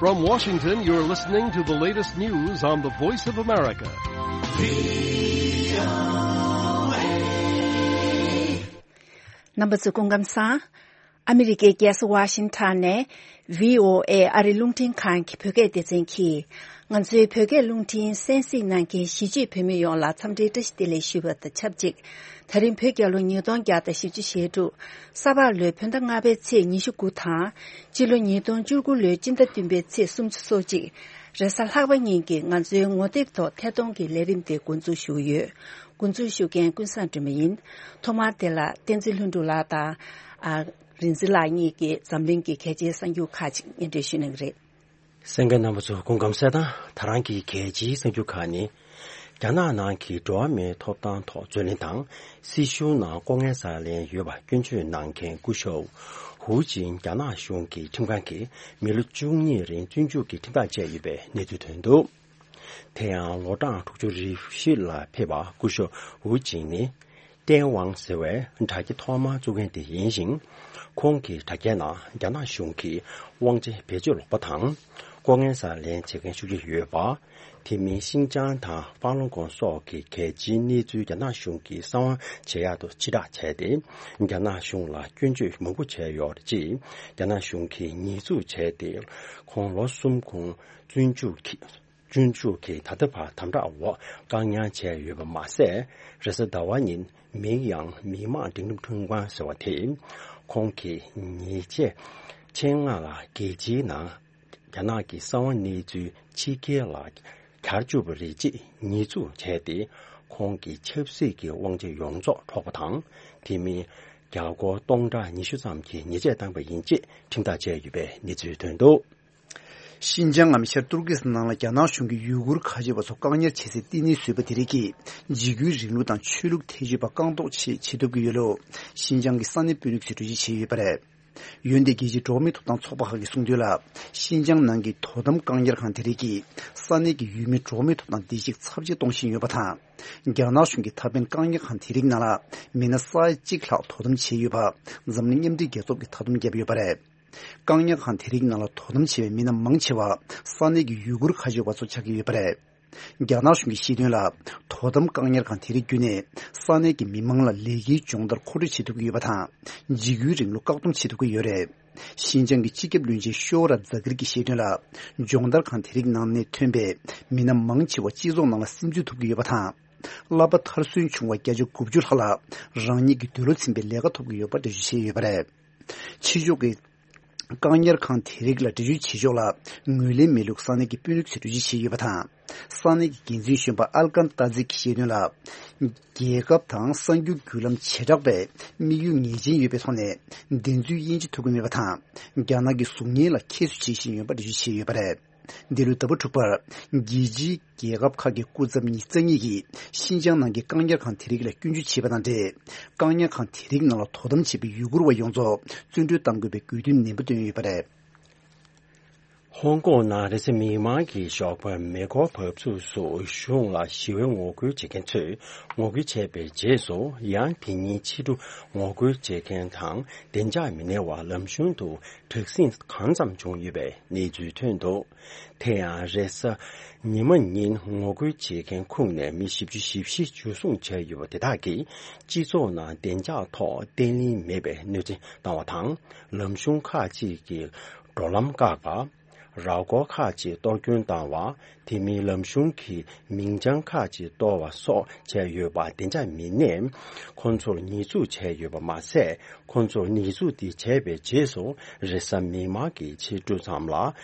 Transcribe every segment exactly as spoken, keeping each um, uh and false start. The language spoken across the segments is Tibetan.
From Washington, you're listening to the latest news on the Voice of America. རྣམ་པ་ཚོ་སྐུ་ཁམས་བཟང་། ཨ་མི་རི་ཀའི་རྒྱལ་ས་ཝ་ཤིང་ཊོན་ནས་ཝི་ཨོ་ཨེ་ཨ་རི་རླུང་འཕྲིན་ཁང་གི་བོད་སྐད་སྡེ་ཚན་གྱིས། ང་ཚོའི་བོད་སྐད་རླུང་འཕྲིན་གསན་གཟིགས་གནང་མཁན་གཞིས་བྱེས་བོད་མི་ཡོངས་ལ་འཚམས་འདྲིའི་བཀྲ་ཤིས་བདེ་ལེགས་ཞུ་བ་དང་ཆབས་ཅིག་ད་རིང་བོད་རྒྱལ་ལོ་ཉིས་སྟོང་བརྒྱ་དང་བཞི་བཅུ་ཞེ་དྲུག་ས་ཕག་ལོའི་བོད་ཟླ་ལྔ་པའི་ཚེས་ཉི་ཤུ་དགུ་དང་། སྤྱི་ལོ་ཉིས་སྟོང་བཅུ་དགུ་ལོའི་སྤྱི་ཟླ་བདུན་པའི་ཚེས་སུམ་ཅུ་སོ་གཅིག་རེས་གཟའ་ལྷག་པ་ཉིན་གྱི་ང་ཚོའི་ངོ་དེབ་ཐོག་ཐད་གཏོང་གི་ལས་རིམ་དེ་འགོ་འཛུགས་ཞུ་གི་ཡོད། འགོ་འཛུགས་ཞུ་མཁན་ཀུན་བཟང་སྒྲོལ་མ་ཡིན། ཐོག་མར་དེ་ལ་བསྟན་འཛིན་ལྷུན་གྲུབ་ལགས་དང་། ཨ། རིག་འཛིན་ལགས་གཉིས་ཀྱིས་འཛམ་གླིང་གི་གལ་ཆེའི་གསར་འགྱུར་ཁག་ཅིག་སྙན་སྒྲོན་ཞུ་གནང་གི་རེད། གསན་མཁན་རྣམ་པ་ཚོ་སྐུ་ཁམས་བཟང་། ད་རང་གི་གལ་ཆེའི་གསར་འགྱུར་ཁག་ནི། རྒྱ་ནག་ནང་གི་འགྲོ་བ་མིའི་ཐོབ་ཐང་ཐོག་རྩོད་ལེན་དང་། སྲིད་གཞུང་ནང་ལྐོག་རྔན་ཟ་ལེན་ཡོད་པ་སྐྱོན་བརྗོད་གནང་མཁན་སྐུ་ཞབས་ཧུའུ་ཅིན་རྒྱ་ནག་གཞུང་གི་ཁྲིམས་ཁང་གིས་མི་ལོ་བཅུ་གཉིས་རིང་བཙོན་འཇུག་གི་ཁྲིམས་ཐག་བཅད་ཡོད་པའི་གནས་ཚུལ་ཐོན་འདུག་དེ་ཡང་ལོ་གྲངས་དྲུག་ཅུ་རེ་བཞི་ལ་ཕེབས་པ་སྐུ་ཞབས་ཧུའུ་ཅིན་ནི། ཏན་ཝང་ཟེར་བའི་དྲ་རྒྱ་ཐོག་མར་བཙུགས་མཁན་དེ་ཡིན་ཞིང་། ཁོང་གི་དྲ་རྒྱའི་ནང་རྒྱ་ནག་གཞུང་གིས་དབང་ཆ་བེད་སྤྱོད་ལོག་པ་དང་། ལྐོག་རྔན་ཟ་ལེན་བྱེད་མཁན་ཤུགས་ཆེ་ཡོད་པ། དེ་མིན་ཤིན་ཅང་དང་ཧྥ་ལུན་གོང་སོགས་ཀྱི་གལ་ཆེའི་གནས་ཚུལ་རྒྱ་ནག་གཞུང་གིས་གསང་བ་བྱེད་ཡག་ཏུ་ཕྱིར་བསྒྲགས་བྱས་ཏེ། རྒྱ་ནག་གཞུང་ལ་སྐྱོན་བརྗོད་མང་པོ་བྱས་ཡོད་རེད། ཅེས་རྒྱ་ནག་གཞུང་གིས་ཉེས་འཛུགས་བྱས་ཏེ། ཁོང་ལོ་གསུམ་གོང་བཙོན་འཇུག་གིས། སྤྱི་ཚོགས་ཀྱི་ད་ལྟ་བར་དམ་དྲག་འོག་བཀག་ཉར་བྱས་ཡོད་པ་མ་ཟད། རེས་གཟའ་ཟླ་བ་ཉིན་མིང་ཡང་མི་དམངས་འབྲིང་རིམ་ཁྲིམས་ཁང་ཟེར་བ་དེས། ཁོང་གིས་ཉེས་ཆད་ཆེད་མངགས་ལ་རྒྱལ་སྤྱིའི་ནང་རྒྱ་ནག་གི་གསང་བ་གནས་ཚུལ་ཕྱི་རྒྱལ་ལ་གྱར་བཅུག་པ་རེད་ཅེས་ཉེས་འཛུགས་བྱས་ཏེ། ཁོང་གི་ཆབ་སྲིད་ཀྱི་དབང་ཆ་ཡོངས་རྫོགས་འཕྲོག་པ་དང་། དེ་མིན་རྒྱ་སྒོར་སྟོང་ཕྲག་ཉི་ཤུ་ཙམ་གྱི་ཉེས་ཆད་བཏང་པ་ཡིན་ཅེས་ཁྲིམས་ཐག་བཅད་ཡོད་པའི་གནས་ཚུལ་ཐོན་འདུག་ཤིན་ཅང་ངམ་ཤར་ཏུར་ཀི་སི་ནང་ལ་རྒྱ་ནག་གཞུང་གིས་ཡུ་གུར་ཁ་ཆེ་བ་ཚོ་བཀག་ཉར་བྱེད་སའི་བསྟི་གནས་བཟོས་པ་དེ་རིགས་ཀྱིས་འཇིགས་སྐུལ་རིང་ལུགས་དང་ཆོས་ལུགས་ཐེ་བྱུས་པ་བཀག་འགོག་ཆེད་བྱེད་ཐུབ་ཀྱི་ཡོད་ལུགས་ཤིན་ཅང་གི་ས་གནས་དཔོན་རིགས་ཚོས་གྲོས་གཞི་བྱས་ཡོད་པ་རེད། འོན་ཏེ་རྒྱལ་སྤྱིའི་འགྲོ་བ་མིའི་ཐོབ་ཐང་ཚོགས་པ་ཁག་གིས་གསུངས་དོན་ལ། ཤིན་ཅང་ནང་གི་དོ་དམ་བཀག་ཉར་ཁང་དེ་རིགས་ཀྱིས་ས་གནས་ཀྱི་ཡུལ་མིའི་འགྲོ་བ་མིའི་ཐོབ་ཐང་བདེ་སྐྱིད་ཚབས་ཆེ་གཏོང་བཞིན་ཡོད་པ་དང་། རྒྱ་ནག་གཞུང་གིས་ད་ཕན་བཀག་ཉར་ཁང་དེ་རིགས་ནང་ལ་མི་སྣ་ས་ཡ་གཅིག་ལྷག་དོ་དམ་བྱས་ཡོད་པ་འཛམ་གླིང་མཉམ་འབྲེལ་རྒྱལ་ཚོགས་ཀྱིས་མཐའ་སྡོམ་བརྒྱབ་ཡོད་པ་རེད། བཀག་ཉར་ཁང་དེ་རིགས་ནང་ལ་དོ་དམ་བྱེད་པའི་མི་སྣ་མང་ཆེ་བ་ས་གནས་ཀྱི་ཡུ་གུར་ཁ་ཆེ་བ་ཚོ་ཆགས་ཀྱི་ཡོད་པ་རེད། རྒྱ་ནག་གཞུང་གིས་བཤད་དོན་ལ། དོ་དམ་བཀག་ཉར་ཁང་དེ་རིགས་བརྒྱུད་ནས་ས་གནས་ཀྱི་མི་མང་ལ་ལས་ཀའི་སྦྱོང་བརྡར་མཁོ་སྤྲོད་བྱེད་ཐུབ་ཀྱི་ཡོད་པ་དང་། འཇིགས་སྐུལ་རིང་ལུགས་བཀག་སྡོམ་བྱེད་ཐུབ་ཀྱི་ཡོད་རེད། ཤིན་ཅང་གི་སྤྱི་ཁྱབ་བློན་ཆེན་ཤོ་ར་ཛ་གིར་གྱིས་བཤད་དོན་ལ། སྦྱོང་བརྡར་ཁང་དེ་རིགས་ནང་ནས་ཐོན་པའི་མི་སྣ་མང་ཆེ་བ་སྤྱི་ཚོགས་ནང་ལ་སིམ་འཛུལ་ཐུབ་ཀྱི་ཡོད་པ་དང་། བསླབ་པ་མཐར་སོན་བྱུང་བ་བརྒྱ་ཆ་དགུ་བཅུ་ལྷག་ལ་རང་ཉིད་ཀྱི་འདོད་བློ་ཚིམ་པའི་ལས་ཀ་ཐོབ་ཀྱི་ཡོད་པ་འགྲེལ་བརྗོད་བྱས་ཡོད་པ་རེད། ཕྱི་ཕྱོགས་ཀྱི་བཀག་ཉར་ཁང་དེ་རིགས་ལ་འདྲི་གཅོད་བྱེད་ཕྱོགས་ལ་ངོས་ལེན་མེད་ལུགས་ས་གནས་ཀྱི་དཔོན་རིགས་ཚོས་འགྲེལ་བརྗོད་བྱས་ཡོད་པ་དང་། ས་གནས་ཀྱི་འགན་འཛིན་གཞོན་པ་ཨལ་ཀན་ཏཱ་ཛི་གིས་བཤད་དོན་ལ། རྒྱལ་ཁབ་དང་གསར་འགྱུར་བརྒྱུད་ལམ་བྱེ་བྲག་པས་དམིགས་ཡུལ་ངེས་ཅན་ཡོད་པའི་ཐོག་ནས་བདེན་རྫུན་དབྱེ་འབྱེད་ཐུབ་ཀྱི་མེད་པ་དང་། རྒྱ་ནག་གི་གཟུགས་བརྙན་ལ་ཁྱད་གསོད་བྱེད་བཞིན་ཡོད་པ་འགྲེལ་བརྗོད་བྱས་ཡོད་པ་རེད། འདི་ལོའི་ཟླ་བ་དྲུག་པར། རྒྱལ་སྤྱིའི་རྒྱལ་ཁབ་ཁག་གི་སྐུ་ཚབ་ཉི་ཤུ་རྩ་གཉིས་ཀྱིས་ཤིན་ཅང་ནང་གི་བཀག་ཉར་ཁང་དེ་རིགས་ལ་སྐྱོན་བརྗོད་བྱས་པ་དང་འབྲེལ། བཀག་ཉར་ཁང་དེ་རིགས་ནང་ལ་དོ་དམ་བྱེད་པའི་ཡུ་གུར་བ་ཡོངས་རྫོགས་བཙོན་གྲོལ་གཏང་དགོས་པའི་དགོས་འདུན་ནན་པོ་བཏོན་ཡོད་པ་རེད། ཧོང་ཀོང་ནང་རེས་གཟའ་མིག་དམར་གྱི་ཞོགས་པར་མེ་འཁོར་བབས་ཚུགས་སུ་གཞུང་ལ་ཞི་བའི་ངོ་རྒོལ་བྱེད་མཁན་ཚོས་ངོ་རྒོལ་བྱས་པའི་རྗེས་སུ། ཡང་དེ་ཉིན་ཕྱི་དྲོ་ངོ་རྒོལ་བྱེད་མཁན་དང་བདེ་འཇགས་མི་སྣའི་བར་ལམ་གཞུང་དུ་དྲག་ཟིང་གང་ཙམ་བྱུང་ཡོད་པའི་གནས་ཚུལ་ཐོན་འདུག་དེ་ཡང་རེས་གཟའ་ཉི་མ་ཉིན་ངོ་རྒོལ་བྱེད་མཁན་ཁོངས་ནས་མི་བཞི་བཅུ་ཞེ་བཞི་འཇུ་བཟུང་བྱས་ཡོད་པ་དེ་དག་གིས་སྤྱི་ཚོགས་ནང་བདེ་འཇགས་ཐོག་བརྟན་ལྷིང་མེད་པའི་གནོད་འཚེ་བཏང་བ་དང་། ལམ་གཞུང་ཁག་ཅིག་གི་འགྲོ་ལམ་བཀག་པ། ར་སྐོར་ཁག་ཅིག་གཏོར་སྐྱོན་བཏང་བ། དེ་མིན་ལམ་གཞུང་གི་མིང་བྱང་ཁག་ཅིག་གཏོར་བ་སོགས་བྱས་ཡོད་པ་བདེ་འཇགས་མི་སྣས་ཁོང་ཚོར་ཉེས་འཛུགས་བྱས་ཡོད་པ་མ་ཟད། ཁོང་ཚོར་ཉེས་འཛུགས་འདི་བྱས་པའི་རྗེས་སུ་རེས་གཟའ་མིག་དམར་གྱི་ཕྱི་དྲོ་ཙམ་ལ་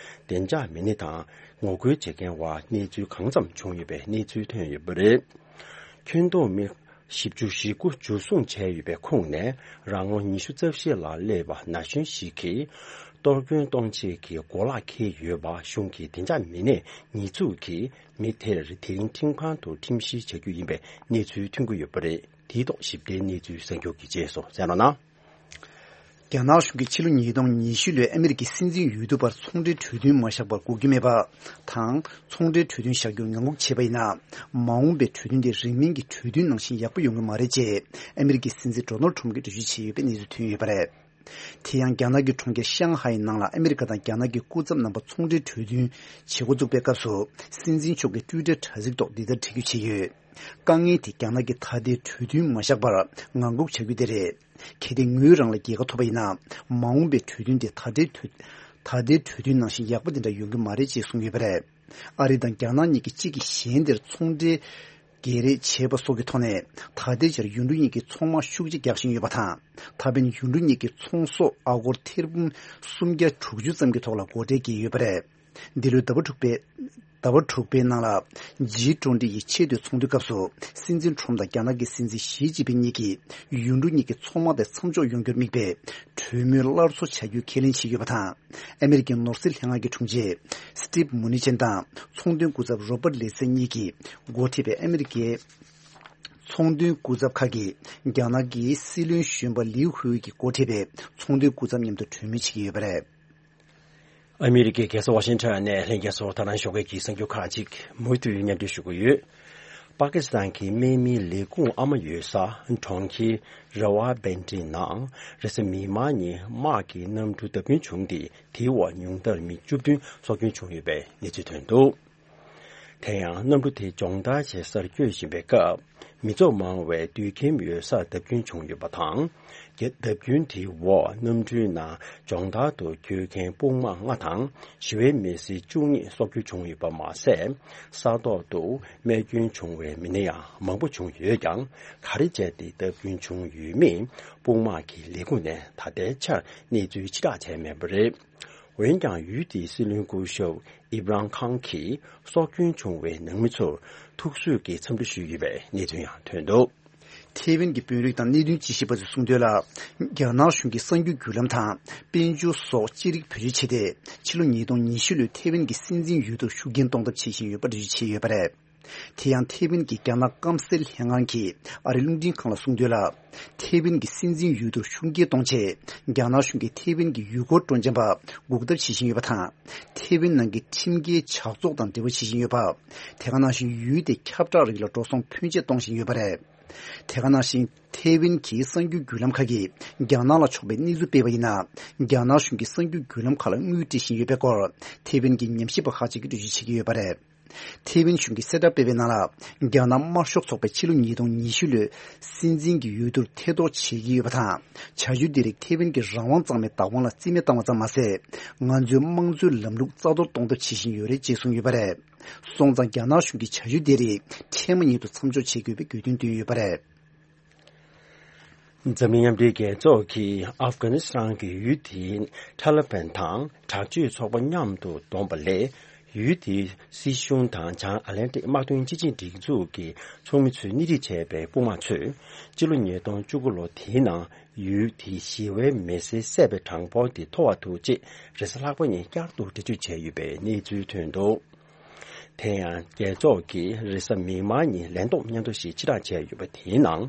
བདེ་འཇགས་མི་སྣ་དང་ངོ་རྒོལ་བྱེད་མཁན་བར་གནས་ཚུལ་གང་འཚམ་བྱུང་ཡོད་པའི་གནས་ཚུལ་ཐོན་ཡོད་པ་རེད། ཁྱོན་བསྡོམས་མི་བཞི་བཅུ་ཞེ་དགུ་འཇུ་བཟུང་བྱས་ཡོད་པའི་ཁོངས་ནས་རང་ལོ་ཉི་ཤུ་རྩ་བཞི་ལ་སླེབས་པ་ན་གཞོན་ཞིག་གིས་གཏོར་སྐྱོན་གཏོང་བྱེད་ཀྱི་གོ་ལག་འཁྱེར་ཡོད་པ་གཞུང་གི་བདེ་འཇགས་མི་སྣས་ཉེས་འཛུགས་ཀྱིས་མི་དེར་དེ་རིང་ཁྲིམས་ཁང་དུ་ཁྲིམས་བཤེར་བྱ་རྒྱུ་ཡིན་པའི་གནས་ཚུལ་ཐོན་གྱི་ཡོད་པ་རེད། དེའི་ཐོག་ཞིབ་ཕྲའི་གནས་ཚུལ་གསར་འགྱུར་གྱི་རྗེས་སུ་གསན་རོགས་གནང་། རྒྱ་ནག་གཞུང་གིས་ཕྱི་ལོ་ཉིས་སྟོང་ཉི་ཤུ་ལོའི་ཨ་མི་རི་ཀའི་སྲིད་འཛིན་འོས་བསྡུ་བར་ཚོང་འབྲེལ་གྲོས་མཐུན་མ་བཞག་པར་འགོག་རྒྱུ་མེད་པ་དང་། ཚོང་འབྲེལ་གྲོས་མཐུན་བཞག་རྒྱུར་ངང་སྒུག་བྱས་པ་ཡིན་ན། མ་འོངས་པའི་གྲོས་མཐུན་དེ་རིང་མིན་གྱི་གྲོས་མཐུན་ནང་བཞིན་ཡག་པོ་ཡོང་གི་མ་རེད་ཅེས་ཨ་མི་རི་ཀའི་སྲིད་འཛིན་ཌོ་ནལ་ཁྲོམ་གྱིས་འགྲེལ་བརྗོད་བྱས་ཡོད་པའི་གནས་ཚུལ་ཐོན་ཡོད་པ་རེད། དེ་ཡང་རྒྱ་ནག་གི་གྲོང་ཁྱེར་ཤང་ཧའི་ནང་ལ་ཨ་མི་རི་ཀ་དང་རྒྱ་ནག་གི་སྐུ་ཚབ་རྣམ་པ་ཚོང་འབྲེལ་གྲོས་མཐུན་བྱེད་འགོ་བཙུགས་པའི་སྐབས་སུ། སྲིད་འཛིན་མཆོག་གིས་ཊུའི་ཊར་དྲ་ཚིགས་ཐོག་འདི་ལྟར་བྲིས་བརྗོད་བྱས་ཡོད། དཀའ་ངལ་དེ་རྒྱ་ནག་གིས་ད་ལྟའི་གྲོས་མཐུན་མ་བཞག་པར་ངང་སྒུག་བྱ་རྒྱུ་དེ་རེད། གལ་ཏེ་ངོས་རང་ལ་རྒྱལ་ཁ་ཐོབ་པ་ཡིན་ན། མ་འོངས་པའི་གྲོས་མཐུན་དེ་ད་ལྟའི་གྲོས་ད་ལྟའི་གྲོས་མཐུན་ནང་བཞིན་ཡག་པོ་དེ་འདྲ་ཡོང་གི་མ་རེད་ཅེས་གསུངས་ཡོད་པ་རེད། ཨ་རི་དང་རྒྱ་ནག་གཉིས་ཀྱིས་གཅིག་གིས་གཞན་དེར་ཚོང་འབྲེལ་བརྗེ་རེས་བྱས་པ་སོགས་ཀྱི་ཐོག་ནས། ད་ལྟའི་ཆར་ཡུལ་གྲུ་གཉིས་ཀྱི་ཚོང་དམག་ཤུགས་ཆེ་རྒྱག་བཞིན་ཡོད་པ་དང་། ད་ཕན་ཡུལ་གྲུ་གཉིས་ཀྱི་ཚོང་ཟོག་ཨ་སྒོར་ཐེར་འབུམ་སུམ་བརྒྱ་དྲུག་ཅུ་ཙམ་གྱི་ཐོག་ལ་སྒོ་ཁྲལ་འགེལ་ཡོད་པ་རེད། འདི་ལོའི་ཟླ་བ་དྲུག་པའི་ཟླ་བ་དྲུག་པའི་ནང་ལ། ཇི་ཊུ་ཝེན་ཊི་ཡི་ཆེས་མཐོའི་ཚོགས་འདུའི་སྐབས་སུ། སྲིད་འཛིན་ཁྲོམ་དང་རྒྱ་ནག་གི་སྲིད་འཛིན་ཞི་ཅིན་ཕིན་གཉིས་ཀྱིས་ཡུལ་གྲུ་གཉིས་ཀྱི་ཚོང་དམག་དེ་མཚམས་འཇོག་ཡོང་རྒྱུར་དམིགས་པའི་གྲོས་མོལ་སླར་གསོ་བྱ་རྒྱུའི་ཁས་ལེན་བྱས་ཡོད་པ་དང་། ཨ་མི་རི་ཀའི་ནོར་སྲིད་ལྷན་ཁང་གི་དྲུང་ཆེ་སི་ཊིབ་མུ་ནི་ཅན་དང་ཚོང་དོན་སྐུ་ཚབ་རོ་པར་ལེ་སི་གཉིས་ཀྱིས་འགོ་ཁྲིད་པའི་ཨ་མི་རི་ཀའི་ཚོང་དོན་སྐུ་ཚབ་ཁག་གིས་རྒྱ་ནག་གི་སྲིད་བློན་གཞོན་པ་ལིའུ་ཧུའེ་ཀྱིས་འགོ་ཁྲིད་པའི་ཚོང་དོན་སྐུ་ཚབ་མཉམ་དུ་གྲོས་མོལ་བྱེད་ཀྱི་ཡོད་པ་རེད། ཨ་མི་རི་ཀའི་རྒྱལ་ས་ཝ་ཤིང་ཊོན་ནས་ལྷན་རྒྱས་ཚོར་ད་རང་ཞོགས་ཀས་ཀྱི་གསར་འགྱུར་ཁག་ཅིག་མུ་མཐུད་སྙན་སྒྲོན་ཞུ་གི་ཡོད། པ་ཀི་སི་ཐན་གྱི་དམག་མིའི་ལས་ཁུངས་ཨ་མ་ཡོད་ས་གྲོང་ཁྱེར་ར་ཝ་བན་ཏི་ནང་རེས་གཟའ་མིག་དམར་ཉིན་དམག་གི་གནམ་གྲུ་བརྡབ་སྐྱོན་བྱུང་སྟེ། དེའི་འོག་ཉུང་མཐར་མི་བཅུ་བདུན་སྲོག་སྐྱོན་བྱུང་ཡོད་པའི་གནས་ཚུལ་ཐོན་འདུག་དེ་ཡང་གནམ་གྲུ་དེ་སྦྱོང་བརྡར་བྱེད་སར་བསྐྱོད་བཞིན་པའི་སྐབས། མི་ཚོགས་མང་བའི་དུད་ཁྱིམ་ཡོད་སར་བརྡབ་སྐྱོན་བྱུང་ཡོད་པ་དང་། རྒྱ་བརྡབ་སྐྱོན་དེའི་འོག་གནམ་གྲུའི་ནང་སྦྱོང་བརྡར་དུ་བསྐྱོད་མཁན་དཔུང་དམག་ལྔ་དང་། ཞི་བའི་མི་སེར་བཅུ་གཉིས་སྲོག་སྐྱོན་བྱུང་ཡོད་པ་མ་ཟད། ས་ཐོག་ཏུ་རྨས་སྐྱོན་བྱུང་བའི་མི་སྣ་ཡང་མང་པོ་བྱུང་ཡོད་ཀྱང་། ག་རེ་བྱས་ཏེ་བརྡབ་སྐྱོན་བྱུང་ཡོད་མེད་དཔུང་དམག་གི་ལས་ཁུངས་ནས་ད་ལྟའི་ཆར་གནས་ཚུལ་ཕྱིར་བསྒྲགས་བྱས་མེད་པ་རེད། འོན་ཀྱང་ཡུལ་དེའི་སྲིད་བློན་སྐུ་ཞབས་ཨིབ་རང་ཁང་གིས་སྲོག་སྐྱོན་བྱུང་བའི་ནང་མི་ཚོར་ཐུགས་གསོས་ཀྱི་འཚམས་འདྲི་ཞུས་ཡོད་པའི་གནས་ཚུལ་ཡང་ཐོན་འདུག་ཐེ་ཝན་གྱི་དཔོན་རིགས་དང་གནད་དོན་དཔྱད་ཞིབ་པ་ཚོས་གསུངས་དོན་ལ། རྒྱ་ནག་གཞུང་གིས་གསར་འགྱུར་བརྒྱུད་ལམ་དང་དཔལ་འབྱོར་སོགས་ཅི་རིགས་བེད་སྤྱོད་བྱས་ཏེ། ཕྱི་ལོ་ཉིས་སྟོང་ཉི་ཤུ་ལོའི་ཐེ་ཝན་གྱི་སྲིད་འཛིན་འོས་བསྡུར་ཤུགས་རྐྱེན་གཏོང་ཐབས་བྱེད་བཞིན་ཡོད་པ་འགྲེལ་བརྗོད་བྱས་ཡོད་པ་རེད། དེ་ཡང་ཐེ་ཝན་གྱི་རྒྱ་ནག་སྐམ་སའི་ལྷན་ཁང་གིས་ཨ་རིའི་རླུང་འཕྲིན་ཁང་ལ་གསུངས་དོན་ལ། ཐེ་ཝན་གྱི་སྲིད་འཛིན་འོས་བསྡུར་ཤུགས་རྐྱེན་གཏོང་ཆེད། རྒྱ་ནག་གཞུང་གིས་ཐེ་ཝན་གྱི་ཡུལ་སྐོར་སྤྲོ་འཆམ་པ་འགུག་ཐབས་བྱེད་བཞིན་ཡོད་པ་དང་། ཐེ་ཝན་ནང་གི་ཁྲིམས་འགལ་ཇག་ཚོགས་དང་འབྲེལ་བ་བྱེད་བཞིན་ཡོད་པ། དེ་ག་ནང་བཞིན་ཡུལ་དེ་ཁྱབ་བསྒྲགས་རིགས་ལ་འགྲོ་སོང་ཕོན་ཆེ་གཏོང་བཞིན་ཡོད་པ་རེད། དེ་ག་ནང་བཞིན་ཐེ་ཝན་གྱི་གསར་འགྱུར་བརྒྱུད་ལམ་ཁག་གིས་རྒྱ་ནག་ལ་ཕྱོགས་པའི་གནས་ཚུལ་སྤེལ་བ་ཡིན་ན། རྒྱ་ནག་གཞུང་གིས་གསར་འགྱུར་བརྒྱུད་ལམ་ཁག་ལ་དངུལ་སྤྲད་བཞིན་ཡོད་པའི་སྐོར། ཐེ་ཝན་གྱི་ཉམས་ཞིབ་པ་ཁག་ཅིག་གིས་འགྲེལ་བརྗོད་བྱེད་ཀྱི་ཡོད་པ་རེད། ཐེ་ཝན་གཞུང་གིས་གསལ་བསྒྲགས་སྤེལ་བའི་ནང་ལ། རྒྱ་ནག་དམར་ཤོག་ཚོགས་པས་ཕྱི་ལོ་ཉིས་སྟོང་ཉི་ཤུ་ལོའི་སྲིད་འཛིན་གྱི་འོས་བསྡུར་ཐེ་གཏོགས་བྱེད་ཀྱི་ཡོད་པ་དང་། བྱ་སྤྱོད་འདི་རིགས་ཐེ་ཝན་གྱི་རང་དབང་གཙང་མའི་བདག་དབང་ལ་རྩིས་མེད་བཏང་བ་ཙམ་མ་ཟད། ང་ཚོའི་དམངས་གཙོའི་ལམ་ལུགས་རྩ་གཏོར་གཏོང་ཐབས་བྱེད་བཞིན་ཡོད་རེད་ཅེས་གསུངས་ཡོད་པ་རེད། སོང་ཙང་རྒྱ་ནག་གཞུང་གིས་བྱ་སྤྱོད་འདི་རིགས་འཕྲལ་མ་ཉིད་དུ་མཚམས་འཇོག་བྱེད་དགོས་པའི་དགོས་འདུན་བཏོན་ཡོད་པ་རེད། འཛམ་གླིང་མཉམ་འབྲེལ་རྒྱལ་ཚོགས་ཀྱིས་ཨབ་གྷ་ནི་སི་ཐན་གྱི་ཡུལ་དེའི་ཐ་ལི་བན་དང་དྲག་སྤྱོད་ཚོགས་པ་མཉམ་དུ་བསྡོམས་པ་ལས། ཡུལ་དེའི་སྲིད་གཞུང་དང་བྱང་ཨ་ལན་ཏིག་དམག་དོན་སྤྱི་ཆིངས་སྒྲིག་འཛུགས་ཀྱི་ཚོགས་མི་ཚོས་སྣེ་ཁྲིད་བྱས་པའི་དཔུང་དམག་ཚོས། སྤྱི་ལོ་ཉིས་སྟོང་བཅུ་དགུ་ལོ་དེའི་ནང་ཡུལ་དེའི་ཞི་བའི་མི་སེར་བསད་པའི་གྲངས་འབོར་དེ་མཐོ་བ་འདུག་ཅེས་རེས་གཟའ་ལྷག་པ་ཉིན་བསྐྱར་དུ་འགྲེལ་བརྗོད་བྱས་ཡོད་པའི་གནས་ཚུལ་ཐོན་འདུག་དེ་ཡང་རྒྱལ་ཚོགས་ཀྱིས་རེས་གཟའ་མིག་དམར་ཉིན་ལན་ཐོག་སྙན་ཐོ་ཞིག་ཕྱིར་བསྒྲགས་བྱས་ཡོད་པ་དེའི་ནང་།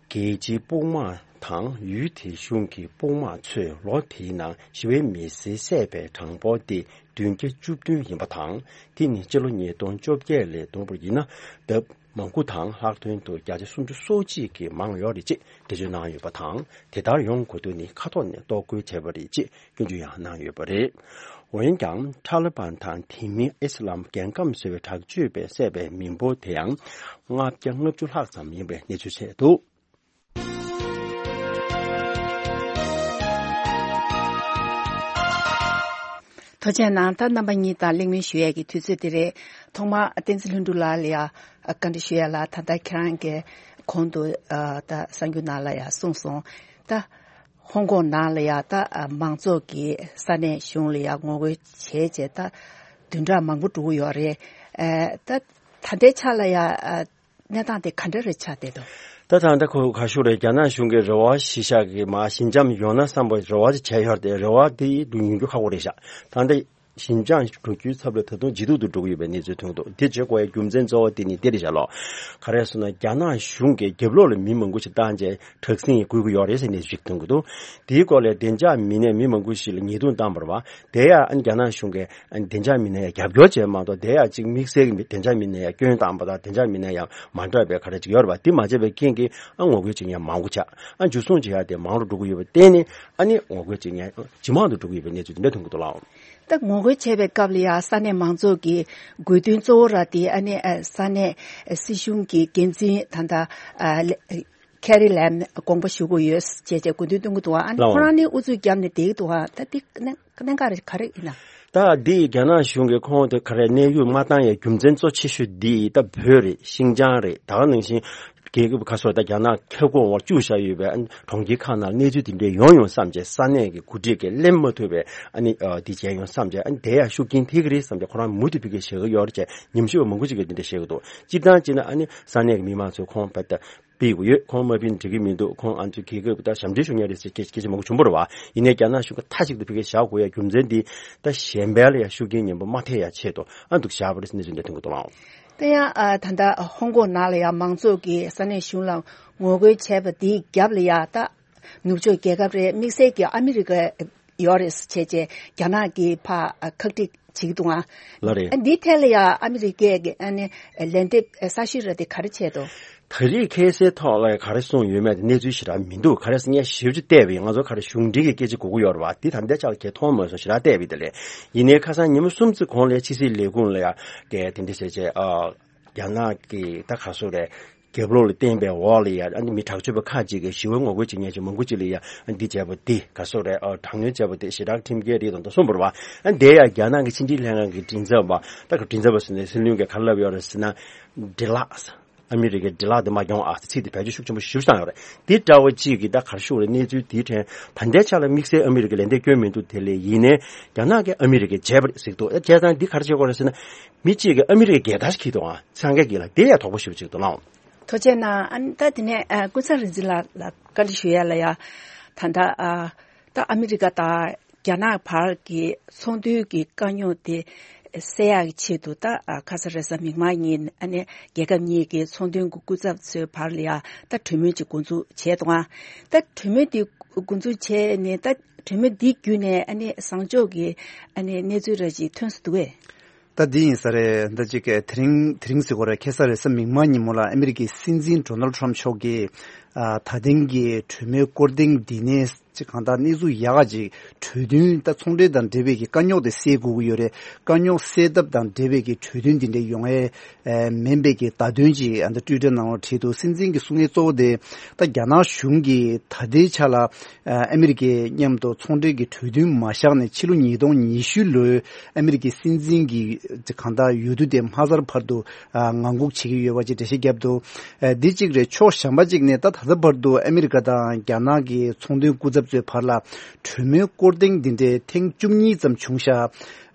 རྒྱལ་སྤྱིའི་དཔུང་དམག་དང་ཡུལ་དེའི་གཞུང་གི་དཔུང་དམག་ཚོས་ལོ་དེའི་ནང་ཞི་བའི་མི་སེར་བསད་པའི་གྲངས་འབོར་དེ་བདུན་བརྒྱ་བཅུ་བདུན་ཡིན་པ་དང་། དེ་ནི་སྤྱི་ལོ་ཉིས་སྟོང་བཅོ་བརྒྱད་ལས་བསྡོམས་པ་ཡིན་ན་ལྡབ་མང་པོ་དང་ལྷག་དོན་དུ་བརྒྱ་ཆ་སུམ་ཅུ་སོ་གཅིག་གིས་མང་ཡོད་རེད་ཅེས་འགྲེལ་བརྗོད་གནང་ཡོད་པ་དང་། དེ་ལྟར་ཡོང་དགོས་དོན་ནི་ཁ་ཐོག་ནས་རྟོག་སྐུལ་བྱས་པ་རེད་ཅེས་སྐྱོན་བརྗོད་ཡང་གནང་ཡོད་པ་རེད། འོན་ཀྱང་ཐ་ལི་བན་དང་དེ་མིན་ཨི་སི་ལམ་རྒྱལ་ཁམས་ཟེར་བའི་དྲག་སྤྱོད་པས་བསད་པའི་མི་འབོར་དེ་ཡང་ལྔ་བརྒྱ་ལྔ་བཅུ་ལྷག་ཙམ་ཡིན་པའི་གནས་ཚུལ་བཤད་འདུག་ཐུགས་རྗེ་གནང་། ད་རྣམ་པ་གཉིས་དང་གླེང་མོལ་ཞུ་ཡས་ཀྱི་དུས་ཚོད་དེ་རེད། ཐོག་མར་བསྟན་འཛིན་ལྷུན་གྲུབ་ལགས་ལ་ཡ་བཀའ་འདྲི་ཞུ་ཡས་ལ། ད་ལྟ་ཁྱེད་རང་གིས་གོང་དུ་ཨ་ད་གསར་འགྱུར་ནང་ལ་ཡ་གསུངས་སོང་། ད་ཧོང་ཀོང་ནང་ལ་ཡ་ད་ཨ་མང་ཚོགས་ཀྱིས་ས་གནས་གཞུང་ལ་ཡ་ངོ་རྒོལ་བྱས་རྗེས་ད་བདུན་ཕྲག་མང་པོ་འགྲོ་གི་ཡོད་རེད། ཨ་ད་ད་ལྟའི་ཆ་ལ་ཡ་ཨ་གནས་སྟངས་དེ་ག་འདྲ་རེ་ཆགས་བསྡད་འདུག་ད་ད་ལྟ་ཁོ་ག་ཞུ་རེད། རྒྱ་ནག་གཞུང་གིས་རེ་བ་གཞི་བཞག་གི་མ་ཞི་འཇམ་ཡོང་ན་བསམ་པའི་རེ་བ་ཅིག་བྱས་ཡོད་རེད་དེ། རེ་བ་དེ་ཉན་རྒྱུ་ཁག་པོ་རེད་ཤག་ད་ལྟ་ ཞིན་ཅང་འགྲོ་རྒྱུའི་ཚབ་ལ་ད་དུང་ལྗིད་ཏོག་ཏུ་འགྲོ་གི་ཡོད་པའི་གནས་ཚུལ་ཐོན་གྱི་འདུག་དེ་བྱེད་དགོས་ཡའི་རྒྱུ་མཚན་གཙོ་བོ་དེ་ནི་འདི་རེད་བཞག་ལོ། ག་རེ་ཟེར་ན་རྒྱ་ནག་གཞུང་གིས་རྒྱབ་ལོགས་ལ་མི་མང་པོ་ཞིག་བཏང་བྱས་དྲག་ཟིང་ཡང་བསྐུལ་གྱི་ཡོད་རེད་ཟེར་གནས་ཚུལ་ཞིག་ཐོན་གྱི་འདུག་དེའི་སྐོར་ལ་བདེ་འཇགས་མི་སྣས་མི་མང་པོ་ཞིག་ལ་ཉེས་རྡུང་བཏང་བ་རེད་བ། དེ་ཡང་རྒྱ་ནག་གཞུང་གིས་བདེ་འཇགས་མི་སྣ་ཡང་རྒྱབ་སྐྱོར་བྱས་མ་གཏོགས། དེ་ཡང་ཅིག་དམིགས་བསལ་གྱི་བདེ་འཇགས་མི་སྣ་ཡང་སྐྱོན་བཏང་བ་དང་བདེ་འཇགས་མི་སྣ་ཡང་མ་འདྲ་བའི་ག་རེ་ཅིག་ཡོད་རེད་བ། དེ་མ་བྱས་པའི་རྐྱེན་གྱིས་ཨ་ངོ་རྒོལ་བྱེད་མཁན་མང་པོ་ཆགས། ཨ་འཇུ་བཟུང་བྱེད་ཡ་དེ་མང་རུ་འགྲོ་གི་ཡོད་པར་བརྟེན་ནས་ཨ་ནི་ངོ་རྒོལ་བྱེད་མཁན་ཇེ་མང་དུ་འགྲོ་གི་ཡོད་པའི་གནས་ཚུལ་དེ་འདྲ་ཐོན་གྱི་འདུག་ལགས། ད་ངོ་རྒོལ་བྱས་པའི་སྐབས་ལ་ཡང་ས་གནས་མང་ཚོགས་ཀྱི་དགོས་འདུན་གཙོ་བོ་ར་དེ་ཨ་ནི་ཨ་ས་གནས་སྲིད་གཞུང་གི་འགན་འཛིན་ད་ལྟ་ཨ་ལེ་ཁེ་རི་ལེམ་དགོངས་པ་ཞུ་དགོས་ཡོད་ཅེས་བྱས་དགོས་འདུན་གཏོང་གི་འདུག་ཨ་ནི་ལགས། ཁོ་རང་ནི་ཨུ་ཚུགས་བརྒྱབ་ནས་བསྡད་ཀྱི་འདུག་ཨ་ད་འདི་གནད་གནད་འགག་རེ་ག་རེ་ཡིན་ན། ད་འདི་རྒྱ་ནག་གཞུང་གིས་ཁོང་དེ་ག་རེ་གནས་དབྱུང་མ་བཏང་ཡའི་རྒྱུ་མཚན་གཙོ་ཆེ་ཤོས་འདི་ད་བོད་རེད། ཤིན་ཅང་རེད། ད་ག་ནང་བཞིན་རྒྱལ་ཁབ་ཁ་སོ་ད་རྒྱ་ནག་ཁྱབ་ཁོངས་འོག་བཅུག་བཞག་ཡོད་པའི་ཨ་ནི་གྲོང་ཁྱེར་ཁག་ནང་གནས་ཚུལ་དེ་འདྲའི་ཡོང་ཡོང་བསམ་བྱས། ས་གནས་ཀྱི་འགོ་ཁྲིད་ཀྱིས་གླེང་མ་ཐུབ་པའི་ཨ་ནི་ཨ་འདི་བྱས་ཡོང་བསམ་བྱས། ཨ་ནི་དེ་ཡང་ཤུགས་རྐྱེན་ཐེབས་ཀྱི་རེད་བསམ་བྱས། ཁོ་རང་མུ་མཐུད་ཕ་གིར་བཞག་གི་ཡོད་རེད་ཅེས་ཉམས་ཞིབ་པ་མང་པོ་ཅིག་གིས་འདི་འདྲ་བཤད་ཀྱི་འདུག་སྤྱིར་བཏང་བྱས་ན་ཨ་ནི་ས་གནས་ཀྱི་མི་མང་ཚོས་ཁོང་ཕར་ད་སྤེལ་དགོས་ཡོད། ཁོང་མ་ཕུད་ན་འགྲིག་གི་མི་འདུག་ཁོང་ཨ་ཚོའི་རྒྱལ་ཁབ་ད་ཞབས་འདྲེན་ཞུ་མཁན་རེད་ཟེར་སྐད་སྐད་ཆ་མང་པོ་བྱུང་བ་རེད་བ། ཡིན་ནའི་རྒྱ་ནག་གཞུང་གིས་མཐའ་གཅིག་ཏུ་ཕ་གིར་བཞག་དགོས་ཡ་རྒྱུ་མཚན་འདི་ད་གཞན་པ་ལ་ཡ་ཤུགས་རྐྱེན་ངན་པ་མ་ཐེབས་ཡ་ཆེད་དུ་ཨ་འདུག་བཞག་པ་རེད་ཟེར་གནས་ཚུལ་འདི་ཐོན་གྱི་འདུག་ལགས། དེ་ཡང་ཨ་ད་ལྟ་ཧོང་ཀོང་ནང་ལ་ཡ་མང་ཚོགས་ཀྱིས་ས་གནས་གཞུང་ལ་ངོ་རྒོལ་བྱས་པ་འདིའི་རྒྱབ་ལ་ཡ་ད་ནུབ་ཕྱོགས་རྒྱལ་ཁབ་རེད། དམིགས་བསལ་གྱི་ཨ་མི་རི་ཀ་ཡོད་རེད་ཟེར་བྱས་རྗེས་རྒྱ་ནག་གིས་ཕར་ཁག་དཀྲི་བྱེད་ཀྱི་འདུག་ཨ། ལགས་རེད། ཨ་འདིའི་ཐད་ལ་ཡང་ཨ་མི་རི་ཀས་ཀྱི་ཨ་ནི་ལན་འདེབས་གསར་ཤོས་ར་དེ་ག་རེ་བྱས་འདུག་ད་རེས་ཁ་སང་ཐོག་ལ་ག་རེ་གསུངས་ཡོད་མེད་དེ་གནས་ཚུལ་ཞེ་དྲག་མི་འདུག་ག་རེ་ཟེར་ངས་ཞིབ་ཅིག་བལྟས་པ་ཡིན། ང་ཚོ་ག་རེ་གཞུང་འབྲེལ་གྱི་སྐད་ཆ་གོ་གི་ཡོད་རེད་བ། དེ་ད་ལྟའི་ཆ་ལ་གས་མཐོང་མ་སོང་། ཞེ་དྲག་བལྟས་པ་ཡིན་ད་ལས། ཡིན་ནའི་ཁ་སང་ཉིན་མོ་གསུམ་ཙམ་གོང་ལ་ཕྱི་སྲིད་ལས་ཁུངས་ལ་ཡང་གས་དེ་འདྲ་ཟེར་བྱས་ཨ་རྒྱ་ནག་གི་ད་ག་སོ་རེད། རྒྱབ་ལོགས་ལ་བརྟེན་པའི་འོག་ལ་ཡ་ཨ་ནི་མི་དྲག་སྤྱོད་པ་ཁག་ཅིག་གིས་ཞི་བའི་ངོ་རྒོལ་བྱེད་མཁན་ཅིག་མང་པོ་ཅིག་ལ་ཡ་ཨ་འདི་བྱས་པ་འདི་ག་སོ་རེད། ཨ་དྲག་གནོན་བྱས་པ་འདི་ཞེ་དྲག་ཁྲིམས་འགལ་རེད་དང་ད་གསུངས་པ་རེད་བ། ཨ་འདི་ཡ་རྒྱ་ནག་གི་ཕྱི་འབྲེལ་ལྷན་ཁང་གི་མགྲིན་ཚབ་པ་ད་ག་མགྲིན་ཚབ་པ་ཟེར་ནས་སྲིད་བློན་གྱིས་ག་རེ་ལབ་ཡོད་རེད་ཟེར་ན། འདྲེ་ལགས། ཨ་མི་རི་ཀའི་འདྲེ་ལགས་འདི་མ་གྱོང་ཨ་ཟེར་ཚིག་འདི་བེད་སྤྱོད་ཤུགས་ཆེན་པོ་ཞེ་པོ་བཏང་ཡོད་རེད། འདི་འདྲ་བོ་ཅིག་གིས་ད་ག་རེ་ཞུ་དགོས་རེད། གནས་ཚུལ་འདིའི་ཕྲན་ད་ལྟའི་ཆ་ལ་དམིགས་བསལ་ཨ་མི་རི་ཀས་ལན་འདེབས་སྐྱོན་མི་འདུག་དེ་ལས་ཡིན་ནའི་རྒྱ་ནག་གིས་ཨ་མི་རི་ཀས་བྱས་པ་རེད་ཟེར་གྱི་འདུག་བྱས་ཙང་འདི་ག་རེ་བྱེད་དགོས་རེད་ཟེར་ན། མི་གཅིག་གིས་ཨ་མི་རི་ཀའི་རྒྱལ་དར་ཞིག་འཁྱེར་འདུག་ཨ། འཚང་ཁ་གིས་ལ་དེ་ཡང་དོགས་པ་ཞེ་པོ་ཅིག་འདུག་ལགས། ཐུགས་རྗེ་གནང་། ཨ་ནི་ད་དེ་ནས་ཨ་ཀུན་བཟང་རིག་འཛིན་ལགས་ལ་བཀའ་འདྲི་ཞུ་ཡ་ལ་ཡ། ད་ལྟ་ཨ་ད་ཨ་མི་རི་ཀ་དང་རྒྱ་ནག་བར་གྱི་ཚོང་དོན་གྱི་དཀའ་རྙོག་དེ་སེལ་ཡག་གི་ཆེད་དུ་ད་ཨ་ཁ་ས་རེས་གཟའ་མིག་དམར་ཉིན་ཨ་ནི་རྒྱལ་ཁབ་གཉིས་ཀྱི་ཚོང་དོན་གྱི་སྐུ་ཚབ་ཚོའི་བར་ལ་ཡ་ད་གྲོས་མོལ་ཅིག་འགོ་འཛུགས་བྱས་འདུག་ཨ། ད་གྲོས་མོལ་དེ་འགོ་འཛུགས་བྱས་ནས་ད་གྲོས་མོལ་འདི་བརྒྱུད་ནས་ཨ་ནི་བཟང་ཕྱོགས་ཀྱི་ཨ་ནི་གནས་ཚུལ་ར་ཅིག་ཐོན་སོང་འདུག་གས། ད་འདི་ཡིན་ས་རེད། ད་ཅིག་དེ་རིང་དེ་རིང་ཟེར་དགོས་རེད། ཁ་སང་རེས་གཟའ་མིག་དམར་ཉིན་མོ་ལ་ཨ་མི་རི་ཀའི་སྲིད་འཛིན་ཌོ་ནལ་ཊམ་མཆོག་གིས་ཨ་ད་ཐེངས་ཀྱི་གྲོས་མོལ་སྐོར་ཐེངས་འདི་ནས་ཅིག་གང་ལྟར་གནས་ཚུལ་ཡག་ག་ཅིག་གྲོས་མཐུན་ད་ཚོང་འབྲེལ་དང་འབྲེལ་བའི་གི་དཀའ་རྙོག་དེ་སེལ་དགོས་ཀྱི་ཡོད་རེད། དཀའ་རྙོག་སེལ་ཐབས་དང་འབྲེལ་བའི་གི་གྲོས་མཐུན་འདི་འདྲ་ཡོང་ཨེ་མིན་པའི་གི་བརྡ་དོན་ཅིག་ཨ་ད་ཊུའི་ཊར་ནང་ལ་བྲིས་འདུག་སྲིད་འཛིན་གྱི་གསུང་ཡིག་གཙོ་བོ་དེ་ད་རྒྱ་ནག་གཞུང་གིས་ད་ལྟའི་ཆ་ལ་ཨ་ཨ་མི་རི་ཀའི་མཉམ་དུ་ཚོང་འབྲེལ་གྱི་གྲོས་མཐུན་མ་བཞག་ནས་ཕྱི་ལོ་ཉིས་སྟོང་ཉི་ཤུ་ལོའི་ཨ་མི་རི་ཀའི་སྲིད་འཛིན་གྱི་གང་ལྟར་འོས་བསྡུ་དེ་མ་ཚར་བར་དུ་ཨ་ངང་སྒུག་བྱེད་ཀྱི་ཡོད་པ་ཅིག་འགྲེལ་བཤད་བརྒྱབ་འདུག་ཨ་འདི་གཅིག་རེད། ཕྱོགས་གཞན་པ་གཅིག་ནས་ད་ད་ལྟ་བར་དུ་ཨ་མི་རི་ཀ་དང་རྒྱ་ནག་གི་ཚོང་དོན་སྐུ་ཚབ་ཚོའི་བར་ལ་གྲོས་མོལ་སྐོར་ཐེངས་འདི་འདྲའི་ཐེངས་བཅུ་གཉིས་ཙམ་བྱུང་ཤག་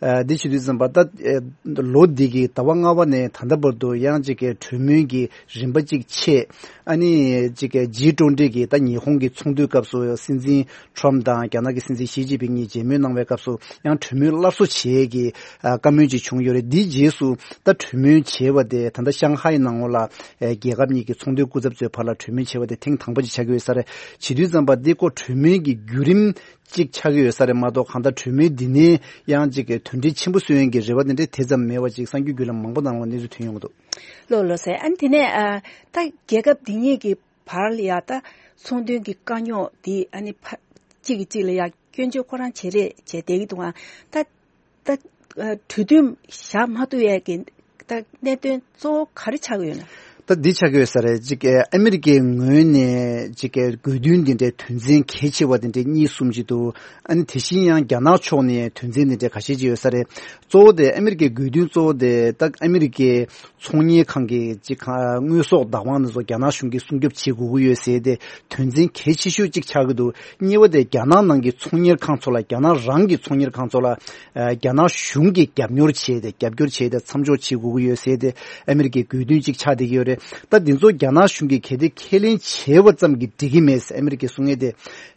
ཨ་འདི་བྱེད་དུས་ཙམ་པ་ད་ཨ་ལོ་འདི་གི་ཟླ་བ་ལྔ་པ་ནས་ད་ལྟ་བར་དུ་ཡང་ཅིག་གི་གྲོས་མོལ་གྱི་རིམ་པ་གཅིག་ཆད། ཨ་ནི་ཅིག་གི་ཇི་ཊུ་ཝེན་ཊི་གི་ད་ཉི་ཧོང་གི་ཚོགས་འདུའི་སྐབས་སུ་སྲིད་འཛིན་ཊམ་དང་རྒྱ་ནག་གི་སྲིད་འཛིན་ཞི་ཅིན་ཕིང་གཉིས་མཇལ་མོལ་གནང་བའི་སྐབས་སུ་ཡང་གྲོས་མོལ་སླར་གསོ་བྱེད་ཀྱི་ཨ་བཀའ་མོལ་ཅིག་བྱུང་ཡོད་རེད། འདིའི་རྗེས་སུ་ད་གྲོས་མོལ་བྱས་པ་དེ་ད་ལྟ་ཤང་ཧའེ་ནང་ལོགས་ལ་ཨ་རྒྱལ་ཁབ་གཉིས་ཀྱི་ཚོང་དོན་སྐུ་ཚབ་ཚོའི་བར་ལ་གྲོས་མོལ་བྱས་པ་དེ་ཐེངས་དང་པོ་ཅིག་ཆགས་ཀྱི་ཡོད་ས་རེད། བྱེད་དུས་ཙམ་པ་འདི་ཀོ་གྲོས་མོལ་གྱི་བརྒྱུད་རིམ་གཅིག་ཆགས་ཀྱི་ཡོད་ས་རེད་མ་གཏོགས། གང་ལྟར་གྲོས་མོལ་འདི་ནས་ཡང་གཅིག་གི་དོན་འབྲས་ཆེན་པོ་སོན་ཡོང་གི་རེ་བ་དེ་འདྲ་དེ་ཙམ་མེད་པ་ཅིག་གསར་འགྱུར་བརྒྱུད་ལམ་མང་པོ་ནང་ལ་གནས་ཚུལ་ཐོན་ཡོང་གི་འདུག་ལགས་ལགས་སེ། ཨ་ནི་དེ་ནས་ཨ་ད་རྒྱལ་ཁབ་འདི་གཉིས་ཀྱི་བར་ལ་ཡ་ད་ཚོང་དོན་གྱི་དཀའ་རྙོག་འདི་ཨ་ནི་ཕ་གཅིག་གིས་གཅིག་ལ་ཡ་སྐྱོན་བརྗོད་ཁོ་རང་བྱེད་རེས་བྱས་བསྡད་ཀྱི་འདུག་ཨ་ད་ད་ཨ་གྲོས་མཐུན་བཞག་མ་ཐུབ་ཡས་ཀྱི་ད་གནད་དོན་གཙོ་བོ་ག་རེ་ཆགས་ཀྱི་ཡོད་ན། ད་འདི་ཆགས་ཀྱི་ཡོད་ས་རེད། ཅིག་ཨ་མི་རི་ཀའི་ངོས་ནས་ཅིག་དགོས་འདུན་འདི་འདྲའི་དོན་ཚན་གལ་ཆེ་བ་འདི་འདྲའི་གཉིས་གསུམ་ཅིག་འདུག་ཨ་ནི་དེ་བཞིན་ཡང་རྒྱ་ནག་ཕྱོགས་ནས་དོན་ཚན་འདི་འདྲའི་ཁ་ཤས་ཅིག་ཡོད་ས་རེད། གཙོ་བོ་དེ་ཨ་མི་རི་ཀའི་དགོས་འདུན་གཙོ་བོ་དེ་ད་ཨ་མི་རི་ཀའི་ཚོང་གཉེར་ཁང་གི་ཅིག་ཁ་དངོས་ཟོག་བདག་དབང་དེ་ཚོ་རྒྱ་ནག་གཞུང་གིས་སྲུང་སྐྱོབ་བྱེད་དགོས་ཀྱི་ཡོད་ཟེར་ཏེ་དོན་ཚན་གལ་ཆེ་ཤོས་ཅིག་ཆགས་ཀྱི་འདུག་གཉིས་པ་དེ་རྒྱ་ནག་ནང་གི་ཚོང་གཉེར་ཁང་ཚོ་ལ་རྒྱ་ནག་རང་གི་ཚོང་གཉེར་ཁང་ཚོ་ལ་ཨ་རྒྱ་ནག་གཞུང་གིས་རྒྱབ་སྐྱོར་བྱས་ཏེ་རྒྱབ་སྐྱོར་བྱས་ཏེ་མཚམས་འཇོག་བྱེད་དགོས་ཀྱི་ཡོད་ཟེར་ཏེ་ཨ་མི་རི་ཀའི་དགོས་འདུན་ཅིག་ཆགས་བསྡད་ཀྱི་ཡོད་རེད། ད་འདི་ཚོ་རྒྱ་ནག་གཞུང་གིས་གལ་ཏེ་ཁས་ལེན་བྱས་པ་ཙམ་གྱིས་འགྲིག་གི་མེད་ཟེར་ཨ་མི་རི་ཀས་གསུང་ཡས་དེ།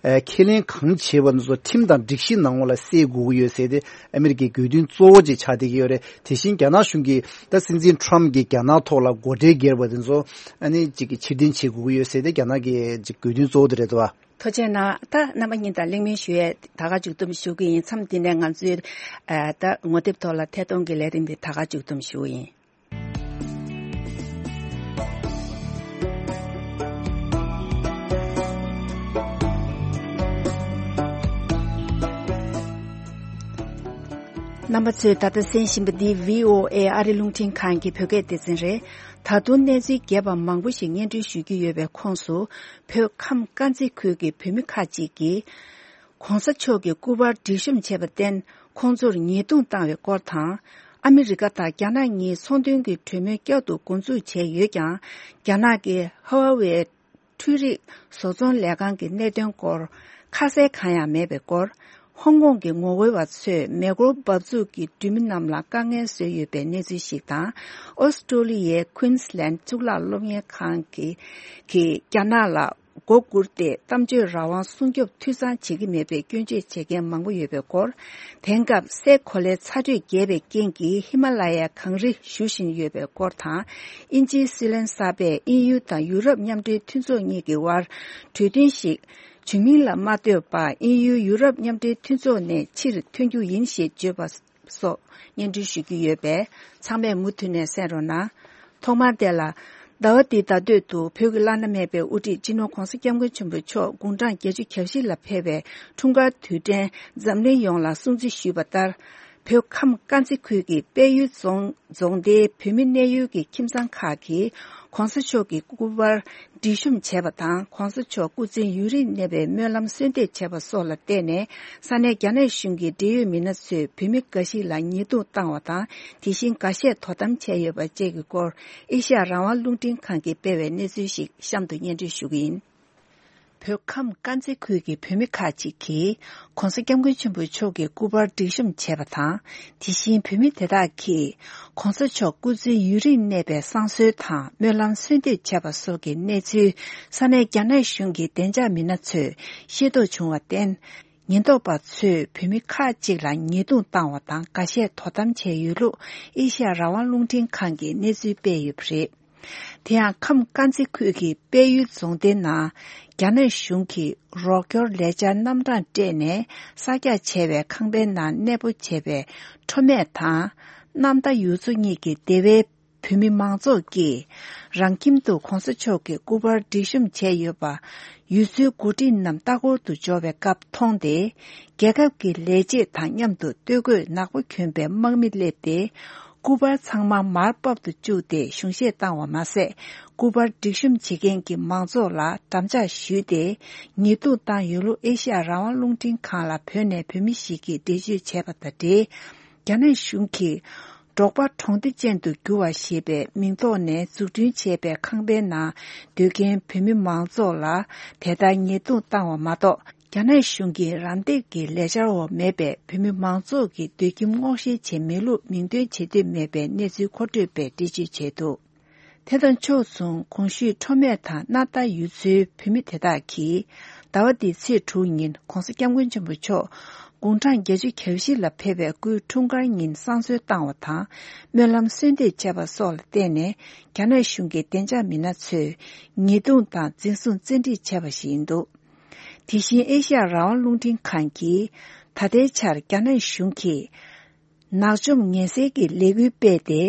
ཨ་ཁས་ལེན་གང་བྱས་པ་འདི་ཚོ་ཁྲིམས་དང་སྒྲིག་གཞི་ནང་ལོགས་ལ་གསལ་དགོས་ཀྱི་ཡོད་ཟེར་ཏེ་ཨ་མི་རི་ཀའི་དགོས་འདུན་གཙོ་བོ་ཅིག་ཆགས་བསྡད་ཀྱི་ཡོད་རེད། དེ་བཞིན་རྒྱ་ནག་གཞུང་གིས་ད་སྲིད་འཛིན་ཊམ་གྱིས་རྒྱ་ནག་ཐོག་ལ་སྒོ་ཁྲལ་བསྒྱུར་བ་དེ་ཚོ་ཨ་ནི་ཅིག་གི་ཕྱིར་འཐེན་བྱེད་དགོས་ཀྱི་ཡོད་ཟེར་ཏེ་རྒྱ་ནག་གི་ཅིག་དགོས་འདུན་གཙོ་བོ་དེ་རེད་འདུག་བ། ཐུགས་རྗེ་གནང་། ད་རྣམ་པ་གཉིས་དང་གླེང་མོལ་ཞུ་ཡས་ད་ག་མཇུག་བསྡོམས་ཞུ་གི་ཡིན། མཚམས་འདི་ནས་ང་ཚོའི་ཨ་ད་ངོ་དེབ་ཐོག་ལ་ཐད་གཏོང་གི་ལས་རིམ་འདི་ད་ག་མཇུག་བསྡོམས་ཞུ་གི་ཡིན། རྣམ་པ་ཚོས་ད་ལྟ་གསན་བཞིན་པ་འདི་བྷི་ཨོ་ཨེ་ཨ་རི་རླུང་འཕྲིན་ཁང་གི་བོད་སྐད་སྡེ་ཚན་རེད། ད་དུང་གནས་ཚུལ་རྒྱས་པ་མང་པོ་ཞིག་སྙན་སྒྲོན་ཞུ་རྒྱུ་ཡོད་པའི་ཁོངས་སུ། བོད་ཁམས་དཀར་མཛེས་ཁུལ་གྱི་བོད་མི་ཁག་ཅིག་གིས། ༸གོང་ས་མཆོག་གི་སྐུ་པར་སྒྲིག་གཤོམ་བྱས་པར་བརྟེན། ཁོང་ཚོར་ཉེས་རྡུང་བཏང་བའི་སྐོར་དང་། ཨ་མི་རི་ཀ་དང་རྒྱ་ནག་གཉིས་ཚོང་དོན་གྱི་གྲོས་མོལ་བསྐྱར་དུ་འགོ་འཛུགས་བྱས་ཡོད་ཀྱང་། རྒྱ་ནག་གི་ཧ་ཝ་ཝེ་འཕྲུལ་རིག་བཟོ་ཚོང་ལས་ཁང་གི་གནད་དོན་སྐོར་ཁ་གསལ་གང་ཡང་མེད་པའི་སྐོར། ཧོང་ཀོང་གི་ངོ་རྒོལ་བ་ཚོས་མེ་འཁོར་འབབ་ཚུགས་ཀྱི་འགྲུལ་མི་རྣམས་ལ་དཀའ་ངལ་བཟོས་ཡོད་པའི་གནས་ཚུལ་ཞིག་དང་། ཨོ་སི་ཀྲོ་ལི་ཡའི་ཀུན་སི་ལན་གཙུག་ལག་སློབ་གཉེར་ཁང་གིས་གིས་རྒྱ་ནག་ལ་མགོ་སྒུར་ཏེ་གཏམ་བརྗོད་རང་དབང་སྲུང་སྐྱོབ་འཐུས་ཚང་བྱེད་ཀྱི་མེད་པའི་སྐྱོན་བརྗོད་བྱེད་མཁན་མང་པོ་ཡོད་པའི་སྐོར། དེང་སྐབས་སའི་གོ་ལའི་ཚ་དྲོད་རྒྱས་པའི་རྐྱེན་གྱིས་ཧི་མ་ལ་ཡའི་གངས་རི་ཞུ་བཞིན་ཡོད་པའི་སྐོར་དང་། དབྱིན་ཇིའི་སྲིད་བློན་གསར་པས་དབྱིན་ཡུལ་དང་ཡུ་རོབ་མཉམ་འབྲེལ་མཐུན་ཚོགས་གཉིས་ཀྱི་དབར་གྲོས་མཐུན་ཞིག་བྱུང་མིན་ལ་མ་ལྟོས་པར་དབྱིན་ཡུལ་ཡུ་རོབ་མཉམ་འབྲེལ་མཐུན་ཚོགས་ནས་ཕྱིར་ཐོན་རྒྱུ་ཡིན་ཞེས་བརྗོད་པ་སོགས་སྙན་སྒྲོན་ཞུ་རྒྱུ་ཡོད་པས་ཚང་མས་མུ་མཐུད་ནས་གསན་རོགས་གནང་། ཐོག་མར་དེ་ལ། ཟླ་བ་འདིའི་ཟླ་སྟོད་དུ་བོད་ཀྱི་བླ་ན་མེད་པའི་དབུ་ཁྲིད་སྤྱི་ནོར་༸གོང་ས་༸སྐྱབས་མགོན་ཆེན་པོ་མཆོག་དགུང་གྲངས་བརྒྱད་ཅུ་གྱ་བཞི་ལ་ཕེབས་པའི་འཁྲུངས་སྐར་དུས་དྲན་འཛམ་གླིང་ཡོངས་ལ་སྲུང་བརྩི་ཞུས་པ་ལྟར། བོད་ཁམས་དཀར་མཛེས་ཁུལ་གྱི་དཔལ་ཡུལ་རྫོང་རྫོང་སྡེའི་བོད་མི་གནས་ཡུལ་གྱི་ཁྱིམ་ཚང་ཁག་གིས་༸གོང་ས་མཆོག་གི་སྐུ་པར་སྒྲིག་གཤོམ་བྱས་པ་དང་། ༸གོང་ས་མཆོག་སྐུ་ཚེ་ཡུན་རིང་གནས་པའི་སྨོན་ལམ་གསོལ་འདེབས་བྱས་པ་སོགས་ལ་བརྟེན་ནས། ས་གནས་རྒྱ་ནག་གཞུང་གི་འབྲེལ་ཡོད་མི་སྣ་ཚོས་བོད་མི་འགའ་ཞིག་ལ་ཉེས་རྡུང་བཏང་བ་དང་། དེ་བཞིན་འགའ་ཤས་དོ་དམ་བྱས་ཡོད་པ་བཅས་ཀྱི་སྐོར། ཨེ་ཤ་ཡ་རང་དབང་རླུང་འཕྲིན་ཁང་གིས་སྤེལ་བའི་གནས་ཚུལ་ཞིག་གཤམ་དུ་སྙན་སྒྲོན་ཞུ་གི་ཡིན། བོད་ཁམས་དཀར་མཛེས་ཁུལ་གྱི་བོད་མི་ཁག་ཅིག་གིས་༸གོང་ས་༸སྐྱབས་མགོན་ཆེན་པོ་མཆོག་གི་སྐུ་པར་སྒྲིག་གཤོམ་བྱས་པ་དང་། དེ་བཞིན་བོད་མི་དེ་དག་གིས་༸གོང་ས་མཆོག་སྐུ་ཚེ་ཡུན་རིང་གནས་པའི་བསང་གསོལ་དང་སྨོན་ལམ་གསོལ་འདེབས་བྱས་པ་སོགས་ཀྱི་གནས་ཚུལ་ས་གནས་རྒྱ་ནག་གཞུང་གི་བདེ་འཇགས་མི་སྣ་ཚོས་ཤེས་རྟོགས་བྱུང་བར་བརྟེན། ཉེན་རྟོག་པ་ཚོས་བོད་མི་ཁག་ཅིག་ལ་ཉེས་རྡུང་བཏང་བ་དང་འགའ་ཤས་དོ་དམ་བྱས་ཡོད་ལུགས་ཨེ་ཤ་ཡ་རང་དབང་རླུང་འཕྲིན་ཁང་གིས་གནས་ཚུལ་སྤེལ་ཡོད་པ་རེད། དེ་ཡང་ཁམས་དཀར་མཛེས་ཁུལ་གྱི་དཔལ་ཡུལ་རྫོང་སྡེའི་ནང་རྒྱ་ནག་གཞུང་གིས་རོགས་སྐྱོར་ལས་འཆར་རྣམ་གྲངས་སྤྲད་ནས་གསར་རྒྱག་བྱས་པའི་ཁང་པའི་ནང་གནས་སྤོ་བྱས་པའི་ཁྲོ་སྨད་དང་གནམ་མདའ་ཡུལ་ཚོ་གཉིས་ཀྱི་སྡེ་བའི་བོད་མི་མང་ཚོགས་ཀྱིས་རང་ཁྱིམ་དུ་༸གོང་ས་མཆོག་གི་སྐུ་པར་སྒྲིག་གཤོམ་བྱས་ཡོད་པ་ཡུལ་ཚོའི་འགོ་ཁྲིད་རྣམས་ལྟ་སྐོར་དུ་འབྱོར་བའི་སྐབས་མཐོང་སྟེ། རྒྱལ་ཁབ་ཀྱི་ལས་བྱེད་དང་མཉམ་དུ་སྟོད་གོས་ནག་པོ་གྱོན་པའི་དམག་མི་སླེབས་ཏེ། སྐུ་པར་ཚང་མ་མར་ཕབ་ཏུ་བཅུག་སྟེ་གཞུང་བཞེས་བཏང་བ་མ་ཟད། སྐུ་པར་སྒྲིག་གཤོམ་བྱེད་མཁན་གྱི་མང་ཚོགས་ལ་འགྲམ་ལྕག་གཞུས་ཏེ། ཉེས་རྡུང་བཏང་ཡོད་ལུགས་ཨེ་ཤ་ཡ་རང་དབང་རླུང་འཕྲིན་ཁང་ལ་བོད་ནས་བོད་མི་ཞིག་གིས་འགྲེལ་བརྗོད་བྱས་པ་དང་འབྲེལ། རྒྱ་ནག་གཞུང་གིས་འབྲོག་པ་གྲོང་སྡེ་ཅན་དུ་བསྒྱུར་བ་ཞེས་པའི་མིང་ཐོག་ནས་འཛུགས་སྐྲུན་བྱས་པའི་ཁང་པའི་ནང་སྡོད་མཁན་བོད་མི་མང་ཚོགས་ལ་དེ་ལྟར་ཉེས་རྡུང་བཏང་བ་མ་གཏོགས། རྒྱ་ནག་གཞུང་གིས་རམ་འདེགས་ཀྱི་ལས་འཆར་འོག་མེད་པའི་བོད་མི་མང་ཚོགས་ཀྱི་སྡོད་ཁྱིམ་སྔོག་བཤེར་བྱས་མེད་ལུགས་མིང་འདོན་བྱེད་འདོད་མེད་པའི་གནས་ཚུལ་མཁོ་སྤྲོད་པས་འགྲེལ་བརྗོད་བྱས་འདུག་དེ་དང་ཕྱོགས་མཚུངས། གོང་ཞུས་ཁྲོ་སྨད་དང་གནམ་མདའ་ཡུལ་ཚོའི་བོད་མི་དེ་དག་གིས་ཟླ་བ་འདིའི་ཚེས་དྲུག་ཉིན་༸གོང་ས་༸སྐྱབས་མགོན་ཆེན་པོ་མཆོག་དགུང་གྲངས་བརྒྱད་ཅུ་གྱ་བཞི་ལ་ཕེབས་པའི་སྐུའི་འཁྲུངས་སྐར་ཉིན་བསང་གསོལ་བཏང་བ་དང་སྨོན་ལམ་གསོལ་འདེབས་བྱས་པ་སོགས་ལ་བརྟེན་ནས། རྒྱ་ནག་གཞུང་གི་བདེ་འཇགས་མི་སྣ་ཚོས་ཉེས་རྡུང་དང་འཛིན་བཟུང་བཙན་ཁྲིད་བྱས་པ་ཞིག་ཡིན་འདུག་དེ་བཞིན་ཨེ་ཤ་ཡ་རང་དབང་རླུང་འཕྲིན་ཁང་གིས་ད་ལྟའི་ཆར་རྒྱ་ནག་གཞུང་གིས། ནག་འཇོམས་ངན་སེལ་གྱི་ལས་འགུལ་སྤེལ་ཏེ་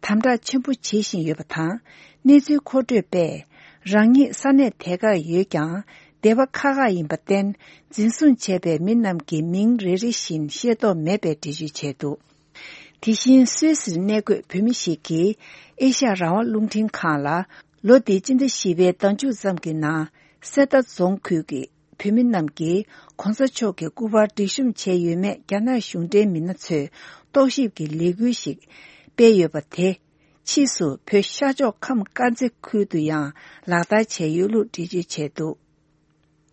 དམ་དྲག་ཆེན་པོ་བྱེད་བཞིན་ཡོད་པ་དང་། གནས་ཚུལ་མཁོ་སྤྲོད་པས། རང་ཉིད་ས་གནས་དེ་གར་ཡོད་ཀྱང་སྡེ་བ་ཁག་ཁག་ཡིན་པར་བརྟེན། འཛིན་བཟུང་བྱས་པའི་མི་རྣམས་ཀྱི་མིང་རེ་རེ་བཞིན་ཤེས་རྟོགས་མེད་པའི་འགྲེལ་བརྗོད་བྱས་འདུག་དེ་བཞིན་སུད་སིར་གནས་འཁོད་བོད་མི་ཞིག་གིས་ཨེ་ཤ་ཡ་རང་དབང་རླུང་འཕྲིན་ཁང་ལ། ལོ་འདིའི་སྤྱི་ཟླ་བཞི་པའི་ཟླ་མཇུག་ཙམ་གྱི་ནང་། གསེར་རྟ་རྫོང་ཁུལ་གྱི་བོད་མི་རྣམས་ཀྱིས་༸གོང་ས་མཆོག་གི་སྐུ་པར་སྒྲིག་གཤོམ་བྱས་ཡོད་མེད་རྒྱ་ནག་གཞུང་འབྲེལ་མི་སྣ་ཚོས་རྟོག་ཞིབ་ཀྱི་ལས་འགུལ་ཞིག་སྤེལ་ཡོད་པ་དེ། ཕྱིས་སུ་བོད་ཤར་ཕྱོགས་ཁམས་དཀར་མཛེས་ཁུལ་དུ་ཡང་ལག་བསྟར་བྱས་ཡོད་ལུགས་འགྲེལ་བརྗོད་བྱས་འདུག་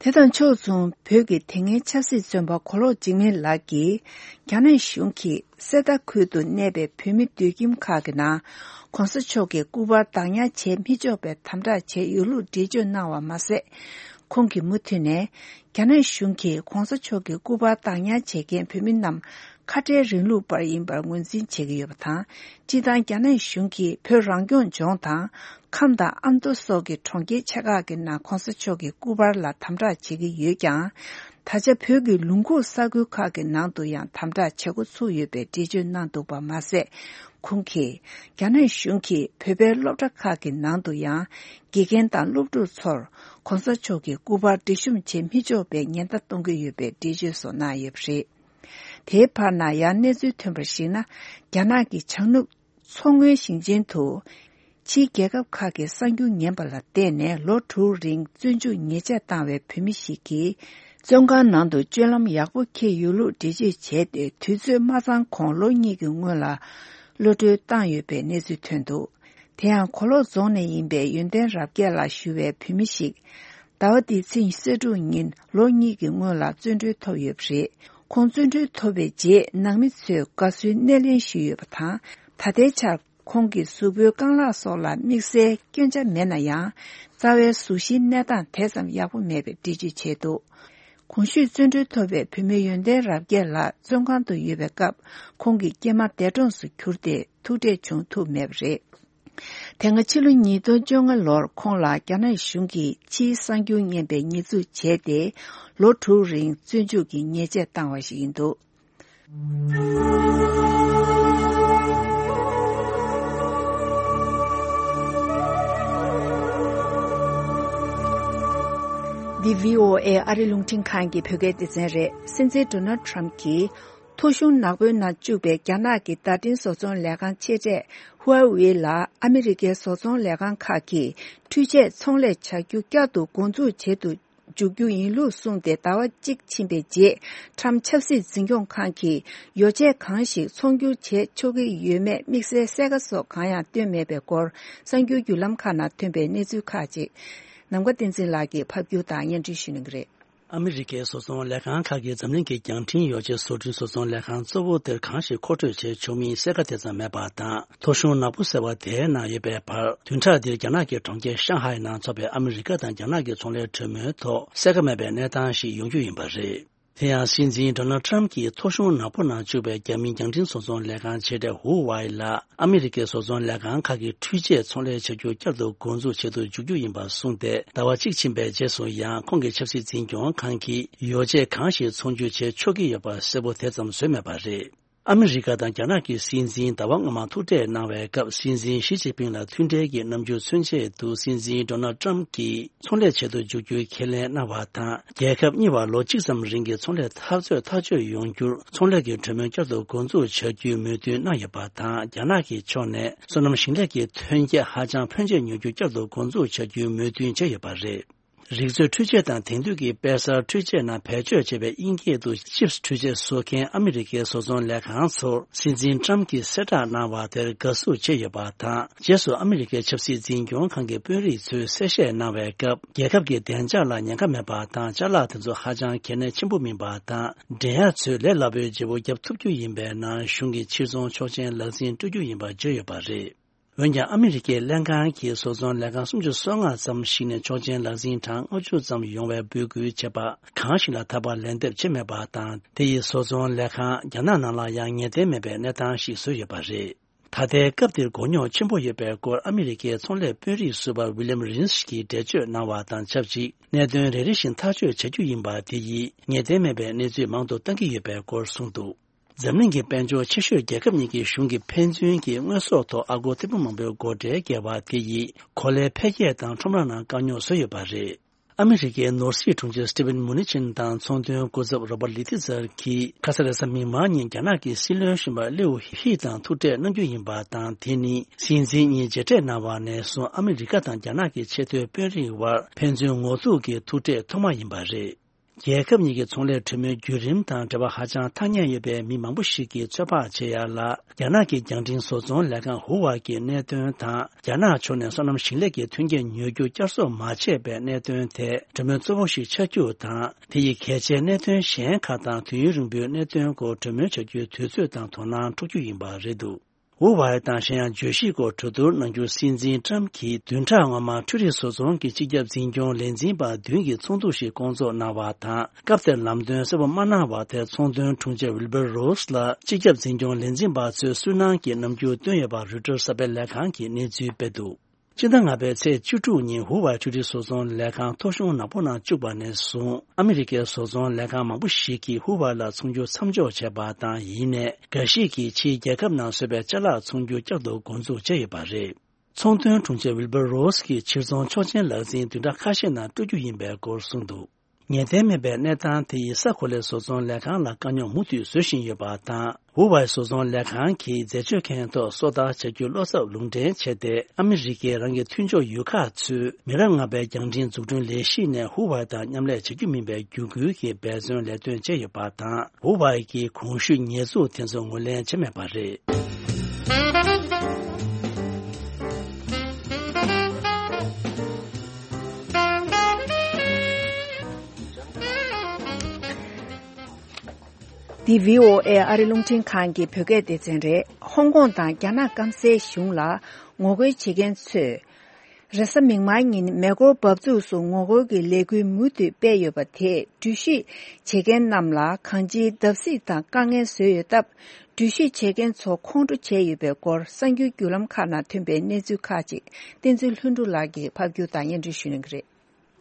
དེ་དང་ཕྱོགས་མཚུངས། བོད་ཀྱི་དེ་སྔའི་ཆབ་སྲིད་བཙོན་པ་གོ་ལོག་འཇིགས་མེད་ལགས་ཀྱིས། རྒྱ་ནག་གཞུང་གིས་གསེར་རྟ་ཁུལ་དུ་གནས་པའི་བོད་མི་སྡོད་ཁྱིམ་ཁག་གི་ནང་། ྋགོང་ས་མཆོག་གི་སྐུ་པར་བདག་ཉར་བྱེད་མི་ཆོག་པའི་དམ་དྲག་བྱས་ཡོད་ལུགས་འགྲེལ་བརྗོད་གནང་བ་མ་ཟད། ཁོང་གིས་མུ་མཐུད་ནས། རྒྱ་ནག་གཞུང་གིས་ྋགོང་ས་མཆོག་གི་སྐུ་པར་བདག་ཉར་བྱེད་མཁན་བོད་མི་རྣམས། ཁ་བྲལ་རིང་ལུགས་པར་ཡིན་པར་ངོས་འཛིན་བྱེད་ཀྱི་ཡོད་པ་དང་། སྤྱིར་བཏང་རྒྱ་ནག་གཞུང་གིས་བོད་རང་སྐྱོང་ལྗོངས་དང་། ཁམས་དང་ཨ་མདོ་སོགས་ཀྱི་གྲོང་ཁྱེར་ཆེ་ཁག་གི་ནང་ྋགོང་ས་མཆོག་གི་སྐུ་པར་ལ་དམ་དྲག་བྱེད་ཀྱི་ཡོད་ཀྱང་། ད་ཆ་བོད་ཀྱི་ལུང་ཁུག་ས་ཁུལ་ཁག་གི་ནང་དུ་ཡང་དམ་དྲག་བྱེད་འགོ་ཚུགས་ཡོད་པའི་འགྲེལ་བརྗོད་གནང་འདུག་པ་མ་ཟད། ཁོང་གིས། རྒྱ་ནག་གཞུང་གིས་བོད་པའི་སློབ་གྲྭ་ཁག་གི་ནང་དུ་ཡང་། དགེ་རྒན་དང་སློབ་ཕྲུག་ཚོར་ྋགོང་ས་མཆོག་གི་སྐུ་པར་སྒྲིག་གཤོམ་བྱེད་མི་ཆོག་པའི་ཉེན་བརྡ་གཏོང་གི་ཡོད་པའི་འགྲེལ་བརྗོད་སོགས་གནང་ཡོད་པ་རེད། དེའི་བར་ན་ཡང་གནས་ཚུལ་ཐོན་པར་གཞིགས་ན། རྒྱ་ནག་གི་བྱང་ནུབ་མཚོ་སྔོན་ཞིང་ཆེན་དུ། ཕྱིའི་རྒྱལ་ཁབ་ཁག་གི་གསར་འགྱུར་ཉན་པ་ལ་བརྟེན་ནས་ལོ་དྲུག་རིང་བཙོན་འཇུག་ཉེས་ཆད་བཏང་བའི་བོད་མི་ཞིག་གིས། བཙོན་ཁང་ནང་དུ་སྤྱོད་ལམ་ཡག་པོ་འཁྱེར་ཡོད་ལུགས་འགྲེལ་བརྗོད་བྱས་ཏེ། དུས་ཚོད་མ་ཚང་གོང་ལོ་གཉིས་ཀྱི་སྔོན་ལ་གློད་གྲོལ་བཏང་ཡོད་པའི་གནས་ཚུལ་ཐོན་འདུག་དེ་ཡང་གོ་ལོག་རྫོང་ནས་ཡིན་པའི་ཡོན་ཏན་རབ་རྒྱས་ལགས་ཞུ་བའི་བོད་མི་ཞིག་ཟླ་བ་འདིའི་ཚེས་ཉི་ཤུ་རྩ་དྲུག་ཉིན་ལོ་གཉིས་ཀྱི་སྔོན་ལ་བཙོན་གྲོལ་ཐོབ་ཡོད་པ་རེད། ཁོང་བཙོན་གྲོལ་ཐོབ་པའི་རྗེས། ནང་མི་ཚོས་དགའ་བསུའི་སྣེ་ལེན་ཞུས་ཡོད་པ་དང་། ད་ལྟའི་ཆར་ཁོང་གི་གཟུགས་པོའི་རྐང་ལག་སོགས་ལ་དམིགས་བསལ་སྐྱོན་ཆ་མེད་ན་ཡང་། རྩ་བའི་གཟུགས་གཞིའི་གནས་སྟངས་དེ་ཙམ་ཡག་པོ་མེད་པའི་འགྲེལ་བརྗོད་བྱས་འདུག་གོང་ཞུས་བཙོན་གྲོལ་ཐོབ་པའི་བོད་མི་ཡོན་ཏན་རབ་རྒྱས་ལགས་བཙོན་ཁང་དུ་ཡོད་པའི་སྐབས། ཁོང་གི་སྐྱེས་མ་འདས་གྲོངས་སུ་གྱུར་ཏེ། ཐུག་འཕྲད་བྱུང་ཐུབ་མེད་པ་རེད། དེ་སྔ་ཕྱི་ལོ་ཉིས་སྟོང་བཅོ་ལྔ་ལོར་ཁོང་ལ་རྒྱ་ནག་གཞུང་གིས་ཕྱིའི་གསར་འགྱུར་ཉན་པའི་ཉེས་འཛུགས་བྱས་ཏེ། ལོ་དྲུག་རིང་བཙོན་འཇུག་གི་ཉེས་ཆད་བཏང་བ་ཞིག་ཡིན་འདུག་འདི་བྷི་ཨོ་ཨེ་ཨ་རི་རླུང་འཕྲིན་ཁང་གི་བོད་སྐད་སྡེ་ཚན་རེད། སྲིད་འཛིན་ཌོ་ནལ་ཊམ་གྱིས། ཐོ་གཞུང་ནག་པོའི་ནང་བཅུག་པའི་རྒྱ་ནག་གི་བརྡ་འཕྲིན་བཟོ་ཚོང་ལས་ཁང་ཆེ་གྲས་ཧུའེ་ཝེ་ལ་ཨ་མི་རི་ཀའི་བཟོ་ཚོང་ལས་ཁང་ཁག་གིས་འཕྲུལ་ཆས་ཚོང་ལས་བྱ་རྒྱུ་བསྐྱར་དུ་འགོ་འཛུགས་བྱེད་དུ་འཇུག་རྒྱུ་ཡིན་ལུགས་གསུངས་ཏེ། ཟླ་བ་གཅིག་ཕྱིན་པའི་རྗེས། ཊམ་ཆབ་སྲིད་འཛིན་སྐྱོང་ཁང་གིས་ཡོ་བྱད་གང་ཞིག་ཚོང་སྒྱུར་བྱེད་ཆོག་གི་ཡོད་མེད་དམིགས་བསལ་གསལ་ཁ་སོགས་གང་ཡང་བཏོན་མེད་པའི་སྐོར། གསར་འགྱུར་བརྒྱུད་ལམ་ཁག་ནང་ཐོན་པའི་གནས་ཚུལ་ཁག་ཅིག་ནམ་མཁའ་བསྟན་འཛིན་ལགས་ཀྱིས་ཕབ་སྒྱུར་དང་སྙན་སྒྲོན་ཞུ་གནང་གི་རེད། ཨ་མི་རི་ཀའི་བཟོ་ཚོང་ལས་ཁང་ཁག་གིས་འཛམ་གླིང་གི་རྒྱང་འཕྲིན་ཡོ་བྱད་བཟོ་སྐྲུན་བཟོ་ཚོང་ལས་ཁང་གཙོ་བོ་དེར་གང་ཞིག་མཁོ་སྤྲོད་བྱས་ཆོག་མིན་གསལ་ཁ་དེ་ཙམ་མེད་པ་དང་། ཐོ་གཞུང་ནག་པོ་ཟེར་བ་དེའི་ནང་ཡོད་པའི་བར། བདུན་ཕྲག་འདིར་རྒྱ་ནག་གི་གྲོང་ཁྱེར་ཤང་ཧའེ་ནང་འཚོགས་པའི་ཨ་མི་རི་ཀ་དང་རྒྱ་ནག་གི་ཚོང་ལས་གྲོས་མོལ་ཐོག་གསལ་ཁ་མེད་པའི་གནས་སྟངས་ཤིག་ཡོང་རྒྱུ་ཡིན་པ་རེད། དེ་ཡང་སྲིད་འཛིན་ཌོ་ནལ་ཊམ་གྱིས་ཐོ་གཞུང་ནག་པོ་ནང་བཅུག་པའི་རྒྱ་མིའི་རྒྱང་འཕྲིན་བཟོ་ཚོང་ལས་ཁང་ཆེ་གྲས་ཧུ་ཝའེ་ལ། ཨ་མི་རི་ཀའི་བཟོ་ཚོང་ལས་ཁང་ཁག་གིས་འཕྲུལ་ཆས་ཚོང་ལས་བྱ་རྒྱུ་བསྐྱར་དུ་འགོ་འཛུགས་བྱེད་དུ་འཇུག་རྒྱུ་ཡིན་པ་གསུངས་ཏེ། ཟླ་བ་གཅིག་ཕྱིན་པའི་རྗེས་སུ་ཡང་ཁོང་གི་ཆབ་སྲིད་འཛིན་སྐྱོང་ཁང་གིས་ཡོ་བྱད་གང་ཞིག་ཚོང་སྒྱུར་བྱེད་ཆོག་གི་ཡོད་པ་གསལ་པོ་དེ་ཙམ་བཟོས་མེད་པ་རེད། ཨ་མི་རི་ཀ་དང་རྒྱ་ནག་གི་སྲིད་འཛིན་ཟླ་བ་སྔོན་མ་ཐུག་འཕྲད་གནང་བའི་སྐབས། སྲིད་འཛིན་ཞི་ཅིན་ཕིང་ལ་མཐུན་འབྲེལ་གྱི་རྣམ་འགྱུར་མཚོན་ཆེད་དུ། སྲིད་འཛིན་ཌོ་ནལ་ཊམ་གྱིས། ཚོང་ལས་བྱེད་དུ་འཇུག་རྒྱུའི་ཁས་ལེན་གནང་བ་དང་། རྒྱལ་ཁབ་གཉིས་བར་ལོ་གཅིག་ཙམ་རིང་གི་ཚོང་ལས་འཐབ་རྩོད་ཐག་གཅོད་ཡོང་རྒྱུར། ཚོང་ལས་ཀྱི་གྲོས་མོལ་བསྐྱར་དུ་འགོ་འཛུགས་བྱ་རྒྱུའི་མོས་མཐུན་གནང་ཡོད་པ་དང་། རྒྱ་ནག་གི་ཕྱོགས་ནས་སོ་ནམ་ཞིང་ལས་ཀྱི་ཐོན་སྐྱེད་ཧ་ཅང་ཕོན་ཆེ་ཉོ་རྒྱུ་བསྐྱར་དུ་འགོ་འཛུགས་བྱ་རྒྱུའི་མོས་མཐུན་བྱས་ཡོད་པ་རེད། རིག་མཛོད་འཕྲུལ་ཆས་དང་དེང་དུས་ཀྱི་དཔེ་གསར་འཕྲུལ་ཆས་ནང་བེད་སྤྱོད་བྱས་པའི་དབྱིན་སྐད་དུ་ཅིབས་འཕྲུལ་ཆས་བཟོ་མཁན་ཨ་མི་རི་ཀའི་བཟོ་ཚོང་ལས་ཁང་ཚོར་སྲིད་འཛིན་ཊམ་གྱིས་གསལ་བསྒྲགས་གནང་བ་དེར་དགའ་བསུ་བྱས་ཡོད་པ་དང་། རྗེས་སུ་ཨ་མི་རི་ཀའི་ཆབ་སྲིད་འཛིན་སྐྱོང་ཁང་གི་དཔོན་རིགས་ཚོས་གསལ་བཤད་གནང་བའི་སྐབས། རྒྱལ་ཁབ་ཀྱི་བདེ་འཇགས་ལ་ཉེན་ཁ་མེད་པ་དང་། ཅ་ལག་དེ་ཚོ་ཧ་ཅང་གལ་གནད་ཆེན་པོ་མིན་པ་དང་། འགྲན་ཡག་ཚོས་ལས་སླ་པོའི་བརྗེ་པོ་བརྒྱབ་ཐུབ་རྒྱུ་ཡིན་པའི་ནང་གཞུང་གིས་ཕྱིར་ཚོང་ཆོག་མཆན་ལག་འཛིན་སྤྲོད་རྒྱུ་ཡིན་པ་བརྗོད་ཡོད་པ་རེད། འོན་ཀྱང་ཨ་མི་རི་ཀའི་ལྷན་ཁང་གིས་བཟོ་ཚོང་ལས་ཁང་སུམ་ཅུ་སོ་ལྔ་ཙམ་ཞིག་ནས་ཆོག་མཆན་ལག་འཛིན་གྲངས་ལྔ་བཅུ་ཙམ་ཡོང་བའི་འབོད་སྐུལ་བྱས་པ་གང་ཞིག་ལ་ད་བར་ལན་འདེབས་བྱས་མེད་པ་དང་། དེ་ཡིས་བཟོ་ཚོང་ལས་ཁང་རྒྱ་ནག་ནང་ལ་ཡང་ངེས་གཏན་མེད་པའི་གནས་སྟངས་ཤིག་བཟོས་ཡོད་པ་རེད། ད་ལྟའི་སྐབས་འདིར་མགོ་རྙོག་ཆེན་པོ་ཡོད་པའི་སྐོར་ཨ་མི་རི་ཀའི་ཚོང་ལས་དཔོན་རིགས་ཟུར་པ་ཝི་ལིམ་རིན་སི་གིས་འགྲེལ་བརྗོད་གནང་བ་དང་ཆབས་ཅིག་གནད་དོན་རེ་རེ་བཞིན་ཐག་གཅོད་བྱ་རྒྱུ་ཡིན་པ་དེ་ཡིས་ངེས་གཏན་མེད་པའི་གནས་ཚུལ་མང་དུ་བཏང་གི་ཡོད་པའི་སྐོར་གསུངས་འདུག་འཛམ་གླིང་གི་དཔལ་འབྱོར་ཆེ་ཤོས་རྒྱལ་ཁབ་གཉིས་ཀྱི་གཞུང་གིས་ཕན་ཚུན་གྱི་དངོས་ཟོག་ཐོག་ཨ་སྒོར་ཐེར་འབུམ་མང་པོའི་སྒོ་ཁྲལ་བཀལ་བ་དེ་ཡིས་གོ་ལའི་འཕེལ་རྒྱས་དང་ཁྲོམ་ར་ནང་དཀའ་རྙོག་བཟོས་ཡོད་པ་རེད། ཨ་མི་རི་ཀའི་ནོར་སྲིད་དྲུང་ཆེ་སི་ཊི་ཝན་མུ་ནི་ཆིན་དང་ཚོང་དོན་སྐུ་ཚབ་རོ་པར་ལི་ཐི་ཛར་གྱིས་ཁ་ས་རེས་གཟའ་མིག་དམར་ཉིན་རྒྱ་ནག་གི་སྲིད་བློན་གཞོན་པ་ལིའུ་ཧི་དང་ཐུག་འཕྲད་གནང་རྒྱུ་ཡིན་པ་དང་། དེ་ནི་སྲིད་འཛིན་གཉིས་མཇལ་འཕྲད་གནང་བ་ནས་བཟུང་ཨ་མི་རི་ཀ་དང་རྒྱ་ནག་གི་ཆེས་མཐོའི་དཔོན་རིགས་དབར་ཕན་ཚུན་ངོ་ཐུག་གི་ཐུག་འཕྲད་ཐོག་མ་ཡིན་པ་རེད། རྒྱལ་ཁབ་གཉིས་ཀྱི་ཚོང་ལས་གྲོས་མོལ་བརྒྱུད་རིམ་དང་འབྲེལ་བ་ཧ་ཅང་ཐག་ཉེ་ཡོད་པའི་མི་མང་པོ་ཞིག་གིས་ཚོད་དཔག་བྱེད་ཡ་ལ། རྒྱ་ནག་གི་རྒྱང་འཕྲིན་བཟོ་ཚོང་ལས་ཁང་ཧུ་ཝའེ་གི་གནད་དོན་དང་། རྒྱ་ནག་ཕྱོགས་ནས་སོ་ནམ་ཞིང་ལས་ཀྱི་མཐུན་རྐྱེན་ཉོ་རྒྱུ་བསྐྱར་གསོ་མ་བྱས་པའི་གནད་དོན་དེ་གྲོས་མོལ་གཙོ་བོ་ཞིག་ཆགས་རྒྱུ་དང་། དེ་ཡི་གལ་ཆེའི་གནད་དོན་གཞན་ཁག་དང་དུས་ཡུན་རིང་པོའི་གནད་དོན་སྐོར་གྲོས་མོལ་བྱ་རྒྱུའི་དུས་ཚོད་དང་དོ་སྣང་འཕྲོག་རྒྱུ་ཡིན་པ་རེད་འདུག་ཧུ་ཝའེ་དང་གཞན་ཡང་བརྗོད་གཞིའི་སྐོར་གྲོས་བསྡུར་གནང་རྒྱུ་སྲིད་འཛིན་ཀྲམ་གྱིས་བདུན་ཕྲག་སྔོན་མ་འཕྲུལ་རིག་བཟོ་ཚོང་གི་སྤྱི་ཁྱབ་འཛིན་སྐྱོང་ལས་འཛིན་པ་བདུན་གྱི་ཚོགས་འདུ་ཞིག་བསྐོང་ཚོགས་གནང་བ་དང་། སྐབས་དེར་ལམ་སྟོན་གསལ་པོ་མ་གནང་བར་དེར་ཚོང་དོན་དྲུང་ཆེ་ཝིལ་བར་རོས་ལ་སྤྱི་ཁྱབ་འཛིན་སྐྱོང་ལས་འཛིན་པ་ཚོས་སུན་སྣང་གི་རྣམ་འགྱུར་བཏོན་ཡོད་པ་རོའི་ཊར་གསར་པའི་ལས་ཁང་གིས་གནས་ཚུལ་སྤེལ་འདུག་སྤྱི་ཟླ་ལྔ་པའི་ཚེས་བཅུ་དྲུག་ཉིན་ཧུ་ཝའེ་འཕྲུལ་རིག་བཟོ་ཚོང་ལས་ཁང་ཐོ་གཞུང་ནག་པོ་ནང་བཅུག་པ་ནས་བཟུང་། ཨ་མི་རི་ཀའི་བཟོ་ཚོང་ལས་ཁང་མང་པོ་ཞིག་གིས་ཧུ་ཝའེ་ལ་ཚོང་སྒྱུར་མཚམས་འཇོག་བྱས་པ་དང་། ཡིན་ནའི་འགའ་ཞིག་གིས་ཕྱིའི་རྒྱལ་ཁབ་ནང་བཟོས་པའི་ཅ་ལག་ཚོང་སྒྱུར་བསྐྱར་དུ་འགོ་འཛུགས་བྱས་ཡོད་པ་རེད། ཚོང་དོན་དྲུང་ཆེ་ཝིལ་བར་རོས་ཀྱིས་ཕྱིར་ཚོང་ཆོག་མཆན་ལག་འཛིན་བདུན་ཕྲག་ཁ་ཤས་ནང་སྤྲོད་རྒྱུ་ཡིན་པའི་སྐོར་གསུངས་འདུག་ངེས་གཏན་མེད་པའི་གནས་སྟངས་དེ་ཡིས་ས་གོ་ལའི་བཟོ་ཚོང་ལས་ཁང་ལ་དཀའ་རྙོག་མུ་མཐུད་བཟོ་བཞིན་ཡོད་པ་དང་། ཧུ་ཝའེ་བཟོ་ཚོང་ལས་ཁང་གིས་འཛད་སྤྱོད་ཁང་ཐོག་སོ་ལྟར་བྱ་རྒྱུའི་བློ་འཚབ་ལུང་འདྲེན་བྱས་ཏེ། ཨ་མི་རི་ཀས་རང་གི་མཐུན་ཕྱོགས་ཡུལ་ཁག་ཚོས་མི་རབས་ལྔ་པའི་རྒྱང་འཕྲིན་འཛུགས་སྐྲུན་ལས་གཞི་ནས་ཧུ་ཝའེ་དང་མཉམ་ལས་བྱ་རྒྱུ་མིན་པའི་བརྒྱུད་སྐུལ་གྱི་འབད་བརྩོན་ལས་དོན་བྱས་ཡོད་པ་དང་། ཧུ་ཝའེ་གིས་གོང་ཞུས་ཉེས་འཛུགས་དེ་ཚོ་ངོས་ལེན་བྱས་མེད་པ་རེད། འདི་བྷི་ཨོ་ཨེ་ཨ་རི་རླུང་འཕྲིན་ཁང་གི་བོད་སྐད་སྡེ་ཚན་རེད། ཧོང་ཀོང་དང་རྒྱ་ནག་སྐམ་སའི་གཞུང་ལ་ངོ་རྒོལ་བྱེད་མཁན་ཚོས། རེས་གཟའ་མིག་དམར་ཉིན་མེ་འཁོར་འབབ་ཚུགས་སུ་ངོ་རྒོལ་གྱི་ལས་འགུལ་མུ་མཐུད་སྤེལ་ཡོད་པ་དེས། འགྲུལ་བཞུད་བྱེད་མཁན་རྣམས་ལ་གང་ཅིའི་བརྡབ་གསིག་དང་དཀའ་ངལ་བཟོས་ཡོད་སྟབས། འགྲུལ་བཞུད་བྱེད་མཁན་ཚོ་ཁོང་ཁྲོ་བྱས་ཡོད་པའི་སྐོར། གསར་འགྱུར་བརྒྱུད་ལམ་ཁག་ནང་ཐོན་པའི་གནས་ཚུལ་ཁག་ཅིག་བསྟན་འཛིན་ལྷུན་གྲུབ་ལགས་ཀྱིས་ཕབ་སྒྱུར་དང་སྙན་སྒྲོན་ཞུ་གནང་གི་རེད།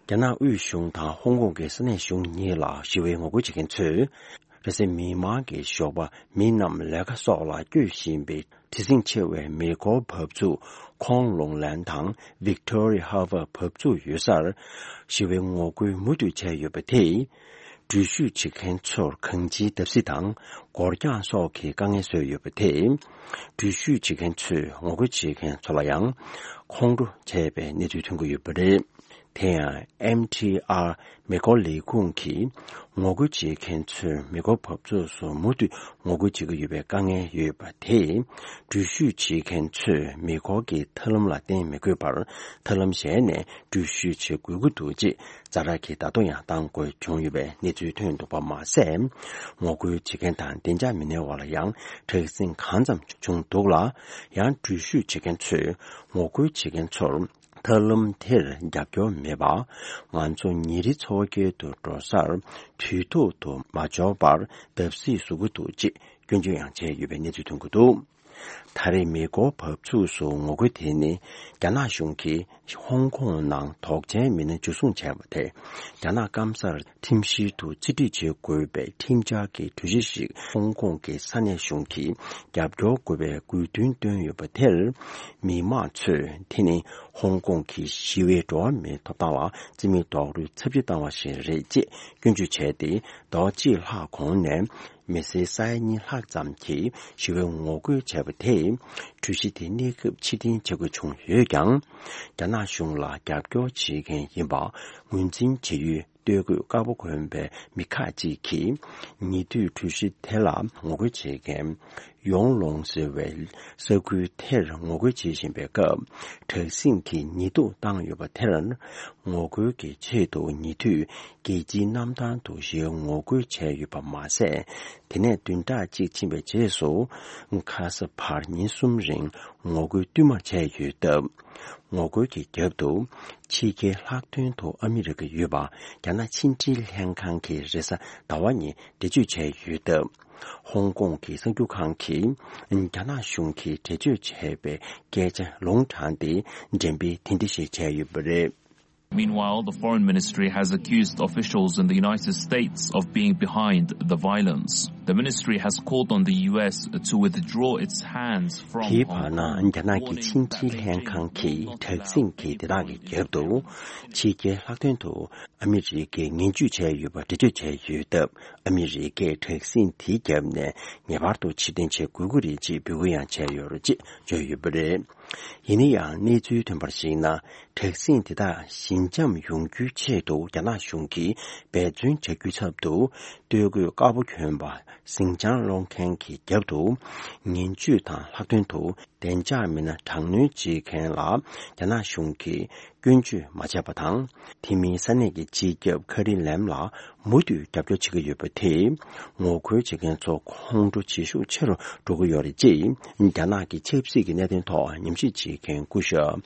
རྒྱ་ནག་དབུས་གཞུང་དང་ཧོང་ཀོང་གི་ས་གནས་གཞུང་གཉིས་ལ་ཞི་བའི་ངོ་རྒོལ་བྱེད་མཁན་ཚོས། རེས་གཟའ་མིག་དམར་གྱི་ཞོགས་པ་མི་རྣམས་ལས་ཀ་སོགས་ལ་བསྐྱོད་བཞིན་པའི་དྲི་ཟིང་ཆེ་བའི་མེ་འཁོར་འབབ་ཚུགས་ཁོང་ལུང་ལན་དང་Victoria Harbour་འབབ་ཚུགས་ཡོད་སར་ཞི་བའི་ངོ་རྒོལ་མུ་མཐུད་བྱས་ཡོད་པ་དེས། འགྲུལ་བཞུད་བྱེད་མཁན་ཚོར་གང་ཅིའི་བརྡབ་གསིག་དང་སྒོ་རྒྱག་སོགས་ཀྱི་དཀའ་ངལ་བཟོས་ཡོད་པ་དེས། འགྲུལ་བཞུད་བྱེད་མཁན་ཚོས་ངོ་རྒོལ་བྱེད་མཁན་ཚོ་ལ་ཡང་ཁོང་ཁྲོ་བྱས་པའི་གནས་ཚུལ་ཐོན་གྱི་ཡོད་པ་རེད། དེ་ཡང་ཨེམ་ཐི་ཨར་མེ་འཁོར་ལས་ཁུངས་ཀྱིས་ངོ་རྒོལ་བྱེད་མཁན་ཚོས་མེ་འཁོར་འབབ་ཚུགས་སུ་མུ་མཐུད་ངོ་རྒོལ་བྱེད་ཀྱི་ཡོད་པའི་དཀའ་ངལ་ཡོད་པ་དེས། འགྲུལ་བཞུད་བྱེད་མཁན་ཚོས་མེ་འཁོར་གྱི་ཐབས་ལམ་ལ་བརྟེན་མི་དགོས་པར་ཐབས་ལམ་གཞན་ནས་འགྲུལ་བཞུད་བྱེད་དགོས་ཀྱི་འདུག་ཅེས་ཛ་དྲག་གི་བརྡ་ཐོ་ཡང་བཏང་དགོས་བྱུང་ཡོད་པའི་གནས་ཚུལ་ཐོན་འདུག་པ་མ་ཟད། ངོ་རྒོལ་བྱེད་མཁན་དང་བདེ་འཇགས་མི་སྣའི་འོག་ལ་ཡང་དྲག་ཟིང་གང་ཙམ་བྱུང་འདུག་ལ། ཡང་འགྲུལ་བཞུད་བྱེད་མཁན་ཚོས་ངོ་རྒོལ་བྱེད་མཁན་ཚོར། ཐབས་ལམ་དེར་རྒྱབ་སྐྱོར་མེད་པ། ང་ཚོ་ཉིན་རེའི་འཚོ་བ་སྐྱེལ་དུ་འགྲོ་སར་དུས་ཐོག་ཏུ་མ་འབྱོར་བར་བརྡབ་གསིག་བཟོ་གི་འདུག་ཅེས་སྐྱོན་བརྗོད་ཡང་བྱས་ཡོད་པའི་གནས་ཚུལ་ཐོན་གྱི་འདུག་ད་རེས་མེ་འཁོར་འབབ་ཚུགས་སུ་ངོ་རྒོལ་དེ་ནི་རྒྱ་ནག་གཞུང་གིས་ཧོང་ཀོང་ནང་དོགས་ཅན་མི་སྣ་འཇུ་བཟུང་བྱས་པ་དེ་རྒྱ་ནག་སྐམ་སར་ཁྲིམས་བཤེར་དུ་རྩིས་སྤྲོད་བྱེད་དགོས་པའི་ཁྲིམས་འཆར་གྱི་གྲོས་གཞི་ཞིག་ཧོང་ཀོང་གི་ས་གནས་གཞུང་གིས་རྒྱབ་སྐྱོར་དགོས་པའི་དགོས་འདུན་བཏོན་ཡོད་པ་དེར། མི་མང་ཚོས་དེ་ནི་ཧོང་ཀོང་གི་ཞི་བའི་འགྲོ་བ་མིའི་ཐོབ་ཐང་ལ་རྩིས་མེད་རྡོག་རོལ་ཚབས་ཆེ་བཏང་བ་ཞིག་རེད་ཅེས་སྐྱོན་བརྗོད་བྱས་ཏེ། ཟླ་བ་གཅིག་ལྷག་གོང་ནས་མི་སེར་ས་ཡ་གཉིས་ལྷག་ཙམ་གྱིས་ཞི་བའི་ངོ་རྒོལ་བྱས་པ་དེས། གྲོས་གཞི་དེ་གནས་སྐབས་ཕྱིར་འཐེན་བྱ་དགོས་བྱུང་ཡོད་ཀྱང་། རྒྱ་ནག་གཞུང་ལ་རྒྱབ་སྐྱོར་བྱེད་མཁན་ཡིན་པ་ངོས་འཛིན་བྱེད་ཡུལ། སྟོད་གོས་དཀར་པོ་གོན་པའི་མི་ཁག་ཅིག་གིས་ཉེ་དུས་གྲོས་གཞི་དེ་ལ་ངོ་རྒོལ་བྱེད་མཁན་ཡོང་ལོང་ཟེར་བའི་ས་ཁུལ་དེར་ངོ་རྒོལ་བྱེད་བཞིན་པའི་སྐབས། དྲག་ཟིང་གིས་ཉེས་འཛུགས་བཏང་ཡོད་པ་དེར་ངོ་རྒོལ་གྱི་ཆེད་དུ་ཉེ་དུས་རྒྱལ་སྤྱིའི་གནམ་ཐང་དུ་ཞི་བའི་ངོ་རྒོལ་བྱས་ཡོད་པ་མ་ཟད། དེ་ནས་བདུན་ཕྲག་གཅིག་ཕྱིན་པའི་རྗེས་སུ་ཁ་ས་བར་ཉིན་གསུམ་རིང་ངོ་རྒོལ་བསྟུད་མར་བྱས་ཡོད་སྟབས། ངོ་རྒོལ་གྱི་རྒྱབ་ཏུ་ཕྱི་རྒྱལ་ལྷག་དོན་དུ་ཨ་མི་རི་ཀ་ཡོད་པ་རྒྱ་ནག་ཕྱི་འབྲེལ་ལྷན་ཁང་གིས་རེས་གཟའ་ཟླ་བ་ཉིན་འགྲེལ་བརྗོད་བྱས་ཡོད་སྟབས། ཧོང་ཀོང་གི་གསར་འགྱུར་ཁང་གིས་རྒྱ་ནག་གཞུང་གིས་འགྲེལ་བརྗོད་བྱས་པའི་སྐད་ཆ་ལུང་དྲངས་ཏེ་འགྲེམས་སྤེལ་དེ་འདྲ་ཞིག་བྱས་ཡོད་པ་རེད། Meanwhile, the Foreign Ministry has accused officials in the United States of being behind the violence. The ministry has called on the U S to withdraw its hands from དེའི་Hong བར་ན། Kong, རྒྱ་ནག་གི་warning ཕྱི་འབྲེལ་ལྷན་ཁང་གིས་དྲག་ཟིང་གི་དེ་དག་གི་རྒྱབ་ཏུ་ཕྱི་རྒྱལ་ལྷག་དོན་དུ་ཨ་མི་རི་ཀས་ངན་ཇུས་བྱས་ཡོད་པ་འགྲེལ་བརྗོད་བྱས་ཡོད་སྟབས། ཨ་མི་རི་ཀས་དྲག་ཟིང་དེའི་རྒྱབ་ནས་ངེས་པར་དུ་ཕྱིར་འཐེན་བྱེད་དགོས་ཀྱི་རེད་ཅེས་འབོད་སྐུལ་ཡང་བྱས་ཡོད་རེད་ཅེས་བརྗོད་ཡོད་པ་རེད། ཡིན་ན་ཡང་གནས་ཚུལ་ཐོན་པར་གཞིགས་ན། དྲག་ཟིང་དེ་དག་ཞི་འཇམ་ཡོང་རྒྱུའི་ཆེད་དུ་རྒྱ་ནག་གཞུང་གིས་འབད་བརྩོན་བྱ་རྒྱུའི་ཚབ་ཏུ། སྟོད་གོས་དཀར་པོ་གྱོན་པ་ཟིང་ཆ་སློང་མཁན་གྱི་རྒྱབ་ཏུ། ངན་ཇུས་དང་ལྷག་དོན་དུ་བདེ་འཇགས་མི་སྣ་དྲག་གནོན་བྱེད་མཁན་ལ་རྒྱ་ནག་གཞུང་གིས་སྐྱོན་བརྗོད་མ་བྱས་པ་དང་། དེ་མིན་ས་གནས་ཀྱི་སྤྱི་ཁྱབ་ཁ་རི་ལེམ་ལ་མུ་མཐུད་རྒྱབ་སྐྱོར་བྱེད་ཀྱི་ཡོད་པ་དེས། ངོ་རྒོལ་བྱེད་མཁན་ཚོ་ཁོང་ཁྲོ་བྱེད་ཤུགས་ཆེ་རུ་འགྲོ་གི་ཡོད་རེད་ཅེས། རྒྱ་ནག་གི་ཆབ་སྲིད་ཀྱི་གནད་དོན་ཐོག་ཉམས་ཞིབ་བྱེད་མཁན་སྐུ་ཞབས་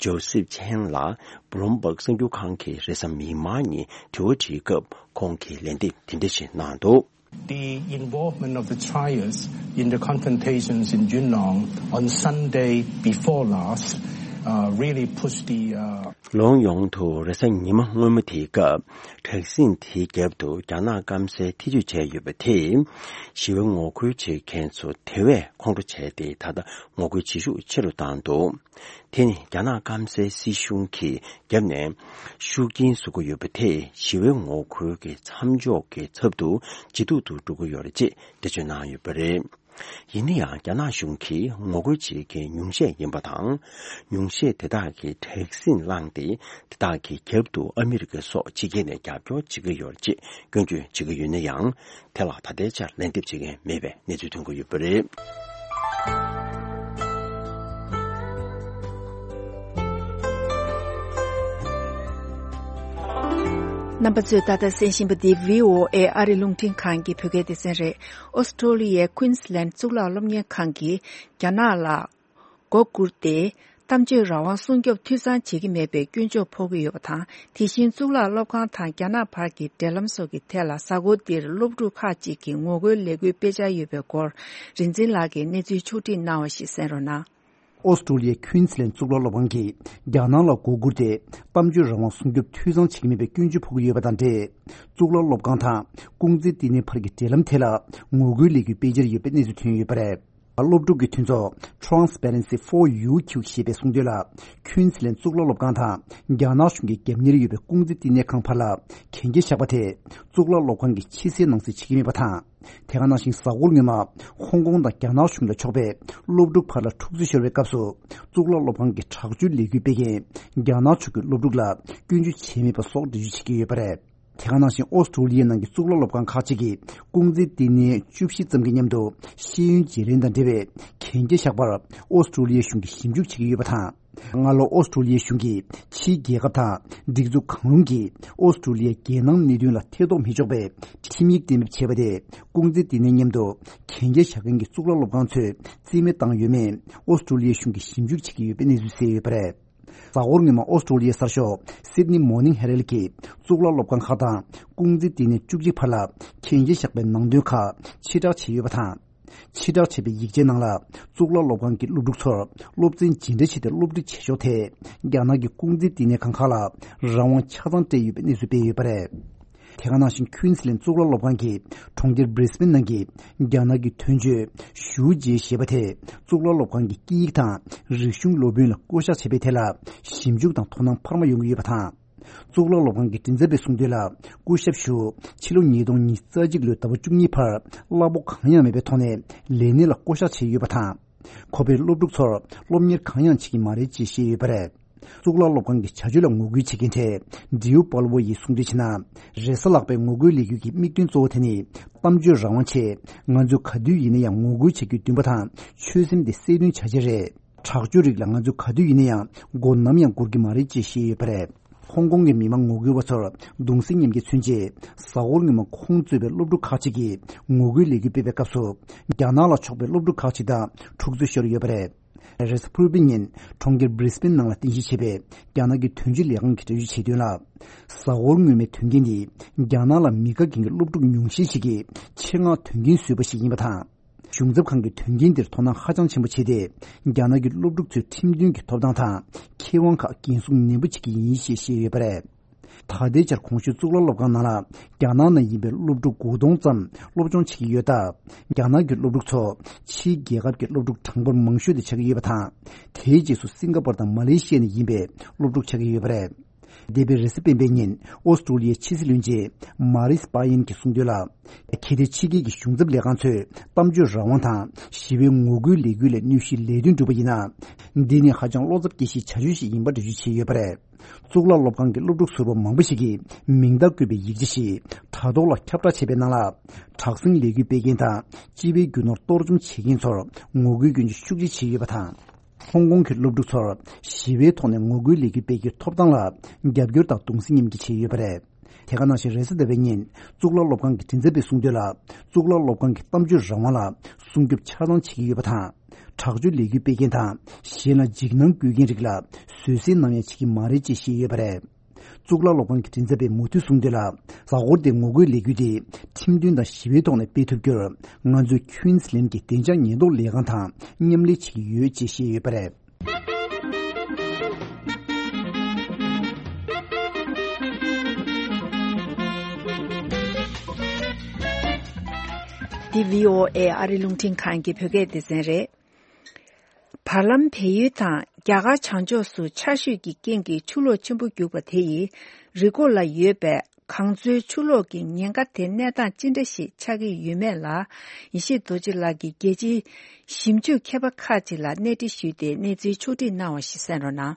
ཇོ་སེབ་ཆན་ལ་བྷུ་ལུམ་བྷག་གསར་འགྱུར་ཁང་གིས་རེས་གཟའ་མིག་དམར་ཉིན་དྲི་བ་དྲིས་སྐབས། ཁོང་གིས་ལན་འདེབས་དེ་འདྲ་ཞིག་གནང་འདུག། The involvement of the Chinese in the confrontations in Yunnan on Sunday before last, uh, really pushed the, uh, ལོ་ཡོངས་དུ་རེས་གཟའ་ཉི་མ་སྔོན་མ་དེའི་སྐབས། དྲག་ཟིང་དེའི་རྒྱབ་ཏུ་རྒྱ་ནག་སྐམ་སའི་ཐེ་བྱུས་བྱས་ཡོད་པ་དེས། ཞི་བའི་ངོ་རྒོལ་བྱེད་མཁན་ཚོ་དེ་བས་ཁོང་ཁྲོ་བྱས་ཏེ། ད་ལྟ་ངོ་རྒོལ་བྱེད་ཤུགས་ཆེ་རུ་བཏང་འདུག། དེ་ནི་རྒྱ་ནག་སྐམ་སའི་སྲིད་གཞུང་གི་རྒྱབ་ནས་ཤུགས་རྐྱེན་བཟོ་གི་ཡོད་པ་དེས། ཞི་བའི་ངོ་རྒོལ་གྱི་མཚམས་འཇོག་གི་ཚབ་ཏུ་ཇེ་སྡུག་ཏུ་འགྲོ་གི་ཡོད་རེད་ཅེས་འགྲེལ་བརྗོད་གནང་ཡོད་པ་རེད། ཡིན་ན་ཡང་། རྒྱ་ནག་གཞུང་གིས་ངོ་རྒོལ་བྱེད་མཁན་ཉུང་ཤས་ཡིན་པ་དང་། ཉུང་ཤས་དེ་དག་གིས་དྲག་ཟིང་བསླངས་ཏེ། དེ་དག་གི་རྒྱབ་ཏུ་ཨ་མི་རི་ཀ་སོགས་ཕྱི་རྒྱལ་ནས་རྒྱབ་སྐྱོར་བྱེད་ཀྱི་ཡོད་རེད་ཅེས་སྐྱོན་བརྗོད་བྱེད་ཀྱི་ཡོད་ན་ཡང་། དེ་ལ་ད་ལྟའི་ཆར་ལན་འདེབས་བྱེད་མཁན་མེད་པའི་གནས་ཚུལ་ཐོན་གྱི་ཡོད་པ་རེད། རྣམ་པ་ཚོས་ད་ལྟ་གསན་བཞིན་པ་འདི་བྷི་ཨོ་ཨེ་ཨ་རི་རླུང་འཕྲིན་ཁང་གི་བོད་སྐད་སྡེ་ཚན་རེད། ཨོ་སི་ཀྲོ་ལི་ཡའི་ཀུན་སི་ལན་གཙུག་ལག་སློབ་གཉེར་ཁང་གིས་རྒྱ་ནག་ལ་མགོ་སྒུར་ཏེ། གཏམ་བརྗོད་རང་དབང་སྲུང་སྐྱོབ་འཐུས་ཚང་བྱེད་ཀྱི་མེད་པའི་སྐྱོན་བརྗོད་ཕོག་གི་ཡོད་པ་དང་། དེ་བཞིན་གཙུག་ལག་སློབ་ཁང་དང་རྒྱ་ནག་བར་གྱི་འབྲེལ་ལམ་སོགས་ཀྱི་ཐད་ལ། གཟའ་འཁོར་འདིར་སློབ་ཕྲུག་ཁག་ཅིག་གིས་ངོ་རྒོལ་ལས་འགུལ་སྤེལ་འཆར་ཡོད་པའི་སྐོར། རིག་འཛིན་ལགས་ཀྱིས་གནས་ཚུལ་ཕྱོགས་བསྒྲིགས་གནང་བ་ཞིག་གསན་རོགས་གནང་། ཨོ་སི་ཀྲོ་ལི་ཡའི་ཁུན་སི་ལན་གཙུག་ལག་སློབ་ཁང་གིས་རྒྱ་ནག་ལ་མགོ་སྒུར་ཏེ། གཏམ་བརྗོད་རང་དབང་སྲུང་སྐྱོབ་འཐུས་ཚང་བྱེད་ཀྱི་མེད་པའི་སྐྱོན་བརྗོད་ཕོག་གི་ཡོད་པ་དང་འབྲེལ། གཙུག་ལག་སློབ་ཁང་དང་ཀུང་ཙི་ལྟེ་གནས་བར་གྱི་འབྲེལ་ལམ་ཐད་ལ་ངོ་རྒོལ་ལས་འགུལ་སྤེལ་འཆར་ཡོད་པའི་གནས་ཚུལ་ཐོན་ཡོད་པ་རེད། སློབ་ཕྲུག་གི་མཐུན་ཚོགས་Transparency for U Q ཞེས་པས་གསུངས་དོན་ལ། ཁུན་སི་ལན་གཙུག་ལག་སློབ་ཁང་དང་རྒྱ་ནག་གཞུང་གི་རྒྱབ་གཉེར་ཡོད་པའི་ཀུང་ཙི་བསྟི་གནས་ཁང་བར་ལ་གན་རྒྱ་བཞག་པ་དེ། གཙུག་ལག་སློབ་ཁང་གིས་ཕྱི་གསལ་ནང་གསལ་བྱེད་ཀྱི་མེད་པ་དང་། དེ་ག་ནང་བཞིན་གཟའ་འཁོར་སྔོན་མ་ཧོང་ཀོང་དང་རྒྱ་ནག་གཞུང་ལ་ཕྱོགས་པའི་སློབ་ཕྲུག་བར་ལ་འཁྲུག་རྩོད་ཤོར་བའི་སྐབས་སུ། གཙུག་ལག་སློབ་ཁང་གི་དྲག་སྤྱོད་ལས་འགུལ་སྤེལ་མཁན་རྒྱ་ནག་ཕྱོགས་ཀྱི་སློབ་ཕྲུག་ལ་སྐྱོན་བརྗོད་བྱས་མེད་པ་སོགས་འགྲེལ་བརྗོད་བྱེད་ཀྱི་ཡོད་པ་རེད། དེ་ག་ནང་བཞིན་ཨོ་སི་ཀྲོ་ལི་ཡའི་ནང་གི་གཙུག་ལག་སློབ་ཁང་ཁག་ཅིག་གིས་ཀུང་ཙི་བསྟི་གནས་བཅུ་བཞི་ཙམ་གྱི་མཉམ་དུ་ཤེས་ཡོན་བརྗེ་ལེན་དང་འབྲེལ་བའི་གན་རྒྱ་བཞག་པར་ཨོ་སི་ཀྲོ་ལི་ཡའི་གཞུང་གིས་ཞིབ་འཇུག་བྱེད་ཀྱི་ཡོད་པ་དང་། སྔ་ལོ་ཨོ་སི་ཀྲོ་ལི་ཡའི་གཞུང་གིས་ཕྱིའི་རྒྱལ་ཁབ་དང་སྒྲིག་འཛུགས་གང་རུང་གིས་ཨོ་སི་ཀྲོ་ལི་ཡའི་རྒྱལ་ནང་གནད་དོན་ལ་ཐེ་གཏོགས་མི་ཆོག་པའི་ཁྲིམས་ཡིག་གཏན་འབེབས་བྱས་པ་དེ། ཀུང་ཙི་བསྟི་གནས་མཉམ་དུ་གན་རྒྱ་བཞག་མཁན་གྱི་གཙུག་ལག་སློབ་ཁང་ཚོས་རྩིས་མེད་བཏང་ཡོད་མེད་ཨོ་སི་ཀྲོ་ལི་ཡའི་གཞུང་གིས་ཞིབ་འཇུག་བྱེད་ཀྱི་ཡོད་པའི་གནས་ཚུལ་གསལ་ཡོད་པ་རེད། གཟའ་འཁོར་སྔོན་མ་ཨོ་སི་ཀྲོ་ལི་ཡའི་གསར་ཤོག་Sydney Morning Herald གིས་གཙུག་ལག་སློབ་ཁང་ཁག་དང་ཀུང་ཙི་བསྟི་གནས་བཅུ་གཅིག་བར་ལ་གན་རྒྱ་བཞག་པའི་ནང་དོན་ཁག་ཕྱིར་བསྒྲགས་བྱས་ཡོད་པ་དང་། ཕྱིར་བསྒྲགས་བྱས་པའི་ཡིག་ཆའི་ནང་ལ་གཙུག་ལག་སློབ་ཁང་གི་སློབ་ཕྲུག་ཚོར་སློབ་ཚན་ཇི་འདྲ་བྱས་ཏེ་སློབ་ཁྲིད་བྱེད་ཕྱོགས་ཐད་རྒྱ་ནག་གི་ཀུང་ཙི་བསྟི་གནས་ཁང་ཁག་ལ་རང་དབང་ཆ་ཚང་སྤྲད་ཡོད་པའི་གནས་ཚུལ་སྤེལ་ཡོད་པ་རེད། དེ་ག་ནང་བཞིན་ཁུན་སི་ལན་གཙུག་ལག་སློབ་ཁང་གིས་གྲོང་ཁྱེར་Brisbane ནང་གི་རྒྱ་ནག་གི་དོན་གཅོད་ཞུའུ་ཅེ་ཞེས་པ་དེ་གཙུག་ལག་སློབ་ཁང་གི་སྐད་ཡིག་དང་རིག་གཞུང་སློབ་དཔོན་ལ་བསྐོ་གཞག་བྱས་པའི་ཐད་ལ་ཞིབ་འཇུག་དང་དོ་སྣང་འཕར་མ་ཡོང་གི་ཡོད་པ་དང་། གཙུག་ལག་སློབ་ཁང་གི་མགྲིན་ཚབ་པས་གསུངས་དོན་ལ། སྐུ་ཞབས་ཞུའུ་ཕྱི་ལོ་ཉིས་སྟོང་ཉི་ཤུ་རྩ་གཅིག་ལོའི་ཟླ་བ་བཅུ་གཉིས་བར་གླ་ཕོགས་གང་ཡང་མེད་པའི་ཐོག་ནས་ལས་གནས་ལ་བསྐོ་གཞག་བྱས་ཡོད་པ་དང་། ཁོ་པས་སློབ་ཕྲུག་ཚོར་སློབ་གཉེར་གང་ཡང་བྱེད་ཀྱི་མ་རེད་ཅེས་བཤད་ཡོད་པ་རེད། གཙུག་ལག་སློབ་ཁང་གི་བྱ་སྤྱོད་ལ་ངོ་རྒོལ་བྱེད་མཁན་གྲས་ཌིའུ་པཱལ་ཝོ་ཡིས་གསུངས་དོན་བྱས་ན། རེས་གཟའ་ལྷག་པའི་ངོ་རྒོལ་ལས་འགུལ་གྱི་དམིགས་དོན་གཙོ་བོ་དེ་ནི་གཏམ་བརྗོད་རང་དབང་ཆེད་ང་ཚོས་ག་དུས་ཡིན་ན་ཡང་ངོ་རྒོལ་བྱ་རྒྱུའི་འདུན་པ་དང་ཆོད་སེམས་དེ་གསལ་སྟོན་བྱ་ཆེད་རེད། དྲག་སྤྱོད་རིགས་ལ་ང་ཚོས་ག་དུས་ཡིན་ན་ཡང་མགོ་ནམ་ཡང་སྒུར་གྱི་མ་རེད་ཅེས་བཤད་ཡོད་པ་རེད། ཧོང་ཀོང་གི་མི་མང་ངོ་རྒོལ་བ་ཚོར་གདུང་སེམས་མཉམ་སྐྱེད་མཚོན་ཆེད་གཟའ་འཁོར་སྔོན་མ་ཁོང་གཙོས་པའི་སློབ་ཕྲུག་ཁག་ཅིག་གིས་ངོ་རྒོལ་ལས་འགུལ་སྤེལ་བའི་སྐབས་སུ་རྒྱ་ནག་ལ་ཕྱོགས་པའི་སློབ་ཕྲུག་ཁག་ཅིག་དང་འཁྲུག་རྩོད་ཤོར་ཡོད་པ་རེད། རེས་གཟའ་ཕུར་བུའི་ཉིན་གྲོང་ཁྱེར་Brisbane ནང་ལ་རྟེན་གཞི་བྱས་པའི་རྒྱ་ནག་གི་དོན་གཅོད་ལས་ཁང་གིས་འགྲེལ་བརྗོད་བྱས་དོན་ལ། གཟའ་འཁོར་སྔོན་མའི་དོན་རྐྱེན་ནི་རྒྱ་ནག་ལ་མི་དགའ་མཁན་གྱི་སློབ་ཕྲུག་ཉུང་ཤས་ཤིག་གིས་ཆེད་མངགས་དོན་རྐྱེན་བཟོས་པ་ཞིག་ཡིན་པ་དང་། གཞུང་ཚབ་ཁང་གིས་དོན་རྐྱེན་འདིར་དོ་སྣང་ཧ་ཅང་ཆེན་པོ་བྱས་ཏེ། རྒྱ་ནག་གི་སློབ་ཕྲུག་ཚོའི་ཁྲིམས་མཐུན་གྱི་ཐོབ་ཐང་དང་ཁེ་དབང་ཁག་འགན་སྲུང་ནན་པོ་བྱེད་ཀྱི་ཡིན་ཞེས་བཤད་ཡོད་པ་རེད། ད་ལྟའི་ཆར་གོང་ཞུས་གཙུག་ལག་སློབ་ཁང་ནང་ལ་རྒྱ་ནག་ནང་ཡིན་པའི་སློབ་ཕྲུག་དགུ་སྟོང་ཙམ་སློབ་སྦྱོང་བྱེད་ཀྱི་ཡོད་སྟབས། རྒྱ་ནག་གི་སློབ་ཕྲུག་ཚོ་ཕྱིའི་རྒྱལ་ཁབ་ཀྱི་སློབ་ཕྲུག་གྲངས་འབོར་མང་ཤོས་དེ་ཆགས་ཀྱི་ཡོད་པ་དང་། དེའི་རྗེས་སུ་སིང་ག་པོར་དང་མ་ལེ་ཤི་ཡ་ནས་ཡིན་པའི་སློབ་ཕྲུག་ཆགས་ཀྱི་ཡོད་པ་རེད། འདས་པའི་རེས་གཟའ་སྤེན་པའི་ཉིན་ཨོ་སི་ཀྲོ་ལི་ཡའི་ཕྱི་སྲིད་བློན་ཆེན་མ་རིས་པ་ཡིན་གྱིས་གསུངས་དོན་ལ། ཁེ་ཏེ་ཕྱི་རྒྱལ་གྱི་གཞུང་ཚབ་ལས་ཁང་ཚོས་གཏམ་བརྗོད་རང་དབང་དང་ཞི་བའི་ངོ་རྒོལ་ལས་འགུལ་ལ་གནོད་གཞིའི་ལས་དོན་བསྒྲུབས་པ་ཡིན་ན། འདི་ནི་ཧ་ཅང་བློ་འཚབ་སྐྱེ་གཞིའི་བྱ་སྤྱོད་ཞིག་ཡིན་པ་འགྲེལ་བརྗོད་བྱས་ཡོད་པ་རེད། གཙུག་ལག་སློབ་ཁང་གི་སློབ་ཕྲུག་ཟུར་པ་མང་པོ་ཞིག་གིས་མིང་རྟགས་བཀོད་པའི་ཡིག་ཆ་ཞིག་དྲ་ཐོག་ལ་ཁྱབ་བསྒྲགས་བྱས་པའི་ནང་ལ། དྲག་ཟིང་ལས་འགུལ་སྤེལ་མཁན་དང་སྤྱི་པའི་རྒྱུ་ནོར་གཏོར་བཅོམ་བྱེད་མཁན་ཚོར་ངོ་རྒོལ་སྐྱོན་བརྗོད་ཤུགས་ཆེ་བྱས་ཡོད་པ་དང་། ཧོང་ཀོང་གི་སློབ་ཕྲུག་ཚོར་ཞི་བའི་ཐོག་ནས་ངོ་རྒོལ་ལས་འགུལ་སྤེལ་རྒྱུའི་ཐོབ་ཐང་ལ་རྒྱབ་སྐྱོར་དང་གདུང་སེམས་མཉམ་སྐྱེད་བྱས་ཡོད་པ་རེད། དེ་ག་ནང་བཞིན་རེས་གཟའ་ཟླ་བའི་ཉིན་གཙུག་ལག་སློབ་ཁང་གི་མགྲིན་ཚབ་པས་གསུངས་དོན་ལ། གཙུག་ལག་སློབ་ཁང་གི་གཏམ་བརྗོད་རང་དབང་ལ་སྲུང་སྐྱོབ་ཆ་ཚང་བྱེད་ཀྱི་ཡོད་པ་དང་། དྲག་སྤྱོད་ལས་འགུལ་སྤེལ་མཁན་དང་གཞན་ལ་འཇིགས་སྣང་བསྐུལ་མཁན་རིགས་ལ་བཟོད་བསྲན་ནམ་ཡང་བྱེད་ཀྱི་མ་རེད་ཅེས་བཤད་ཡོད་པ་རེད། གཙུག་ལག་སློབ་ཁང་གི་མགྲིན་ཚབ་པས་མུ་མཐུད་གསུངས་དོན་ལ། གཟའ་འཁོར་འདིའི་ངོ་རྒོལ་ལས་འགུལ་དེ་ཁྲིམས་མཐུན་དང་ཞི་བའི་ཐོག་ནས་སྤེལ་ཐུབ་རྒྱུར་ང་ཚོས་ཁུན་སི་ལན་གྱི་བདེ་འཇགས་ཉེན་རྟོག་ལས་ཁང་དང་མཉམ་ལས་བྱེད་ཀྱི་ཡོད་ཅེས་བཤད་ཡོད་པ་རེད། འདི་བྷི་ཨོ་ཨེ་ཨ་རི་རླུང་འཕྲིན་ཁང་གི་བོད་སྐད་སྡེ་ཚན་རེད། བར་ལམ་བལ་ཡུལ་དང་རྒྱ་གར་བྱང་ཕྱོགས་སུ་ཆར་ཞོད་ཀྱི་རྐྱེན་གྱིས་ཆུ་ལོག་ཆེན་པོ་རྒྱུག་པ་དེ་ཡིས་རི་མགོ་ལ་ཡོད་པའི་གངས་མཚོའི་ཆུ་ལོག་གི་ཉེན་ཁ་དེ་གནས་སྟངས་ཅི་འདྲ་ཞིག་ཆགས་ཀྱི་ཡོད་མེད་ལ། ཡེ་ཤེས་རྡོ་རྗེ་ལགས་ཀྱིས་རྒྱལ་སྤྱིའི་ཞིབ་འཇུག་མཁས་པ་ཁག་ཅིག་ལ་གནས་འདྲི་ཞུས་ཏེ་གནས་ཚུལ་ཕྱོགས་བསྒྲིགས་གནང་བ་ཞིག་གསན་རོགས་གནང་།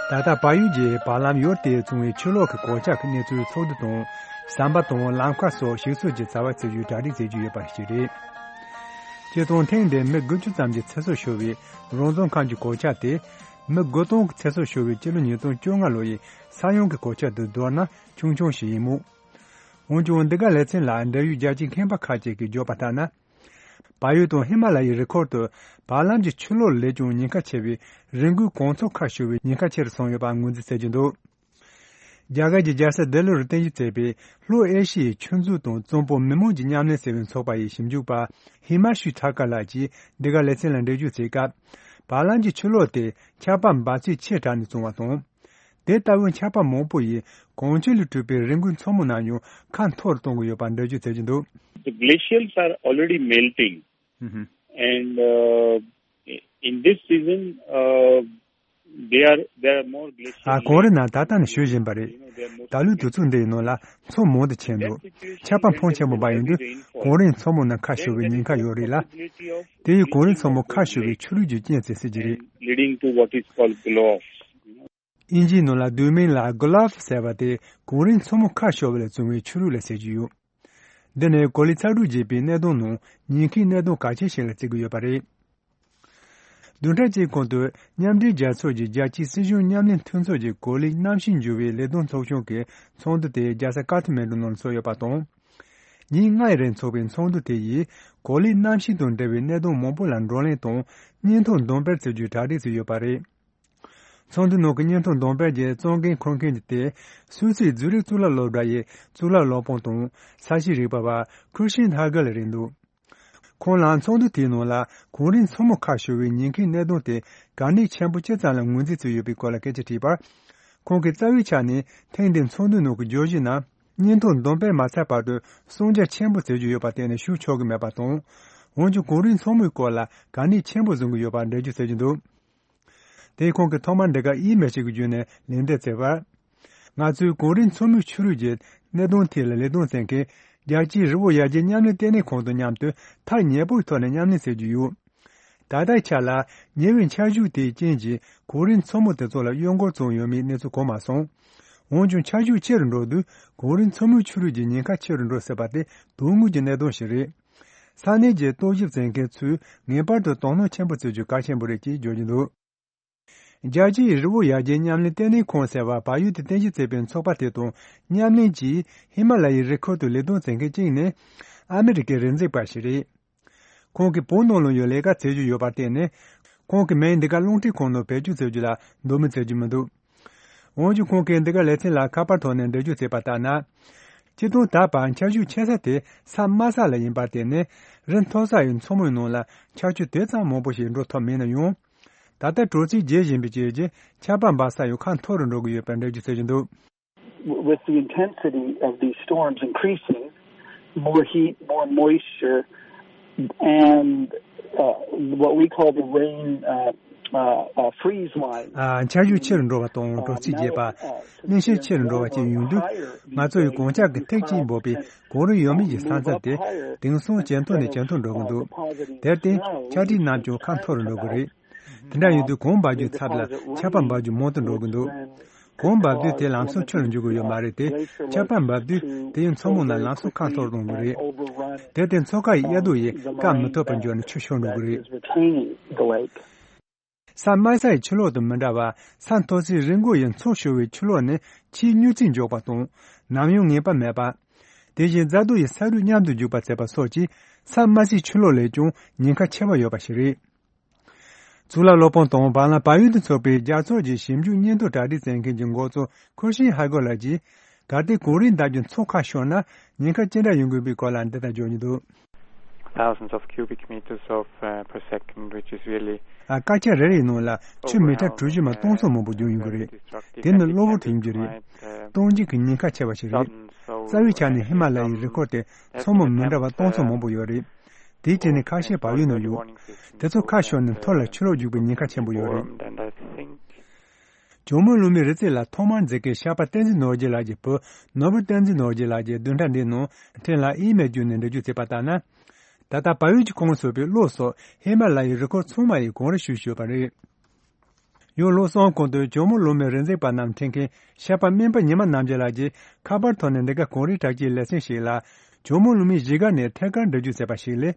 ད་ལྟ་བལ་ཡུལ་གྱི་བར་ལམ་ཡུལ་དེའི་བྱུང་བའི་ཆུ་ལོག་གི་གོད་ཆག་གི་གནས་ཚུལ་ཚོགས་འདུ་དང་། ཟམ་པ་དང་ལམ་ཁ་སོགས་ཞིག་གསོ་གྱི་རྩ་བ་རྩི་རྒྱུའི་གྲ་སྒྲིག་བྱེད་ཀྱི་ཡོད་པ་ཞིག་རེད། སྤྱིར་བཏང་ཐེངས་འདིར་མི་དགུ་བཅུ་ཙམ་གྱི་ཚེ་སྲོག་ཤོར་བའི་རོང་ཟོམ་ཁམས་ཀྱི་གོད་ཆག་དེ། མི་དགུ་སྟོང་གི་ཚེ་སྲོག་ཤོར་བའི་སྤྱི་ལོ་ཉིས་སྟོང་བཅོ་ལྔ་ལོ་ཡི་ས་ཡོམ་གྱི་གོད་ཆག་དང་བསྡུར་ན་ཆུང་ཆུང་ཞིག་ཡིན་མོད། འོན་ཀྱང་འདི་ག་ལེ་ཚན་ལ་འབྲེལ་ཡོད་རྒྱལ་སྤྱིའི་མཁས་པ་ཁག་ཅིག་གིས་བརྗོད་པ་ལྟར་ན། བལ་ཡུལ་དང་ཧི་མ་ལ་ཡའི་རི་ཁུལ་དུ་བར་ལམ་གྱི་ཆུ་ལོག་ལས་ཀྱང་ཉེན་ཁ་ཆེ་བའི་རི་མགོའི་གངས་མཚོ་ཁ་ཤོར་བའི་ཉེན་ཁ་ཆེ་རུ་སོང་ཡོད་པ་ངོས་འཛིན་བྱེད་ཀྱི་འདུག་རྒྱ་གར་གྱི་རྒྱལ་ས་ལྡི་ལིར་རྟེན་གཞི་བྱས་པའི་ལྷོ་ཨེ་ཤི་ཡའི་ཆུ་མཛོད་དང་གཙང་པོ་མི་དམངས་ཀྱི་མཉམ་ལས་ཟེར་བའི་ཚོགས་པ་ཡི་ཞིབ་འཇུག་པ་ཧི་མ་ཤུ་ཐར་ཀ་ལགས་ཀྱིས་འདི་ག་ལེ་ཚན་ལ་འགྲེལ་བརྗོད་བྱས་སྐབས། བར་ལམ་གྱི་ཆུ་ལོག་དེ་ཆར་པ་འབབ་ཚད་ཆེ་དྲགས་ནས་བྱུང་བ་དང་། དེ་ལྟ་བུའི་ཆར་པ་མང་པོ་ཡིས་གངས་ཆུ་ལས་གྲུབ་པའི་རི་མགོའི་མཚོ་མོ་རྣམས་ཡང་ཁ་འཐོར་གཏོང་གི་ཡོད་པར་འགྲེལ་བརྗོད་བྱེད་ཀྱི་འདུག The glaciers are already melting. And uh, in this season, uh, they are there are more glacial. ཨ། གངས་རི་རྣམས་ད་ལྟ་ནས་ཞུ་བཞིན་པ་རེད། ད་ལོའི་དུས་ཚོད་འདི་ཡི་ནང་ལ་མཚོ་མང་དུ་ཆེ་འདུག་ཆར་པ་ཕོན་ཆེན་པོ་འབབ་ཡོང་དུས་གངས་རིའི་མཚོ་མོ་རྣམས་ཁ་ཤོར་བའི་ཉེན་ཁ་ཡོད་རེད་ལ། དེ་ཡིས་གངས་རིའི་མཚོ་མོ་ཁ་ཤོར་བའི་ཆུ་ལོག་གི་རྐྱེན་བྱེད་སྲིད་ཀྱི་རེད། Leading to what is called gloss. དབྱིན་ཇིའི་ནང་ལ་བསྡུས་མིང་ལ་གོ་ལབ་ཟེར་བ་དེ་གངས་རིའི་མཚོ་མོ་ཁ་ཤོར་བ་ལས་བྱུང་བའི་ཆུ་ལོག་ལ་ཟེར་གྱི་ཡོད། འདི་ནི་གོ་ལའི་ཚ་དྲོད་རྒྱས་པའི་གནད་དོན་ནང་ཉེན་ཁའི་གནད་དོན་གལ་ཆེ་ཞིག་ལ་བརྩི་གི་ཡོད་པ་རེད། བདུན་ཕྲག་གཅིག་གོང་དུ་མཉམ་འབྲེལ་རྒྱལ་ཚོགས་ཀྱི་རྒྱལ་སྤྱིའི་སྲིད་གཞུང་མཉམ་ལས་མཐུན་ཚོགས་ཀྱི་གོ་ལའི་གནམ་གཤིས་འགྱུར་བའི་ལས་དོན་ཚོགས་ཆུང་གི་ཚོགས་འདུ་དེ་རྒྱལ་ས་ཀ་ཐ་མན་གྲུ་ནང་ཚོགས་ཡོད་པ་དང་། ཉིན་ལྔའི་རིང་འཚོགས་པའི་ཚོགས་འདུ་དེ་ཡིས་གོ་ལའི་གནམ་གཤིས་དང་འབྲེལ་བའི་གནད་དོན་མང་པོ་ལ་བགྲོ་གླེང་དང་སྙན་ཐོ་འདོན་སྤེལ་བྱེད་རྒྱུའི་གྲ་སྒྲིག་བྱས་ཡོད་པ་རེད། ཚོགས་འདུའི་ནང་གི་སྙན་ཐོ་འདོན་སྤེལ་གྱི་གཙོ་འགན་འཁུར་མཁན་གྱི་དེ་སུད་སིའི་ཛུ་རིག་གཙུག་ལག་སློབ་གྲྭ་ཡི་གཙུག་ལག་སློབ་དཔོན་དང་ས་གཤིས་རིག་པ་བ་ཁུར་ཤིན་ཧ་གལ་རེད་འདུག་ཁོང་ལ་ཚོགས་འདུ་དེའི་ནང་ལ་གངས་རིའི་མཚོ་མོ་ཁ་ཤོར་བའི་ཉེན་ཁའི་གནད་དོན་དེ་གལ་གནད་ཆེན་པོ་ཅི་ཙམ་ལ་ངོས་འཛིན་བྱས་ཡོད་པའི་སྐོར་ལ་སྐད་ཆ་དྲིས་པར། ཁོང་གིས་རྩ་བའི་ཆ་ནས་ཐེངས་འདིའི་ཚོགས་འདུའི་ནང་གི་བརྗོད་གཞི་ནང་སྙན་ཐོ་འདོན་སྤེལ་མ་ཚར་བར་དུ་གསུང་རྒྱ་ཆེན་པོ་བྱེད་རྒྱུ་ཡོད་པར་བརྟེན་ནས་ཞུ་ཆོག་གི་མེད་པ་དང་། འོན་ཀྱང་གངས་རིའི་མཚོ་མོའི་སྐོར་ལ་གལ་གནད་ཆེན་པོ་བཟུང་གི་ཡོད་པར་འགྲེལ་བརྗོད་བྱེད་ཀྱི་འདུག་དེས་ཁོང་གིས་ཐོག་མར་འདི་གར་ཨི་མེལ་ཞིག་གི་བརྒྱུད་ནས་ལན་འདེབས་བྱས་པར། ང་ཚོས་གངས་རིའི་མཚོ་མོའི་ཆུ་རུད་ཀྱི་གནད་དོན་ཐད་ལ་ལས་དོན་བྱེད་མཁན་རྒྱལ་སྤྱིའི་རི་བོ་ཡར་རྒྱས་མཉམ་ལས་ལྟེ་གནས་ཁང་དང་མཉམ་དུ་ཐག་ཉེ་པོའི་ཐོག་ནས་མཉམ་ལས་བྱེད་ཀྱི་ཡོད། ད་ལྟའི་ཆ་ལ་ཉེ་བའི་ཆར་ཆུ་དེའི་རྐྱེན་གྱིས་གངས་རིའི་མཚོ་མོ་དེ་ཚོ་ལ་གཡོ་འགུལ་བྱུང་ཡོད་མེད་གནས་ཚུལ་གོ་མ་སོང་། འོན་ཀྱང་ཆར་ཆུ་ཆེ་རུ་འགྲོ་དུས་གངས་རིའི་མཚོ་མོའི་ཆུ་རུད་ཀྱི་ཉེན་ཁ་ཆེ་རུ་འགྲོ་སྲིད་པ་དེ་དོན་དངོས་ཀྱི་གནད་དོན་ཞིག་རེད། ས་གནས་ཀྱི་རྟོག་ཞིབ་བྱེད་མཁན་ཚོས་ངེས་པར་དུ་དོ་སྣང་ཆེན་པོ་བྱེད་རྒྱུ་གལ་ཆེན་པོ་རེད་ཅེས་བརྗོད་ཀྱི་འདུག་རྒྱལ་སྤྱིའི་རི་བོ་ཡར་རྒྱས་མཉམ་ལས་ལྟེ་གནས་ཁང་ཟེར་བ་བལ་ཡུལ་དུ་རྟེན་གཞི་བྱས་པའི་ཚོགས་པ་དེ་དང་མཉམ་ལས་ཀྱིས་ཧི་མ་ལ་ཡའི་རི་ཁུལ་དུ་ལས་དོན་བྱེད་མཁན་གཅིག་ནི་ཨ་མི་རི་ཀའི་རི་འཛེག་པ་ཞིག་རེད། ཁོང་གིས་བོད་ནང་ལ་ཡང་ལས་ཀ་བྱེད་རྒྱུ་ཡོད་པར་བརྟེན་ནས། ཁོང་གི་མིང་འདི་ག་རླུང་འཕྲིན་ཁང་ནང་བེད་སྤྱོད་བྱེད་རྒྱུ་ལ་འདོད་མོས་བྱེད་ཀྱི་མི་འདུག་འོན་ཀྱང་ཁོང་གིས་འདི་ག་ལེ་ཚན་ལ་ཁ་པར་ཐོག་ནས་འགྲེལ་བརྗོད་བྱས་པ་ལྟར་ན། སྤྱིར་བཏང་ད་བར་ཆར་ཆུ་ཆེ་ས་དེ་ས་དམའ་ས་ལ་ཡིན་པར་བརྟེན་ནས་རི་མཐོ་ས་ཡི་མཚོ་མོའི་ནང་ལ་ཆར་ཆུ་དེ་ཙམ་མང་པོ་ཞིག་འགྲོ་ཐུབ་མེད་ན་ཡང་། ད་ལྟ་དྲོ་ཚིགས་རྒྱས་བཞིན་པའི་རྐྱེན་གྱིས་ཆར་པ་འབབ་ས་ཡང་ཁ་མཐོ་རུ་འགྲོ་གི་ཡོད་པའི་འགྲེལ་བརྗོད་བྱེད་ཀྱི་འདུག With the intensity of these storms increasing, more heat, more moisture, and uh, what we call the rain uh, uh, uh, freeze line. ཨ། ཆར་ཞོད་ཆེ་རུ་འགྲོ་བ་དང་དྲོ་ཚིགས་རྒྱས་པ། གནོན་ཤུགས་ཆེ་རུ་འགྲོ་བ་བཅས་ཡོང་དུས། ང་ཚོ་ཡི་གངས་འཁྱག་གི་ཐིགས་གཅིག་འབབ་པའི་གངས་རི་ཡོད་མེད་ཀྱི་ས་མཚམས་དེ་དེང་སང་ཇེ་མཐོ་ནས་ཇེ་མཐོར་འགྲོ་གི་འདུག་དེར་བརྟེན་ཆར་ཐིགས་རྣམས་ཀྱང་ཁ་མཐོ་རུ་འགྲོ་གི་རེད། དེ་འདྲ་ཡིན་དུས་གངས་འབབ་རྒྱུའི་ཚབ་ལ་ཆར་པ་འབབ་རྒྱུ་མང་དུ་འགྲོ་གི་འདུག་གངས་འབབ་དུས་དེ་ལམ་སང་ཆུ་ལ་འགྱུར་གྱི་ཡོད་མ་རེད་དེ། ཆར་པ་འབབ་དུས་དེ་ཡི་མཚོ་མོ་རྣམས་ལམ་སང་ཁ་མཐོར་གཏོང་གི་རེད། དེར་བརྟེན་མཚོ་ཁ་ཡི་གཡའ་རྡོ་ཡིས་བཀག་མི་ཐུབ་པར་འགྱུར་ནས་ཆུ་ཤོར་འགྲོ་གི་རེད། ས་དམའ་ས་ཡི་ཆུ་ལོག་དང་མི་འདྲ་བར་ས་མཐོ་སའི་རི་མགོ་ཡི་མཚོ་ཤོར་བའི་ཆུ་ལོག་ནི་ཆེས་མྱུར་ཚད་མགྱོགས་པ་དང་ནམ་ཡང་ངེས་པ་མེད་པ། དེ་བཞིན་རྫ་རྡོ་ཡི་ས་རུད་མཉམ་དུ་རྒྱུག་པ་བྱེད་པ་སོགས་ཀྱིས་ས་དམའ་སའི་ཆུ་ལོག་ལས་ཀྱང་ཉེན་ཁ་ཆེ་བ་ཡོད་པ་ཞིག་རེད། གཙུག་ལག་སློབ་དཔོན་དང་བར་ལམ་བལ་ཡུལ་དུ་འཚོགས་པའི་རྒྱལ་ཚོགས་ཀྱི་ཞིབ་འཇུག་སྙན་ཐོ་གྲ་སྒྲིག་མཛད་མཁན་གྱི་འགོ་གཙོ་ཁུར་ཤིན་ཧ་གོ་ལགས་ཀྱིས། གལ་ཏེ་གངས་རིའི་འདབས་ཀྱི་མཚོ་ཁ་ཤོར་ན་ཉེན་ཁ་ཅི་འདྲ་ཡོང་གི་ཡོད་པའི་སྐོར་ལ་འདི་ལྟར་བརྗོད་ཀྱི་འདུག Thousands of cubic meters of uh, per second, which is really ཨ། སྐར་ཆ་རེ་རེའི་ནང་ལ་ཆུ་མི་ཊར་གྲུ་བཞི་མ་སྟོང་ཚོ་མང་པོ་རྒྱུག་ཡོང་གི་རེད། དེ་ནི་གློ་བུར་དུ་ཡོང་རྒྱུ་རེད། སྟོང་འཇིག་གི་ཉེན་ཁ་ཆེ་བ་ཞིག་རེད། རྩ་བའི་ཆ་ནས་ཧི་མ་ལ་ཡའི་རི་ཁོག་དེ་མཚོ་མོ་མི་འདྲ་བ་སྟོང་ཚོ་མང་པོ་ཡོད་རེད། དེའི་གྲས་ནས་ཁ་ཤས་བལ་ཡུལ་ནང་ཡོད། དེ་ཚོ་ཁ་ཤོར་ནས་མཐོ་ལ་ཆུ་ལོག་རྒྱུག་པའི་ཉེན་ཁ་ཆེན་པོ་ཡོད་རེད། ཇོ་མོ་གླང་མའི་རི་རྩེ་ལ་ཐོག་མར་འཛེགས་མཁན་ཤར་པ་བསྟན་འཛིན་ནོར་རྒྱས་ལགས་ཀྱི་བུ་ནོར་བུ་བསྟན་འཛིན་ནོར་རྒྱས་ལགས་ཀྱིས་བདུན་ཕྲག་འདིའི་ནང་ཕྲན་ལ་ཨི་མེལ་བརྒྱུད་ནས་འགྲེལ་བརྗོད་བྱས་པ་ལྟར་ན། ད་ལྟ་བལ་ཡུལ་གྱི་ཁོངས་སུ་ཡོད་པའི་གློ་སོགས་ཧི་མ་ལ་ཡའི་རི་ཁོག་ཚང་མ་ཡི་གངས་རི་ཞུ་བཞིན་ཡོད་པ་རེད། ཡང་ལོ་གསུམ་གོང་དུ་ཇོ་མོ་གླང་མའི་རི་འཛེག་པ་རྣམས་འཁྲིད་མཁན་ཤར་པ་སྨན་པ་ཉི་མ་རྣམ་རྒྱལ་ལགས་ཀྱིས་ཁ་པར་ཐོག་ནས་འདི་ག་གངས་རིའི་བྲག་སྐྱིའི་ལེ་ཚན་ཞིག་ལ་ཇོ་མོ་གླང་མའི་གཞིས་ཀ་ནས་ཐད་ཀར་འགྲེལ་བརྗོད་བྱས་པ་ཞིག་ལས།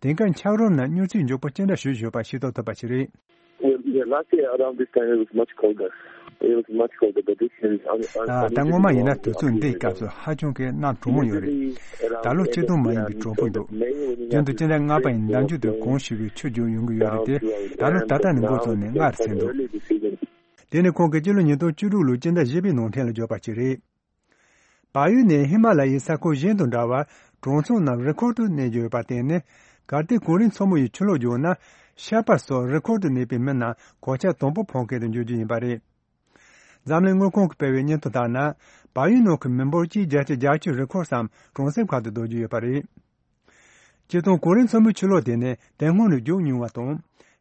དེང་སྐབས་འཁྱགས་རོམ་ནང་མྱུར་ཚད་མགྱོགས་པོ་ཅི་འདྲ་ཞུ་བཞིན་ཡོད་པ་ཤེས་རྟོགས་ཐུབ་པ་ཞིག་རེད། Well, yeah, last year around this time it was much colder. It was much colder, but this year is un- un- ད་སྔོན་མ་ཡིན་ན་དུས་ཚོད་འདིའི་སྐབས་སུ་ཧ་ཅང་གི་གནམ་གྲང་མོ་ཡོད་རེད། ད་ལོ་སྤྱིར་བཏང་མ་ཡིན་པའི་གྲང་པོ་འདུག་རྒྱུན་དུ་སྤྱི་ཟླ་ལྔ་པ་ཡི་ཟླ་མཇུག་ཏུ་གངས་ཞུ་བའི་ཆུ་རྒྱུག་ཡོང་གི་ཡོད་རེད་དེ། ད་ལོ་ད་ལྟ་ནས་འགོ་བཙུགས་ནས་སྔར་ཟིན་འདུག་དེ་ནི་ཁོང་གིས་སྤྱི་ལོ་ཉིས་སྟོང་བཅུ་དྲུག་ལོའི་སྤྱི་ཟླ་བཞི་པའི་ནང་ཕྲན་ལ་བརྗོད་པ་ཞིག་རེད། བལ་ཡུལ་ནས་ཧི་མ་ལ་ཡའི་ས་ཁུལ་གཞན་དང་འདྲ་བར་གྲོང་ཚོ་རྣམས་རི་ཁོག་ཏུ་གནས་ཀྱི་ཡོད་པར་བརྟེན་ནས། གལ་ཏེ་གངས་རིའི་མཚོ་མོ་ཡི་ཆུ་ལོག་བརྒྱུགས་ན། ཤར་པ་སོགས་རི་ཁོག་ཏུ་གནས་པའི་མི་རྣམས་གོད་ཆག་དང་པོ་ཕོག་མཁན་དུ་འགྱུར་རྒྱུ་ཡིན་པ་རེད། འཛམ་གླིང་དངོས་ཁང་གིས་སྤེལ་བའི་སྙན་ཐོ་ལྟར་ན། བལ་ཡུལ་ནང་གི་མི་འབོར་གྱི་བརྒྱ་ཆ་བརྒྱད་ཅུ་རི་ཁོག་སམ་གྲོང་གསེབ་ཁག་ཏུ་སྡོད་ཀྱི་ཡོད་པ་རེད། སྤྱིར་བཏང་གངས་རིའི་མཚོ་མོའི་ཆུ་ལོག་དེ་ནི་དེ་སྔོན་ནས་བརྒྱུད་མྱོང་བ་དང་།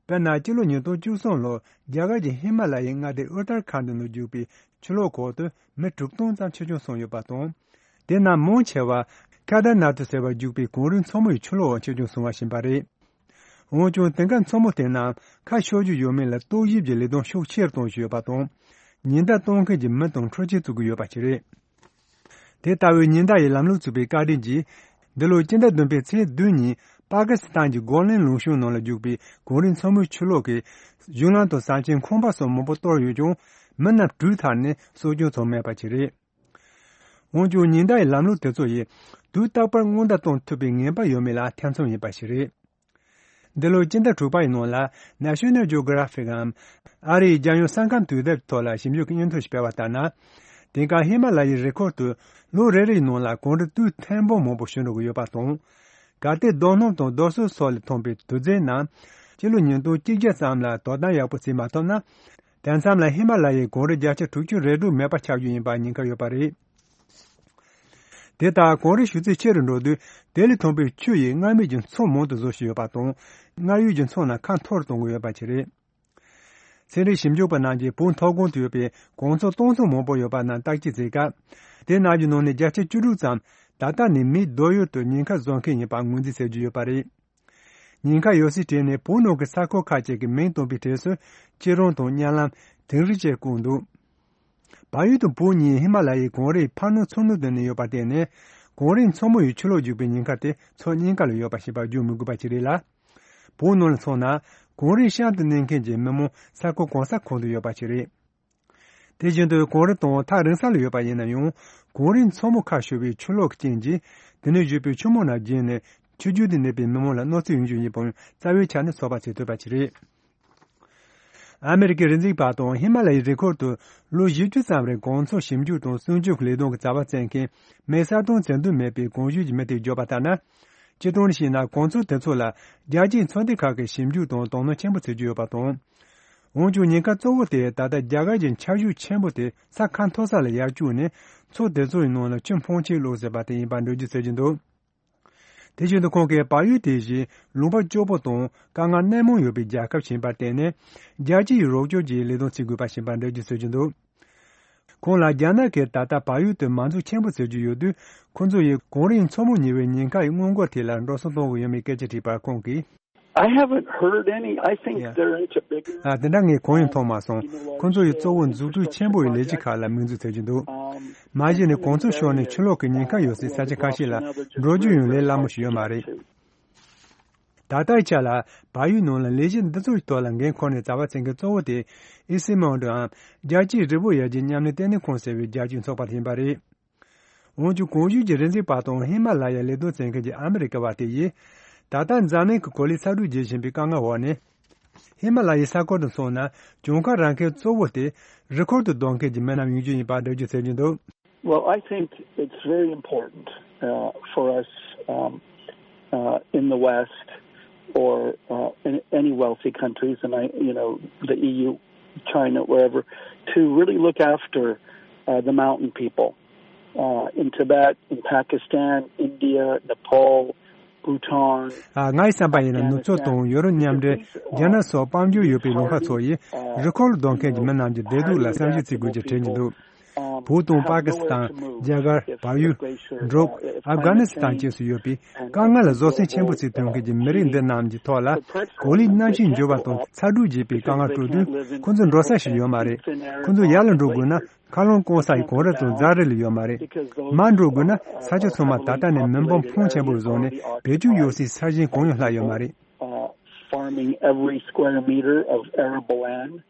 དཔེར་ན་སྤྱི་ལོ་ཉིས་སྟོང་བཅུ་གསུམ་ལོར་རྒྱ་གར་གྱི་ཧི་མ་ལ་ཡའི་མངའ་སྡེ་ཨུ་ཏར་ཁཱན་ནང་བརྒྱུད་པའི་ཆུ་ལོག་འོག་ཏུ་མི་དྲུག་སྟོང་ཙམ་འཆི་སྐྱོན་སོང་ཡོད་པ་དང་། དེ་རྣམས་མང་ཆེ་བ་ཁེ་དར་ནཱ་ཐི་ཟེར་བར་བརྒྱུད་པའི་གངས་རིའི་མཚོ་མོ་ཡི་ཆུ་ལོག་འོག་འཆི་སྐྱོན་སོང་བ་ཡིན་པ་རེད། འོན་ཀྱང་དེང་སྐབས་མཚོ་མོ་དེ་རྣམས་ཁ་ཤོར་རྒྱུ་ཡོད་མེད་ལ་རྟོག་ཞིབ་ཀྱི་ལས་དོན་ཤུགས་ཆེར་གཏོང་བཞིན་ཡོད་པ་དང་། ཉེན་བརྡ་གཏོང་མཁན་གྱི་མི་དང་འཕྲུལ་ཆས་བཙུགས་ཀྱི་ཡོད་པ་ཞིག་རེད། དེ་ལྟ་བུའི་ཉེན་བརྡ་ཡི་ལམ་ལུགས་བཙུགས་པའི་བཀའ་དྲིན་གྱིས། འདི་ལོའི་སྤྱི་ཟླ་བདུན་པའི་ཚེས་བདུན་ཉིན་པ་ཀི་སི་ཐན་གྱི་གོ་ལན་ལུང་གཤོང་ནང་ལ་རྒྱུག་པའི་གངས་རིའི་མཚོ་མོའི་ཆུ་ལོག་གིས་གཞུང་ལམ་དང་ས་ཆའི་ཁང་པ་སོགས་མང་པོ་གཏོར་ཡོད་ཀྱང་། མི་རྣམས་དྲུད་ཐར་ནས་སྲོག་སྐྱོན་ཚང་མེད་པ་ཞིག་རེད། འོན་ཀྱང་ཉེན་བརྡ་ཡི་ལམ་ལུགས་དེ་ཚོ་ཡིས་དུས་རྟག་པར་སྔོན་བརྡ་གཏོང་ཐུབ་པའི་ངེས་པ་ཡོད་མེད་ལ་ཐེ་ཚོམ་ཡིན་པ་ཞིག་རེད། འདི་ལོའི་སྤྱི་ཟླ་དྲུག་པ་ཡི་ནང་ལ་National Geographic་འམ། ཨ་རིའི་རྒྱལ་ཡོངས་ས་ཁམས་དུས་དེབ་ཐོག་ལ་ཞིབ་འཇུག་གི་སྙན་ཐོ་ཞིག་སྤེལ་བ་ལྟར་ན། དེང་སྐབས་ཧི་མ་ལ་ཡའི་རི་ཁོག་ཏུ་ལོ་རེ་རེའི་ནང་ལ་གངས་རི་སྟོད་ཐེར་འབུམ་མང་པོ་ཞིག་འགྲོ་གི་ཡོད་པ་དང་། གལ་ཏེ་རྡོ་སྣུམ་དང་རྡོ་སོལ་སོགས་ལས་ཐོན་པའི་དུག་རྫས་རྣམས་སྤྱི་ལོ་ཉིས་སྟོང་གཅིག་བརྒྱ་ཙམ་ལ་དོ་དམ་ཡག་པོ་བྱེད་མ་ཐུབ་ན། དེ་མཚམས་ལ་ཧི་མ་ལ་ཡའི་གངས་རི་བརྒྱ་ཆ་དྲུག་ཅུ་རེ་དྲུག་མེད་པ་ཆགས་རྒྱུ་ཡིན་པར་ཉེན་ཁ་ཡོད་པ་རེད། དེ་ལྟར་གངས་རིའི་ཞུ་ཚད་ཆེ་རུ་འགྲོ་དུས་དེ་ལས་ཐོན་པའི་ཆུ་ཡིས་མངར་མོའི་མཚོ་མང་དུ་བཟོ་བཞིན་ཡོད་པ་དང་། མངར་ཡོད་ཀྱི་མཚོ་རྣམས་ཁ་འཐོར་གཏོང་གི་ཡོད་པ་བཅས་རེད། ཚན་རིག་ཞིབ་འཇུག་པ་རྣམས་ཀྱིས་བོད་མཐོ་སྒང་དུ་ཡོད་པའི་གངས་མཚོ་སྟོང་ཚོ་མང་པོ་ཡོད་པ་རྣམས་བརྟག་དཔྱད་བྱེད་སྐབས། དེ་རྣམས་ཀྱི་ནང་ནས་བརྒྱ་ཆ་བཅུ་དྲུག་ཙམ་ད་ལྟ་ནས་མིའི་སྡོད་ཡུལ་དུ་ཉེན་ཁ་བཟོ་མཁན་ཡིན་པ་ངོས་འཛིན་བྱེད་ཀྱི་ཡོད་པ་རེད། ཉེན་ཁ་ཡོད་སའི་གྲས་ནས་བོད་ནང་གི་ས་ཁུལ་ཁག་ཅིག་གི་མིང་བཏོན་པའི་གྲས་སུ་སྐྱིད་རོང་དང་གཉའ་ལམ། དིང་རི་བཅས་བཀོད་འདུག་བལ་ཡུལ་དང་བོད་གཉིས་ཧི་མ་ལ་ཡའི་གངས་རིའི་ཕར་ནང་ཚུར་ནང་དུ་གནས་ཡོད་པར་བརྟེན་ནས། གངས་རིའི་མཚོ་མོ་ཡི་ཆུ་ལོག་རྒྱུག་པའི་ཉེན་ཁ་དེ་ཕྱོགས་གཉིས་ཀ་ལ་ཡོད་པ་ཞིག་པར་བརྗོད་མི་དགོས་པ་ཞིག་རེད་ལ། བོད་ནང་ལ་མཚོན་ན། གངས་རིའི་གཤམ་དུ་གནས་མཁན་གྱི་མི་མང་ས་ཁུལ་གང་ས་གང་དུ་ཡོད་པ་ཞིག་རེད། དེ་བཞིན་དུ་གངས་རི་དང་ཐག་རིང་ས་ལ་ཡོད་པ་ཡིན་ན་ཡང་། གངས་རིའི་མཚོ་མོ་ཁ་ཤོར་བའི་ཆུ་ལོག་གི་རྐྱེན་གྱིས། དེ་ནས་བཞུར་བའི་ཆུ་མོ་རྣམས་རྒྱས་ནས་ཆུ་རྒྱུད་དུ་གནས་པའི་མི་མང་ལ་གནོད་འཚེ་ཡོང་རྒྱུ་ཡིན་པའང་རྩ་བའི་ཆ་ནས་ཚོད་དཔག་བྱེད་ཐུབ་པ་ཞིག་རེད། ཨ་མེ་རི་ཀའི་རི་འཛེག་པ་དང་ཧི་མ་ལ་ཡའི་རི་ཁུལ་དུ་ལོ་བཞི་བཅུ་ཙམ་རིང་གངས་མཚོ་ཞིབ་འཇུག་དང་སྲུང་སྐྱོབ་ཀྱི་ལས་དོན་གྱི་རྩ་བ་བརྩད་མཁན་མེ་གསར་གཏོང་བྱེད་འདོད་མེད་པའི་གངས་ཞུས་ཀྱི་མི་དེས་བརྗོད་པ་ལྟར་ན། སྤྱིར་བཏང་ནས་བཤད་ན་གངས་མཚོ་དེ་ཚོ་ལ་རྒྱལ་སྤྱིའི་ཚོགས་སྡེ་ཁག་གིས་ཞིབ་འཇུག་དང་དོ་སྣང་ཆེན་པོ་བྱེད་ཀྱི་ཡོད་པ་དང་། འོན་ཀྱང་ཉེན་ཁ་གཙོ་བོ་དེ་ད་ལྟ་རྒྱ་གར་གྱི་ཆར་ཞོད་ཆེན་པོ་དེ་ས་ཁ་མཐོ་ས་ལ་ཡར་བསྐྱོད་ནས་མཚོ་དེ་ཚོའི་ནང་ལ་ཆུ་འཕོ་ཆེན་བླུགས་ཟེར་བ་དེ་ཡིན་པར་འགྲེལ་བརྗོད་བྱེད་ཀྱི་འདུག་དེ་བཞིན་དུ་ཁོང་གིས་བལ་ཡུལ་དེ་བཞིན་ལུང་པ་སྐྱོ་པོ་དང་དཀའ་ངལ་སྣེ་མང་ཡོད་པའི་རྒྱལ་ཁབ་ཞིག་ཡིན་པར་བརྟེན་ནས། རྒྱལ་སྤྱིའི་རོགས་སྐྱོར་གྱི་ལས་དོན་བྱེད་དགོས་པ་ཞིག་ཡིན་པར་འགྲེལ་བརྗོད་བྱེད་ཀྱི་འདུག་ཁོང་ལ་རྒྱ་ནག་གིས་ད་ལྟ་བལ་ཡུལ་དུ་མ་འཛུགས་ཆེན་པོ་བཟོ་རྒྱུ་ཡོད་དུས། ཁོང་ཚོ་ཡིས་གངས་རིའི་མཚོ་མོ་གཉིས་པའི་ཉེན་ཁ་ཡི་སྔོན་འགོག་ཐད་ལ་འགྲོ་སོང་གཏོང་གི་ཡོད་མེད་སྐད་ཆ་དྲིས་པར། ཁོང་གིས། I haven't heard any. I think Yeah. They're into bigger ཨ། དེ་འདྲ་ངས་གང་ཡང་མཐོང་མ་སོང་། ཁོང་ཚོ་ཡིས་གཙོ་བོ་མཛུབ་ཐེལ་ཆེན་པོ་ཡི་ལས་གཞི་ཁག་ལ་དམིགས་འཛུགས་བྱེད་ཀྱི་འདུག་མ་གཞི་ནས་གངས་མཚོ་ཤོར་ནས་ཆུ་ལོག་གི་ཉེན་ཁ་ཡོད་སའི་ས་ཆ་ཁ་ཤས་ལ་འགྲོ་རྒྱུ་ཡང་ལས་སླ་མོ་ཞིག་ཡོད་མ་རེད། ད་ལྟའི་ཆ་ལ་བལ་ཡུལ་ནང་ལ་ལས་གཞི་འདི་ཚོའི་ཐོག་ལ་འགན་འཁུར་ནས་རྩ་བ་འཛིན་མཁན་གཙོ་བོ་དེ་ཨི་སི་མོན་ཌོའམ་རྒྱལ་སྤྱིའི་རི་བོ་ཡར་རྒྱས་མཉམ་ལས་ལྟེ་གནས་ཁང་ཟེར་བའི་རྒྱལ་སྤྱིའི་ཚོགས་པ་ཡིན་པ་རེད། འོན་ཀྱང་གངས་ལྗོངས་ཀྱི་རི་འཛེག་པ་དང་ཧི་མ་ལ་ཡའི་ལས་དོན་བྱེད་མཁན་གྱི་ཨ་མི་རི་ཀ་བ་དེ་ཡིས། ད་ལྟ་འཛམ་གླིང་གི་གོ་ལའི་ཚ་དྲོད་རྒྱས་བཞིན་པའི་དཀའ་ངལ་འོག་ནས། ཧི་མ་ལ་ཡའི་ས་ཁུལ་དུ་སོང་ན་གྱོང་ཁ་རག་མཁན་གཙོ་བོ་དེ་རི་ཁུལ་དུ་སྡོད་མཁན་གྱི་མི་རྣམས་ཡིན་རྒྱུ་ཡིན་པར་འགྲེལ་བརྗོད་བྱེད་ཀྱི་འདུག Well, I think it's very important, uh, for us, um, uh, in the West or, uh, in any wealthy countries, and I, you know, the E U, China, wherever, to really look after, uh, the mountain people, uh, in Tibet, in Pakistan, India, Nepal, Bhutan, ཨ། ངའི་བསམ་པ་ཡིན་ན་ནུབ་ཕྱོགས་དང་ཡོ་རོབ་མཉམ་འབྲེལ། རྒྱ་ནག་སོགས་དཔལ་འབྱོར་ཡོད་པའི་ལུང་པ་ཚོ་ཡིས་རི་ཁུལ་སྡོད་མཁན་གྱི་མི་རྣམས་ཀྱི་བདེ་སྡུག་ལ་བསམ་གཞིག་བྱེད་དགོས་ཀྱི་དྲན་གྱི་འདུག་བོད་དང་པ་ཀི་སི་ཐན། རྒྱ་གར། བལ་ཡུལ། འབྲུག་ཨབ་གྷ་ནི་སི་ཐན་བཅས་སུ་ཡོད་པའི་དཀའ་ངལ་ལ་བཟོད་བསྲན་ཆེན་པོ་བྱེད་ཐུབ་མཁན་གྱི་མི་རིགས་འདི་རྣམས་ཀྱི་ཐོག་ལ། གོ་ལའི་གནམ་གཤིས་འགྱུར་བ་དང་ཚ་དྲོད་རྒྱས་པའི་དཀའ་ངལ་སྤྲོད་དུས། ཁོ་ཚོ་འགྲོ་ས་ཞིག་ཡོད་མ་རེད། ཁོ་ཚོ་ཡར་ལ་འགྲོ་དགོས་ན། མཁའ་རླུང་སྐམ་ས་ཡི་གངས་རི་དང་རྫ་རི་ལས་ཡོད་མ་རེད། མར་འགྲོ་དགོས་ན་ས་ཆ་ཚང་མ་ད་ལྟ་ནས་མེ་འབར་འཕོངས་ཆེན་པོ་བཟོས་ནས་བེད་སྤྱོད་ཡོད་སའི་ས་ཞིང་གང་ཡང་ལྷག་ཡོད་མ་རེད། Uh, farming every square meter of arable land.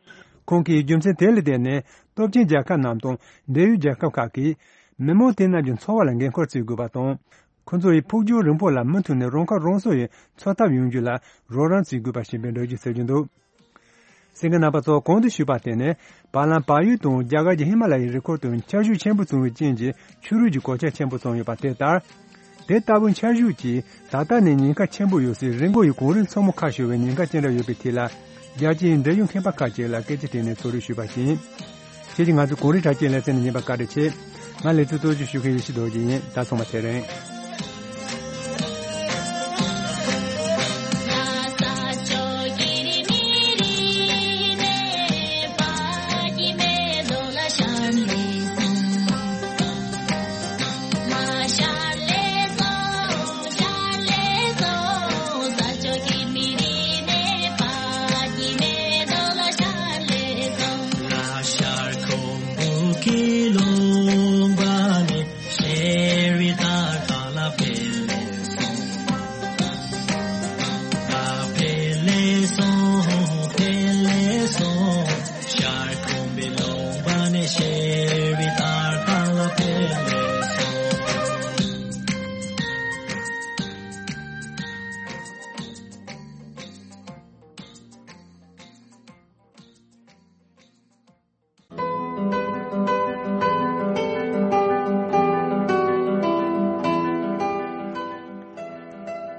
ཁོང་གིས་རྒྱུ་མཚན་དེ་ལ་བརྟེན་ནས་སྟོབས་ཆེན་རྒྱལ་ཁབ་རྣམས་དང་འབྲེལ་ཡོད་རྒྱལ་ཁབ་ཁག་གིས་མི་མང་དེ་རྣམས་ཀྱི་འཚོ་བ་ལ་འགན་འཁུར་བྱེད་དགོས་པ་དང་། ཁོ་ཚོ་ཡི་ཕུགས་རྒྱང་རིང་པོ་ལ་མུ་མཐུད་ནས་རང་ཁ་རང་གསོ་ཡི་འཚོ་ཐབས་ཡོང་རྒྱུ་ལ་རོགས་རམ་བྱེད་དགོས་པ་ཞིག་ཡིན་པའི་འགྲེལ་བརྗོད་བྱེད་ཀྱི་འདུག་གསན་མཁན་རྣམ་པ་ཚོ། གོང་དུ་ཞུས་པ་དེ་ནི་བར་ལམ་བལ་ཡུལ་དང་རྒྱ་གར་གྱི་ཧི་མ་ལ་ཡའི་རི་ཁུལ་དུ་ཆར་ཤུགས་ཆེན་པོ་བྱུང་བའི་རྐྱེན་གྱིས་ཆུ་རུད་ཀྱི་གོད་ཆག་ཆེན་པོ་བྱུང་ཡོད་པ་དེ་ལྟར། དེ་ལྟ་བུའི་ཆར་ཤུགས་ཀྱིས་ད་ལྟ་ནས་ཉེན་ཁ་ཆེན་པོ་ཡོད་སའི་རི་མགོ་ཡི་གངས་རིའི་མཚོ་མོ་ཁ་ཤོར་བའི་ཉེན་ཁ་ཅི་འདྲ་ཡོད་པའི་ཐད་ལ། རྒྱལ་སྤྱིའི་འབྲེལ་ཡོད་མཁས་པ་ཁག་ཅིག་ལ་སྐད་ཆ་དྲིས་ནས་ཚོར་རེ་ཞུས་པ་ཡིན། ཁྱེད་ཀྱིས་ང་ཚོའི་གངས་རིའི་གྲགས་ཅན་ལེ་ཚན་ནས་ཉན་པར་བཀའ་དྲིན་ཆེ། ང་ལེ་ཚན་གཙོ་སྐྱོང་ཞུ་མཁན་ཡེ་ཤེས་རྡོ་རྗེ་ཡིན། ད་སོང་བ་དེ་རིང་།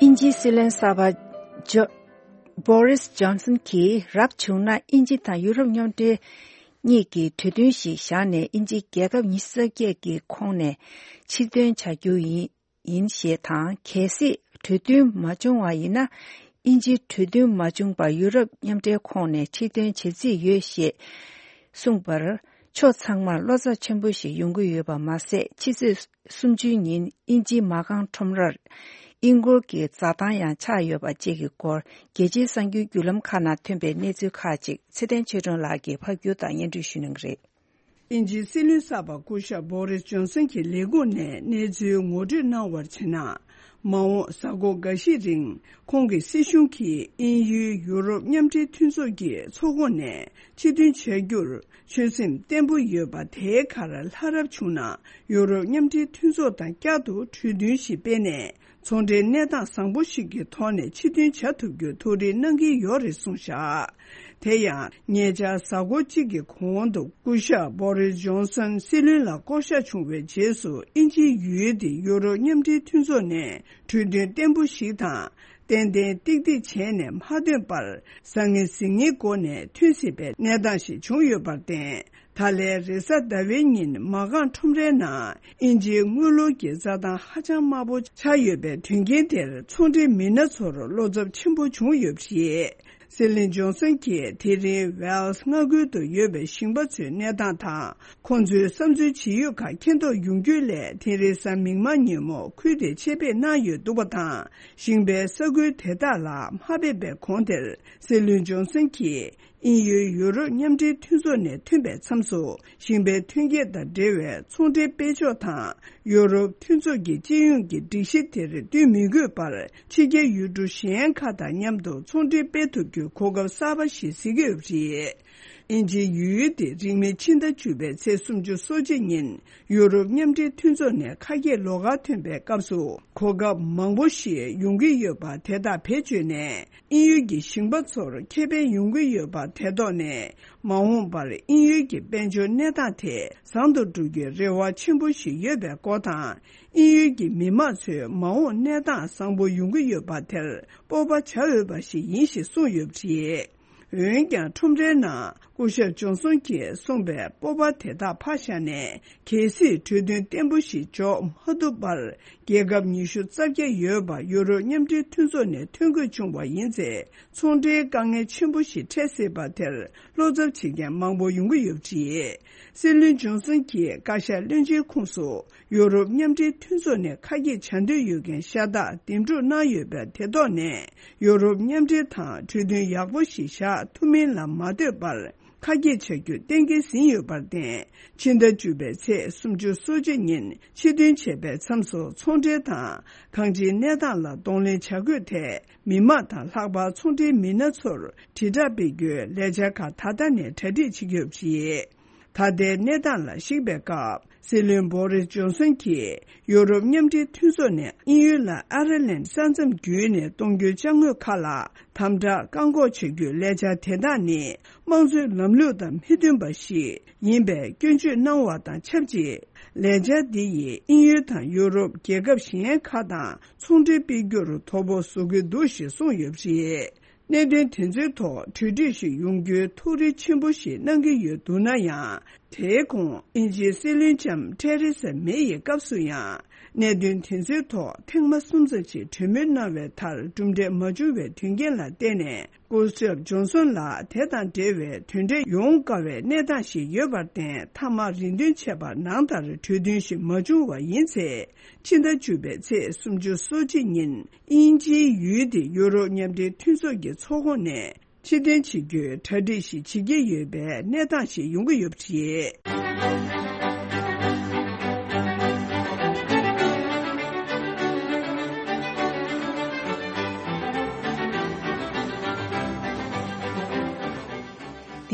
དབྱིན་ཇིའི་སྲིད་བློན་གསར་པ་ཇོ། བོ་རིས་ཇོན་སན་གྱིས་རབ་བྱུང་ན་དབྱིན་ཇི་དང་ཡུ་རོབ་མཉམ་འབྲེལ་གཉིས་ཀྱིས་གྲོས་མཐུན་ཞིག་བཞག་ནས་དབྱིན་ཇིའི་རྒྱལ་ཁབ་ཉི་ཤུ་རྩ་བརྒྱད་ཀྱི་ཁོངས་ནས་ཕྱིར་འདོན་བྱ་རྒྱུ་ཡིན། ཡིན་ཞེས་དང་། གལ་སྲིད་གྲོས་མཐུན་མ་བྱུང་བ་ཡིན་ན། དབྱིན་ཇིའི་གྲོས་མཐུན་མ་བྱུང་བར་ཡུ་རོབ་མཉམ་འབྲེལ་ཁོངས་ནས་ཕྱིར་འདོན་བྱེད་རྩིས་ཡོད་ཞེས་གསུངས་པར། ཕྱོགས་ཚང་མར་བློ་འཚབ་ཆེན་པོ་ཞིག་ཡོང་གི་ཡོད་པ་མ་ཟད། ཕྱི་ཚེས་སུམ་ཅུའི་ཉིན་དབྱིན་ཇིའི་མ་རྐང་ཁྲོམ་རར་དབྱིན་སྒོར་གྱི་འཛའ་ཐང་ཡང་ཆག་ཡོད་པ་བཅས་ཀྱི་སྐོར། རྒྱལ་སྤྱིའི་གསར་འགྱུར་བརྒྱུད་ལམ་ཁག་ནང་ཐོན་པའི་གནས་ཚུལ་ཁག་ཅིག་ཚེ་བརྟན་ཆོས་སྒྲོན་ལགས་ཀྱིས་ཕབ་སྒྱུར་དང་སྙན་སྒྲོན་ཞུ་གནང་གི་རེད། དབྱིན་ཇིའི་སྲིད་བློན་གསར་པ་སྐུ་ཞབས་བོ་རིས་ཇོན་སན་གྱི་ལས་ཁུངས་ནས་གནས་ཚུལ་ངོ་སྤྲོད་གནང་བར་བྱས་ན། མ་འོངས་གཟའ་འཁོར་འགའ་ཞིག་རིང་ཁོང་གི་སྲིད་གཞུང་གིས་དབྱིན་ཡུལ་ཡུ་རོབ་མཉམ་འབྲེལ་མཐུན་ཚོགས་ཀྱི་ཚོགས་ཁོངས་ནས་ཕྱིར་འདོན་བྱ་རྒྱུར་ཆོད་སེམས་བརྟན་པོ་ཡོད་པ། དེའི་ཁར་ལྷ་རབ་བྱུང་ན་ཡུ་རོབ་མཉམ་འབྲེལ་མཐུན་ཚོགས་དང་བསྐྱར་དུ་གྲོས་མཐུན་ཞིག་སྤེལ་ནས། ཚོང་འབྲེལ་གནས་སྟངས་བཟང་པོ་ཞིག་གི་ཐོག་ནས་ཕྱིར་འདོན་བྱ་ཐུབ་རྒྱུ་ཐུགས་རེ་གནང་གི་ཡོད་རེད་གསུངས་བཞག་དེ་ཡང་ཉེ་ཆར་གཟའ་འཁོར་གཅིག་གི་གོང་དུ་སྐུ་ཞབས་བོ་རིས་ཇོན་སན་སྲིད་བློན་ལ་བསྐོ་གཞག་བྱུང་བའི་རྗེས་སུ། དབྱིན་ཇིའི་ཡུལ་དེ་ཡུ་རོབ་མཉམ་འབྲེལ་མཐུན་ཚོགས་ནས་གྲོས་མཐུན་བརྟན་པོ་ཞིག་དང་ཏན་ཏན་ཏིག་ཏིག་བྱས་ནས་མ་ཐོན་པར། བཟང་ངན་གཟིགས་ངན་སྒོ་ནས་ཐོན་སྲིད་པའི་གནས་སྟངས་ཤིག་བྱུང་ཡོད་པར་བརྟེན། ད་ལན་རེས་གཟའ་ཟླ་བའི་ཉིན་མ་རྐང་ཁྲོམ་རའི་ནང་དབྱིན་ཇིའི་དངུལ་ལོར་གྱི་རྩྭ་ཐང་ཧ་ཅང་དམའ་པོ་ཆགས་ཡོད་པའི་དོན་རྐྱེན་དེར་ཚོང་འབྲེལ་མི་སྣ་ཚོར་བློ་འཚབ་ཆེན་པོ་བྱུང་ཡོད་པ་རེད། སྲིད་བློན་ཇོན་སན་གྱིས་དེ་རིང་ཝེལ་སི་མངའ་ཁུལ་དུ་ཡོད་པའི་ཞིང་པ་ཚོའི་གནས་སྟངས་དང་། ཁོང་ཚོའི་བསམ་ཚུལ་ཇི་ཡོད་ཁག་མཁྱེན་རྟོགས་ཡོང་རྒྱུའི་སླད། དེ་རིང་གཟའ་མིག་དམར་ཉིན་མོ་ཁུལ་དེར་ཆེད་ཕེབས་གནང་ཡོད་འདུག་པ་དང་། ཞིང་པའི་ས་ཁུལ་དེ་དག་ལ་མ་ཕེབས་པའི་གོང་དེར། སྲིད་བློན་ཇོན་སན་གྱིས་དབྱིན་ཡུལ་ཡུ་རོབ་མཉམ་འབྲེལ་མཐུན་ཚོགས་ནས་ཐོན་པའི་མཚམས་སུ། ཞིང་པའི་ཐོན་སྐྱེད་དང་འབྲེལ་བའི་ཚོང་འབྲེལ་སྤེལ་ཕྱོགས་དང་། ཡུ་རོབ་མཐུན་ཚོགས་ཀྱི་སྤྱི་ཡོངས་ཀྱི་སྒྲིག་གཞི་དེར་བསྟུན་མི་དགོས་པར། ཕྱི་རྒྱལ་ཡུལ་གྲུ་གཞན་ཁག་དང་མཉམ་དུ་ཚོང་འབྲེལ་སྤེལ་ཐུབ་རྒྱུའི་གོ་སྐབས་གསར་པ་ཞིག་གཟིགས་ཀྱི་ཡོད་པ་རེད། དབྱིན་ཇིའི་ཡུལ་དེ་རིང་མིན་ཕྱི་ཟླ་བཅུ་པའི་ཚེས་སོ་གཅིག་ཉིན་ཡུ་རོབ་མཉམ་འབྲེལ་མཐུན་ཚོགས་ནས་ཁ་གྱེས་ལོགས་ཀ་ཐོན་པའི་སྐབས་སུ་གོ་སྐབས་མང་པོ་ཞིག་ཡོང་གི་ཡོད་པ་དེ་དག་བེད་སྤྱོད་ནས། དབྱིན་ཡུལ་གྱི་ཞིང་པ་ཚོར་ཁེ་ཕན་ཡོང་གི་ཡོད་པ་དེ་ཐོག་ནས། མ་འོངས་པར་དབྱིན་ཡུལ་གྱི་དཔལ་འབྱོར་གནས་སྟངས་དེ་བཟང་དུ་འགྲོ་རྒྱུའི་རེ་བ་ཆེན་པོ་ཞིག་ཡོད་པའི་སྐོར་དང་། དབྱིན་ཡུལ་གྱི་མི་དམངས་ཚོའི་མ་འོངས་གནས་སྟངས་བཟང་པོ་ཡོང་གི་ཡོད་པ་དེར་སྤོབས་པ་བྱ་འོས་པ་ཞིག་ཡིན་ཞེས་གསུངས་ཡོད་པ་རེད། འོན་ཀྱང་ཁྲོམ་རའི་ནང་སྐུ་ཞབས་ཇོན་སོན་གྱིས་གསུངས་པའི་སྤོབས་པ་དེ་དག་ཕར་བཞག་ནས། གལ་སྲིད་གྲོས་མཐུན་བརྟན་པོ་ཞིག་འཇོག་མ་ཐུབ་པར། རྒྱལ་ཁབ་ཉི་ཤུ་རྩ་བརྒྱད་ཡོད་པ་ཡུ་རོབ་མཉམ་འབྲེལ་མཐུན་ཚོགས་ནས་ཐོན་དགོས་བྱུང་བ་ཡིན་ཚེ། ཚོང་འབྲེལ་དཀའ་ངལ་ཆེན་པོ་ཞིག་འཕྲད་སྲིད་པ་དེར་བློ་འཚབ་བྱེད་མཁན་མང་པོ་ཡོང་གི་ཡོད་པ་རེད། སྲིད་བློན་ཇོན་སོན་གྱིས་བཀའ་ཤག་བློན་ཆེན་ཁོངས་སུ་ཡུ་རོབ་མཉམ་འབྲེལ་མཐུན་ཚོགས་ནས་ཁ་གྱེས་བྱ་འདོད་ཡོད་མཁན་ཤ་སྟག་འདེམས་སྒྲུག་གནང་ཡོད་པ་དེ་ཐོག་ནས། ཡུ་རོབ་མཉམ་འབྲེལ་དང་གྲོས་མཐུན་ཡག་པོ་ཞིག་བཞག་ཐུབ་མིན་ལ་མ་ལྟོས་པར། ཁ་གྱེས་བྱ་རྒྱུ་གཏན་འཁེལ་ཟིན་ཡོད་པར་བརྟེན། ཕྱི་ཟླ་བཅུ་པའི་ཚེས་སོ་གཅིག་ཉིན་ཕྱིར་ཐོན་བྱས་པའི་མཚམས་སུ་ཚོང་འབྲེལ་དང་གང་ཅིའི་གནས་སྟངས་ལ་གདོང་ལེན་བྱ་དགོས་ཐད། མི་དམངས་དང་ལྷག་པར་ཚོང་འབྲེལ་མི་སྣ་ཚོར་དྲིལ་བསྒྲགས་སྤེལ་རྒྱུའི་ལས་འཆར་ཁག་ད་ལྟ་ནས་གྲ་སྒྲིག་བྱེད་ཀྱི་ཡོད་པ་རེད། ད་ལྟའི་གནས་སྟངས་ལ་གཞིགས་པའི་སྐབས། སྲིད་བློན་བོ་རིས་ཇོན་སོན་གྱིས་ཡུ་རོབ་མཉམ་འབྲེལ་མཐུན་ཚོགས་ནས་དབྱིན་ཡུལ་ལ་ཨ་ཡར་ལན་ས་མཚམས་བརྒྱུད་ནས་གཏོང་རྒྱུའི་ཅ་དངོས་ཁག་ལ་དམ་དྲག་བཀག་འགོག་བྱ་རྒྱུའི་ལས་འཆར་དེ་དག་ནི། དམངས་གཙོའི་ལམ་ལུགས་དང་མི་མཐུན་པ་ཞིག་ཡིན་པའི་སྐྱོན་བརྗོད་གནང་བ་དང་ཆབས་ཅིག་ལས་འཆར་འདི་ཡིས་དབྱིན་ཡུལ་དང་ཡུ་རོབ་རྒྱལ་ཁབ་གཞན་ཁག་དང་ཚོང་འབྲེལ་སྤེལ་རྒྱུར་དོ་ཕོག་བཟོ་གི་འདུག་ཞེས་གསུངས་ཡོད་པ་རེད། གནད་དོན་དེ་ཚོའི་ཐོག་གྲོས་འགྲིག་ཞིག་ཡོང་རྒྱུའི་ཐུགས་རེ་ཆེན་པོ་ཞིག་གནང་གི་ཡོད་འདུག་ན་ཡང་། དེའི་གོང་དབྱིན་ཇིའི་སྲིད་བློན་ལྕམ་ཐེ་རེ་ས་མེ་ཡི་སྐབས་སུ་ཡང་། གནད་དོན་དེ་ཚོའི་ཐོག་ཐེངས་མ་གསུམ་ཙམ་ཞིག་གྲོས་མོལ་གནང་བའི་མཐར་གྲུབ་འབྲས་མ་བྱུང་བའི་དོན་རྐྱེན་ལ་བརྟེན་ནས། སྐུ་ཞབས་ཇོན་སོན་ལ་དེ་དང་འབྲེལ་བའི་དོན་འབྲས་ཡོང་དཀའ་བའི་གནས་སྟངས་ཤིག་ཡོད་པར་བརྟེན། མཐའ་མ་རེ་འདུན་བྱས་པ་ནང་ལྟར་གྲོས་མཐུན་ཞིག་མ་བྱུང་བ་ཡིན་ཚེ། ཕྱི་ཟླ་བཅུ་པའི་ཚེས་སོ་གཅིག་ཉིན་དབྱིན་ཇིའི་ཡུལ་དེ་ཡུ་རོབ་མཉམ་འབྲེལ་མཐུན་ཚོགས་ཀྱི་ཚོགས་ཁོངས་ནས་ཕྱིར་འཐེན་བྱེད་རྒྱུའི་གྲ་སྒྲིག་ཞིག་བྱེད་ཀྱི་ཡོད་པའི་གནས་སྟངས་ཤིག་ཡོང་གི་ཡོད་པ་རེད།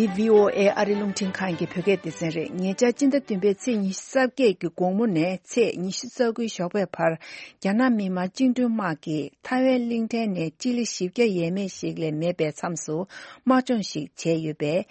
འདི་བྷི་ཨོ་ཨེ་ཨ་རི་རླུང་འཕྲིན་ཁང་གི་བོད་སྐད་སྡེ་ཚན་རེད། ཉེ་ཆར་སྤྱི་ཟླ་བདུན་པའི་ཚེས་ཉི་ཤུ་རྩ་བརྒྱད་ཀྱི་དགོང་མོ་ནས་ཚེས་ཉི་ཤུ་རྩ་དགུའི་ཞོགས་པའི་བར། རྒྱ་ནག་མི་དམངས་བཅིངས་འགྲོལ་དམག་གིས་ཐའེ་ཝན་གླིང་ཕྲན་ནས་སྤྱི་ལེ་བཞི་བརྒྱ་ཡས་མས་ཤིག་ལས་མེད་པའི་མཚམས་སུ་དམག་སྦྱོང་ཞིག་བྱས་ཡོད་པས།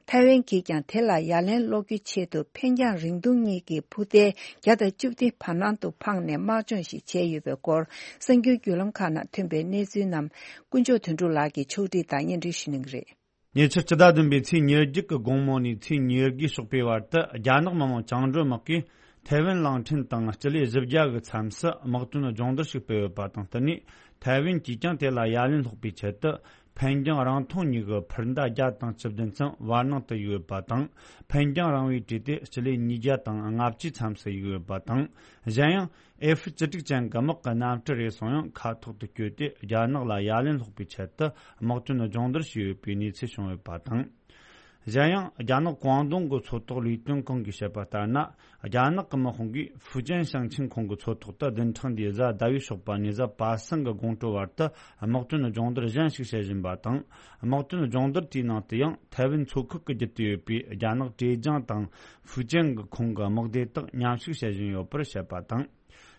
ཐའེ་ཝན་གྱིས་ཀྱང་དེ་ལ་ཡ་ལན་སློག་རྒྱུའི་ཆེད་དུ་འཕེན་རྒྱང་རིང་ཐུང་གཉིས་ཀྱི་འཕུར་མདེལ་བརྒྱ་དང་བཅུ་བདུན་བར་སྣང་དུ་འཕངས་ནས་དམག་སྦྱོང་ཞིག་བྱས་ཡོད་པའི་སྐོར། གསར་འགྱུར་བརྒྱུད་ལམ་ཁག་ནང་ཐོན་པའི་གནས་ཚུལ་རྣམས་དཀོན་མཆོག་དོན་གྲུབ་ལགས་ཀྱིས་ཕྱོགས་སྒྲིག་དང་སྙན་སྒྲོན་ཞུ་གནང་གི་རེད། ཉེ་ཆར་སྤྱི་ཟླ་བདུན་པའི་ཚེས་ཉེར་བརྒྱད་ཀྱི་དགོང་མོ་ནས་ཚེས་ཉེར་དགུའི་ཞོགས་པའི་བར་དུ། རྒྱ་ནག་མི་དམངས་བཅིངས་འགྲོལ་དམག་གིས་ཐའེ་ཝན་གླིང་ཕྲན་དང་སྤྱི་ལེ་བཞི་བརྒྱ་གི་མཚམས་སུ་དམག་དོན་སྦྱོང་བརྡར་ཞིག་སྤེལ་ཡོད་པ་དང་བསྟུན་ནས། ཐའེ་ཝན་གྱིས་ཀྱང་དེ་ལ་ཡ་ལན་སློག་པའི་ཆེད་དུ། འཕེན་རྒྱང་རིང་ཐུང་གཉིས་ཀྱི་འཕུར་མདའ་བརྒྱ་དང་བཅུ་བདུན་ཙམ་བར་སྣང་དུ་གཡུགས་ཡོད་པ་དང་། འཕེན་རྒྱང་རིང་བས་བྲིས་ཏེ་སྤྱི་ལེ་ཉིས་བརྒྱ་དང་ལྔ་བཅུའི་མཚམས་སུ་གཡུགས་ཡོད་པ་དང་། གཞན་ཡང་། ཨེ་ཧྥི་བཅུ་དྲུག་ཅན་གྱི་དམག་གི་གནམ་གྲུ་རེ་ཟུང་ཡང་མཁའ་ཐོག་ཏུ་བསྐྱོད་དེ། རྒྱ་ནག་ལ་ཡ་ལན་སློག་པའི་ཆེད་དུ་དམག་དོན་སྦྱོང་བརྡར་ཞུས་ཡོད་པའི་གནས་ཚུལ་བྱུང་ཡོད་པ་དང་། གཞན་ཡང་། རྒྱ་ནག་ཀོང་ཏུང་གི་མཚོ་ཐོག་ལས་དོན་ཁང་གིས་བཤད་པ་ལྟར་ན། རྒྱ་ནག་གི་དམག་དཔུང་གིས་ཧྥུ་ཅན་ཞིང་ཆེན་ཁོངས་ཀྱི་མཚོ་ཐོག་ཏུ་བདུན་ཕྲག་འདིའི་གཟའ་ཟླ་བའི་ཞོགས་པ་ནས་གཟའ་པ་སངས་ཀྱི་དགོང་དྲོ་བར་དུ་དམག་དོན་སྦྱོང་བརྡར་གཞན་ཞིག་བྱེད་བཞིན་པ་དང་། དམག་དོན་སྦྱོང་བརྡར་དེའི་ནང་དུ་ཡང་། ཐའེ་ཝན་མཚོ་ཁུལ་གྱི་བརྒྱུད་དུ་ཡོད་པའི་རྒྱ་ནག་ཀྲེ་ཅང་དང་ཧྥུ་ཅན་གྱི་ཁོངས་ཀྱི་དམག་སྡེ་དག་མཉམ་ཞུགས་བྱེད་བཞིན་ཡོད་པར་བཤད་པ་དང་།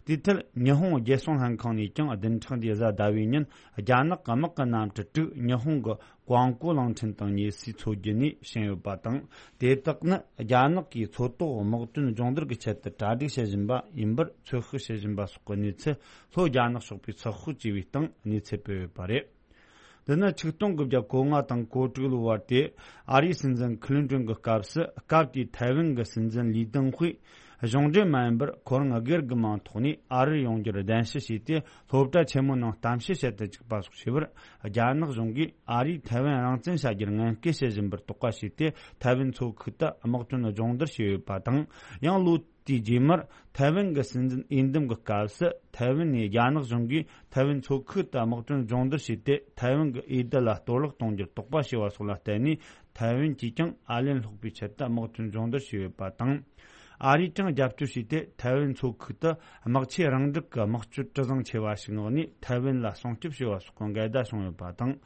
དེའི་ཐད། ཉི་ཧོང་རྒྱལ་སྲུང་ལྷན་ཁང་ནས་ཀྱང་བདུན་ཕྲག་འདིའི་གཟའ་ཟླ་བའི་ཉིན། རྒྱ་ནག་གི་དམག་གི་གནམ་གྲུ་དྲུག་ཉི་ཧོང་གི་ཀོང་ཀོ་གླིང་ཕྲན་དང་ཉེ་སའི་མཚོ་རྒྱུད་ནས་ཕྱིན་ཡོད་པ་དང་། དེ་དག་ནི་རྒྱ་ནག་གིས་མཚོ་ཐོག་དམག་དོན་སྦྱོང་བརྡར་གྱི་ཆེད་དུ་གྲ་སྒྲིག་བྱེད་བཞིན་པ་ཡིན་པར་ཚོད་དཔག་བྱེད་བཞིན་པ་སོགས་ཀྱི་གནས་ཚུལ། ལྷོ་རྒྱ་ནག་ཕྱོགས་པས་ཚོད་དཔག་བྱས་པའི་སྟེང་གནས་ཚུལ་སྤེལ་ཡོད་པ་རེད། འདི་ནི་ཆིག་སྟོང་དགུ་བརྒྱ་གོ་ལྔ་དང་གོ་དྲུག་ལོའི་བར་དུ་ཨ་རིའི་སྲིད་འཛིན་ཁི་ལིན་ཏོན་གྱི་སྐབས་སུ། སྐབས་དེའི་ཐའེ་ཝན་གྱི་སྲིད་འཛིན་ལི་ཏེང་ཧུའེ་གཞུང་འབྲེལ་མ་ཡིན་པར་ཁོ་རང་སྒེར་གྱི་མིང་ཐོག་ནས་ཨ་རིར་ཡོང་རྒྱུར་གདན་ཞུ་བྱས་ཏེ། སློབ་གྲྭ་ཆེན་མོའི་ནང་གཏམ་བཤད་བྱེད་དུ་བཅུག་པ་སོགས་བྱས་པར། རྒྱ་ནག་གཞུང་གིས་ཨ་རིས་ཐའེ་ཝན་རང་བཙན་བྱ་རྒྱུར་ངན་སྐུལ་བྱེད་བཞིན་པར་དོགས་པ་བྱས་ཏེ། ཐའེ་ཝན་མཚོ་ཁུལ་དུ་དམག་དོན་སྦྱོང་བརྡར་བྱས་ཡོད་པ་དང་། ཡང་ལོ་དེའི་རྗེས་མར་ཐའེ་ཝན་གྱི་སྲིད་འཛིན་འོས་འདེམས་ཀྱི་སྐབས་སུ། ཐའེ་ཝན་ནས་རྒྱ་ནག་གཞུང་གིས་ཐའེ་ཝན་མཚོ་ཁུལ་དུ་དམག་དོན་སྦྱོང་བརྡར་བྱས་ཏེ། ཐའེ་ཝན་གྱི་འོས་བསྡུ་ལ་གཏོར་བརླག་གཏོང་རྒྱུར་དོགས་པ་བྱས་པ་སོགས་ལ་བརྟེན་ནས། ཐའེ་ཝན་གྱིས་ཀྱང་ཨ་ལན་སློག་པའི་ཆེད་དུ་དམག་དོན་སྦྱོང་བརྡར་བྱས་ཡོད་པ་དང་། ཨ་རིས་ཀྱང་རྒྱབ་སྐྱོར་བྱས་ཏེ། ཐའེ་ཝན་མཚོ་ཁུལ་དུ་དམག་ཆས་རང་འགྲིག་གི་དམག་སྤྱོད་གྲུ་གཟིངས་ཆེ་བ་ཞིག་མངགས་ནས། ཐའེ་ཝན་ལ་སྲུང་སྐྱོབ་བྱས་པ་སོགས་ཀྱི་འགལ་ཟླ་བྱུང་ཡོད་པ་དང་།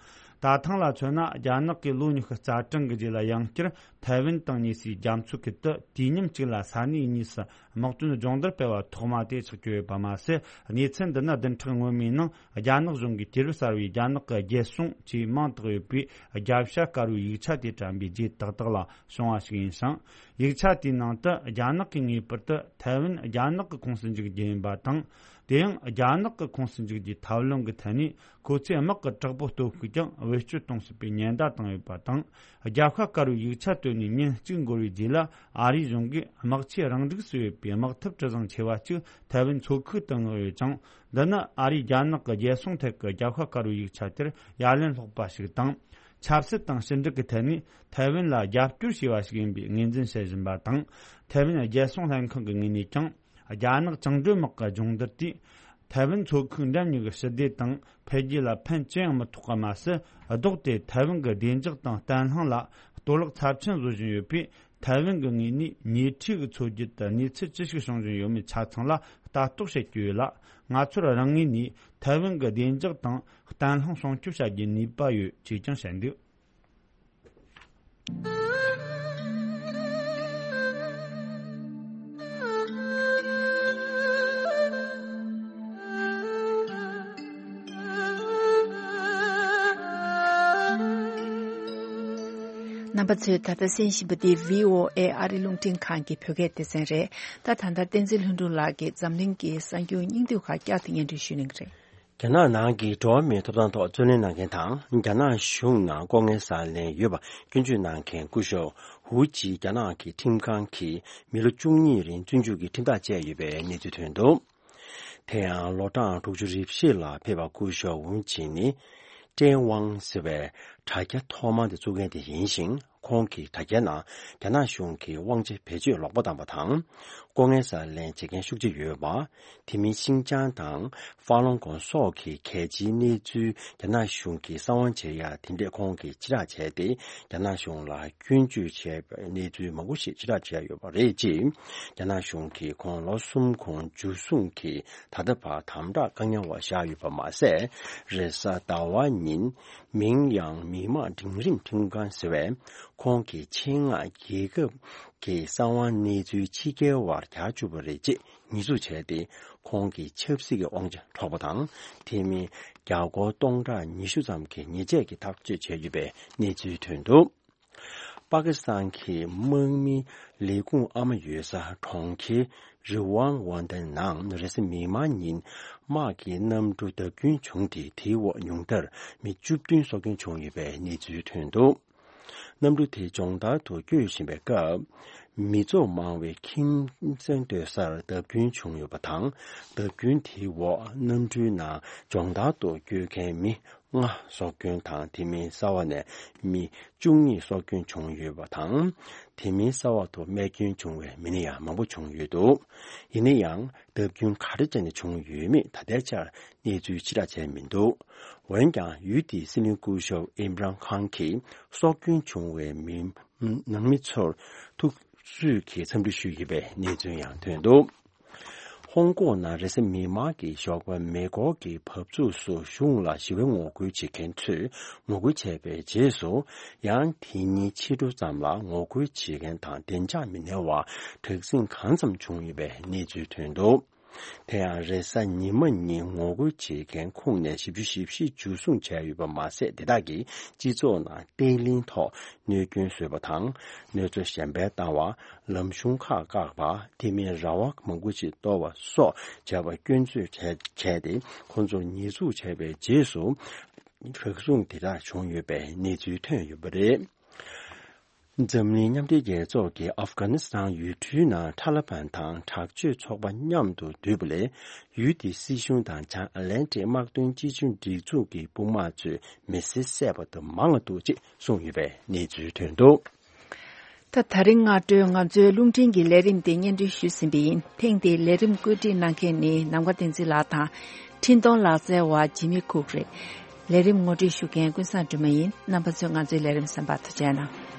ད་ཐེངས་ལ་མཚོན་ན། རྒྱ་ནག་གིས་ལོ་ཉི་ཤུ་རྩ་གྲངས་ཀྱི་རྗེས་ལ་ཡང་བསྐྱར་ཐའེ་ཝན་དང་ཉེ་སའི་རྒྱ་མཚོའི་ཁུལ་དུ་དུས་མཉམ་གཅིག་ལ་ས་གནས་གཉིས་སུ་དམག་དོན་སྦྱོང་བརྡར་སྤེལ་བ་ཐོག་མ་དེ་ཆགས་ཀྱི་ཡོད་པ་མ་ཟད། གནས་ཚུལ་འདི་ནི་བདུན་ཕྲག་སྔོན་མའི་ནང་རྒྱ་ནག་གཞུང་གིས་དུས་རབས་གསར་བའི་རྒྱ་ནག་གི་རྒྱལ་སྲུང་ཅེས་མིང་བཏགས་ཡོད་པའི་རྒྱབ་ཤ་དཀར་པོའི་ཡིག་ཆ་དེ་དྲན་པའི་རྗེས་ཏག་ཏག་ལ་བྱུང་བ་ཞིག་ཡིན་ཞིང་། ཡིག་ཆ་དེའི་ནང་དུ། རྒྱ་ནག་གིས་ངེས་པར་དུ་ཐའེ་ཝན་རྒྱ་ནག་གི་ཁོངས་སུ་འཇུག་རྒྱུ་ཡིན་པ་དང་། དེ་ཡང་རྒྱ་ནག་གི་ཁོངས་སུ་འཇུག་རྒྱུའི་ཐབས་ལམ་གྱི་ཐད་ནས། ཁོ་ཚོས་དམག་གི་དྲག་པོ་སྟོབས་ཤུགས་ཀྱང་བེད་སྤྱོད་གཏོང་སྲིད་པའི་ཉེན་བརྡ་བཏང་ཡོད་པ་དང་། རྒྱབ་ཤ་དཀར་པོའི་ཡིག་ཆ་བཏོན་ནས་ཉིན་གཅིག་འགོར་བའི་རྗེས་ལ། ཨ་རིའི་གཞུང་གིས་དམག་ཆས་རང་འགྲིག་སུ་ཡོད་པའི་དམག་འཐབ་གྲུ་གཟིངས་ཆེ་བ་གཅིག་ཐའེ་ཝན་མཚོ་ཁུལ་དུ་མངགས་ཡོད་ཅིང་། འདི་ནི་ཨ་རིས་རྒྱ་ནག་གི་རྒྱལ་སྲུང་ཐད་ཀྱི་རྒྱབ་ཤ་དཀར་པོའི་ཡིག་ཆ་དེར་ཡ་ལན་སློག་པ་ཞིག་དང་། ཆབ་སྲིད་དང་ཕྱི་འབྲེལ་གྱི་ཐད་ནས་ཐའེ་ཝན་ལ་རྒྱབ་སྐྱོར་བྱས་པ་ཞིག་ཡིན་པའི་ངོས་འཛིན་བྱེད་བཞིན་པ་དང་། ཐའེ་ཝན་རྒྱལ་སྲུང་ལྷན་ཁང་གི་ངོས་ནས་ཀྱང་། རྒྱ་ནག་བཅིངས་འགྲོལ་དམག་གི་སྦྱོང་བརྡར་དེས། ཐའེ་ཝན་མཚོ་ཁུལ་འགྲམ་གཉིས་ཀྱི་ཞི་བདེ་དང་འཕེལ་རྒྱས་ལ་ཕན་ཅི་ཡང་མི་ཐོགས་པ་མ་ཟད། ལྡོག་སྟེ་ཐའེ་ཝན་གྱི་བདེ་འཇགས་དང་བརྟན་ལྷིང་ལ་གཏོར་བརླག་ཚབས་ཆེན་བཟོ་བཞིན་ཡོད་པས། ཐའེ་ཝན་གྱི་ངོས་ནས་ཉེ་འཁྲིས་ཀྱི་མཚོ་རྒྱུད་དུ་གནས་ཚུལ་ཅི་ཞིག་བྱུང་བཞིན་ཡོད་མེད་ཆ་ཚང་ལ་ལྟ་རྟོག་བྱེད་ཀྱི་ཡོད་ལ། ང་ཚོར་རང་ངོས་ནས་ཐའེ་ཝན་གྱི་བདེ་འཇགས་དང་བརྟན་ལྷིང་སྲུང་སྐྱོབ་བྱ་རྒྱུའི་ནུས་པ་ཡོད་ཅེས་ཀྱང་བཤད་འདུག། རྣམ་པ་ཚོས་ད་ལྟ་གསན་བཞིན་པ་འདི་བྷི་ཨོ་ཨེ་ཨ་རི་རླུང་འཕྲིན་ཁང་གི་བོད་སྐད་སྡེ་ཚན་རེད། ད་ད་ལྟ་བསྟན་འཛིན་ལྷུན་གྲུབ་ལགས་ཀྱིས་འཛམ་གླིང་གི་གསར་འགྱུར་སྙིང་བསྡུས་ཁག་བསྐྱར་དུ་སྙན་སྒྲོན་ཞུ་གནང་གི་རེད། རྒྱ་ནག་ནང་གི་འགྲོ་བ་མིའི་ཐོབ་ཐང་ཐོག་རྩོད་ལེན་གནང་མཁན་དང་། རྒྱ་ནག་གཞུང་ནང་ལྐོག་རྔན་ཟ་ལེན་ཡོད་པ་སྐྱོན་བརྗོད་གནང་མཁན་སྐུ་ཞབས་ཧུའུ་ཅི་རྒྱ་ནག་གི་ཁྲིམས་ཁང་གིས་མི་ལོ་བཅུ་གཉིས་རིང་བཙོན་འཇུག་གི་ཁྲིམས་ཐག་བཅད་ཡོད་པའི་གནས་ཚུལ་ཐོན་འདུག། དེ་ཡང་ལོ་གྲངས་དྲུག་ཅུ་རེ་བཞི་ལ་ཕེབས་པ་སྐུ་ཞབས་ཧུའུ་ཅི་ནི། ཀྲེན་ཝང་ཟེར་བའི་དྲ་རྒྱ་ཐོག་མ་དེ་བཙུགས་མཁན་དེ་ཡིན་ཞིང་། ཁོང་གི་དྲ་རྒྱའི་ནང་རྒྱ་ནག་གཞུང་གིས་དབང་ཆ་བེད་སྤྱོད་ལོག་པ་བཏང་བ་དང་། ལྐོག་རྔན་ཟ་ལེན་བྱེད་མཁན་ཤུགས་ཆེ་ཡོད་པ། དེ་མིན་ཤིན་ཅང་དང་ཧྥ་ལུན་ཀོང་སོགས་ཀྱི་གལ་ཆེའི་གནས་ཚུལ་རྒྱ་ནག་གཞུང་གིས་གསང་བ་བྱེད་ཡ་དེ་འདྲས་ཁོང་གིས་ཕྱིར་བསྒྲགས་བྱས་ཏེ། རྒྱ་ནག་གཞུང་ལ་སྐྱོན་བརྗོད་བྱས་པའི་གནས་ཚུལ་མང་པོ་ཞིག་ཕྱིར་བསྒྲགས་བྱས་ཡོད་པ་རེད། ཅེས་རྒྱ་ནག་གཞུང་གིས་ཁོང་ལོ་གསུམ་གོང་འཇུ་བཟུང་གིས་ད་ལྟ་བར་དམ་དྲག་བཀག་ཉར་འོག་བཞག་ཡོད་པ་མ་ཟད། རེས་གཟའ་ཟླ་བ་ཉིན་མིང་ཡང་མི་དམངས་འབྲིང་རིམ་ཁྲིམས་ཁང་ཟེར་བས། ཁོང་གིས་ཆེད་མངགས་རྒྱལ་ཁབ་ཀྱི་གསང་བ་གནས་ཚུལ་ཕྱི་རྒྱལ་བར་གྱར་བཅུག་པ་རེད་ཅེས་ཉེས་འཛུགས་བྱས་ཏེ། ཁོང་གི་ཆབ་སྲིད་ཀྱི་དབང་ཆ་འཕྲོག་པ་དང་། དེ་མིན་རྒྱ་སྒོར་སྟོང་ཕྲག་ཉི་ཤུ་ཙམ་གྱི་ཉེས་ཆད་ཀྱི་ཐག་གཅོད་བྱས་ཡོད་པའི་གནས་ཚུལ་ཐོན་འདུག། པ་ཀི་སི་ཐན་གྱི་དམག་མིའི་ལས་ཁུངས་ཨ་མ་ཡོད་ས་གྲོང་ཁྱེར་རི་ཝང་ཝན་ཏན་ནང་རེས་གཟའ་མིག་དམར་ཉིན་དམག་གི་གནམ་གྲུ་བརྡབ་སྐྱོན་བྱུང་སྟེ། དེའི་འོག་ཉུང་མཐར་མི་བཅུ་བདུན་སྲོག་སྐྱོན་བྱུང་ཡོད་པའི་གནས་ཚུལ་ཐོན་འདུག། གནམ་གྲུ་དེ་སྦྱོང་བརྡར་དུ་བསྐྱོད་བཞིན་པའི་སྐབས། མི་ཚོགས་མང་བའི་ཁྱིམ་ཚང་སྡོད་སར་བརྡབ་སྐྱོན་བྱུང་ཡོད་པ་དང་། བརྡབ་སྐྱོན་དེའི་འོག་གནམ་གྲུའི་ནང་སྦྱོང་བརྡར་དུ་བསྐྱོད་མཁན་མི་ལྔ་སྲོག་སྐྱོན་དང་། དེ་མིན་གསར་བ་ནས་མི་བཅུ་གཉིས་སྲོག་སྐྱོན་བྱུང་ཡོད་པ་དང་། དེ་མིན་གསར་བ་དུ་རྨས་སྐྱོན་བྱུང་བའི་མི་སྣ་ཡང་མང་པོ་བྱུང་ཡོད་འདུག། ཡིན་ན་ཡང་། བརྡབ་སྐྱོན་ག་རེ་བྱས་ནས་བྱུང་ཡོད་མེད་ད་ལྟའི་ཆར་གནས་ཚུལ་ཕྱིར་བསྒྲགས་བྱས་མི་འདུག། འོན་ཀྱང་། ཡུལ་དེའི་སྲིད་བློན་སྐུ་ཞབས་ཨིམ་རཱན་ཁཱན་གྱིས་སྲོག་སྐྱོན་བྱུང་བའི་མི་ནང་མི་ཚོར་ཐུགས་གསོས་ཀྱི་འཚམས་འདྲི་ཞུས་ཡོད་པའི་གནས་ཚུལ་ཡང་ཐོན་འདུག། ཧོང་ཀོང་ནང་རེས་གཟའ་མིག་དམར་གྱི་ཞོགས་པ་མེ་འཁོར་གྱི་བབས་ཚུགས་སུ་གཞུང་ལ་ཞི་བའི་ངོ་རྒོལ་བྱེད་མཁན་ཚོས་ངོ་རྒོལ་བྱས་པའི་རྗེས་སུ། ཡང་དེ་ཉིན་ཕྱི་དྲོ་ཙམ་ལ་ངོ་རྒོལ་བྱེད་མཁན་དང་བདེ་འཇགས་མི་སྣའི་བར་དྲག་ཟིང་གང་འཚམ་བྱུང་ཡོད་པའི་གནས་ཚུལ་ཐོན་འདུག། དེ་ཡང་རེས་གཟའ་ཉི་མ་ཉིན་ངོ་རྒོལ་བྱེད་མཁན་ཁོངས་ནས་བཞི་བཅུ་ཞེ་བཞི་འཇུ་བཟུང་བྱས་ཡོད་པ་མ་ཟད། དེ་དག་གིས་སྤྱི་ཚོགས་ནང་བརྟན་ལྷིང་ཐོག་གནོད་སྐྱོན་བཟོས་པ་དང་། གནོད་འཚེ་གཞན་པ་བཏང་བ། ལམ་གཞུང་ཁག་བཀག་པ། དེ་མིན་ར་བ་མང་པོ་ཞིག་གཏོར་བ་སོགས་བྱས་པ་སྐྱོན་བརྗོད་བྱས་བྱས་ཏེ། ཁོང་ཚོར་ཉེས་འཛུགས་བྱས་པའི་རྗེས་སུ། རག་ཟུང་དེ་དག་བྱུང་ཡོད་པའི་གནས་ཚུལ་ཐོན་ཡོད་པ་རེད། འཛམ་གླིང་མཉམ་འབྲེལ་རྒྱལ་ཚོགས་ཀྱིས་ཨབ་གྷ་ནི་སི་ཐན་ཡུལ་གྲུའི་ནང་ཐ་ལི་བན་དང་དྲག་སྤྱོད་ཚོགས་པ་མཉམ་དུ་འདུས་པ་ལས། ཡུལ་དེའི་སྲིད་གཞུང་དང་བྱང་ཨ་ལན་ཏི་དམག་དོན་གཅིག་མཇུག་སྒྲིག་འཛུགས་ཀྱི་དཔུང་དམག་ཚོས་མི་སེར་བསད་པ་དང་མང་བ་འདུག་ཅེས་གསུངས་ཡོད་པའི་གནས་ཚུལ་ཐོན་འདུག། ད། ད་རིང་སྔ་དྲོའི་ང་ཚོའི་རླུང་འཕྲིན་གྱི་ལས་རིམ་དེ་སྙན་སྒྲོན་ཞུས་ཟིན་པ་ཡིན། ཐེངས་འདིའི་ལས་རིམ་བཀོད་སྒྲིག་གནང་མཁན་ནི་ནམ་མཁའ་བསྟན་འཛིན་ལགས་དང་། འཕྲིན་གཏོང་ལག་རྩལ་བ་ཇི་མི་ཁུག་རེད། ལས་རིམ་ངོ་སྤྲོད་ཞུ་མཁན་ཀུན་བཟང་སྒྲོལ་མ་ཡིན། རྣམ་པ་ཚོས་ང་ཚོའི་ལས་རིམ་གསན་པར་ཐུགས་རྗེ་གནང་།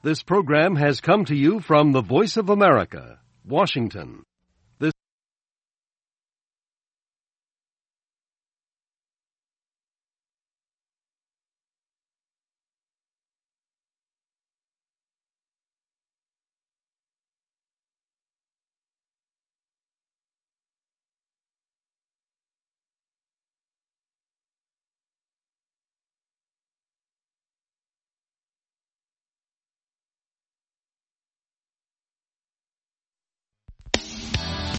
This program has come to you from the Voice of America, Washington.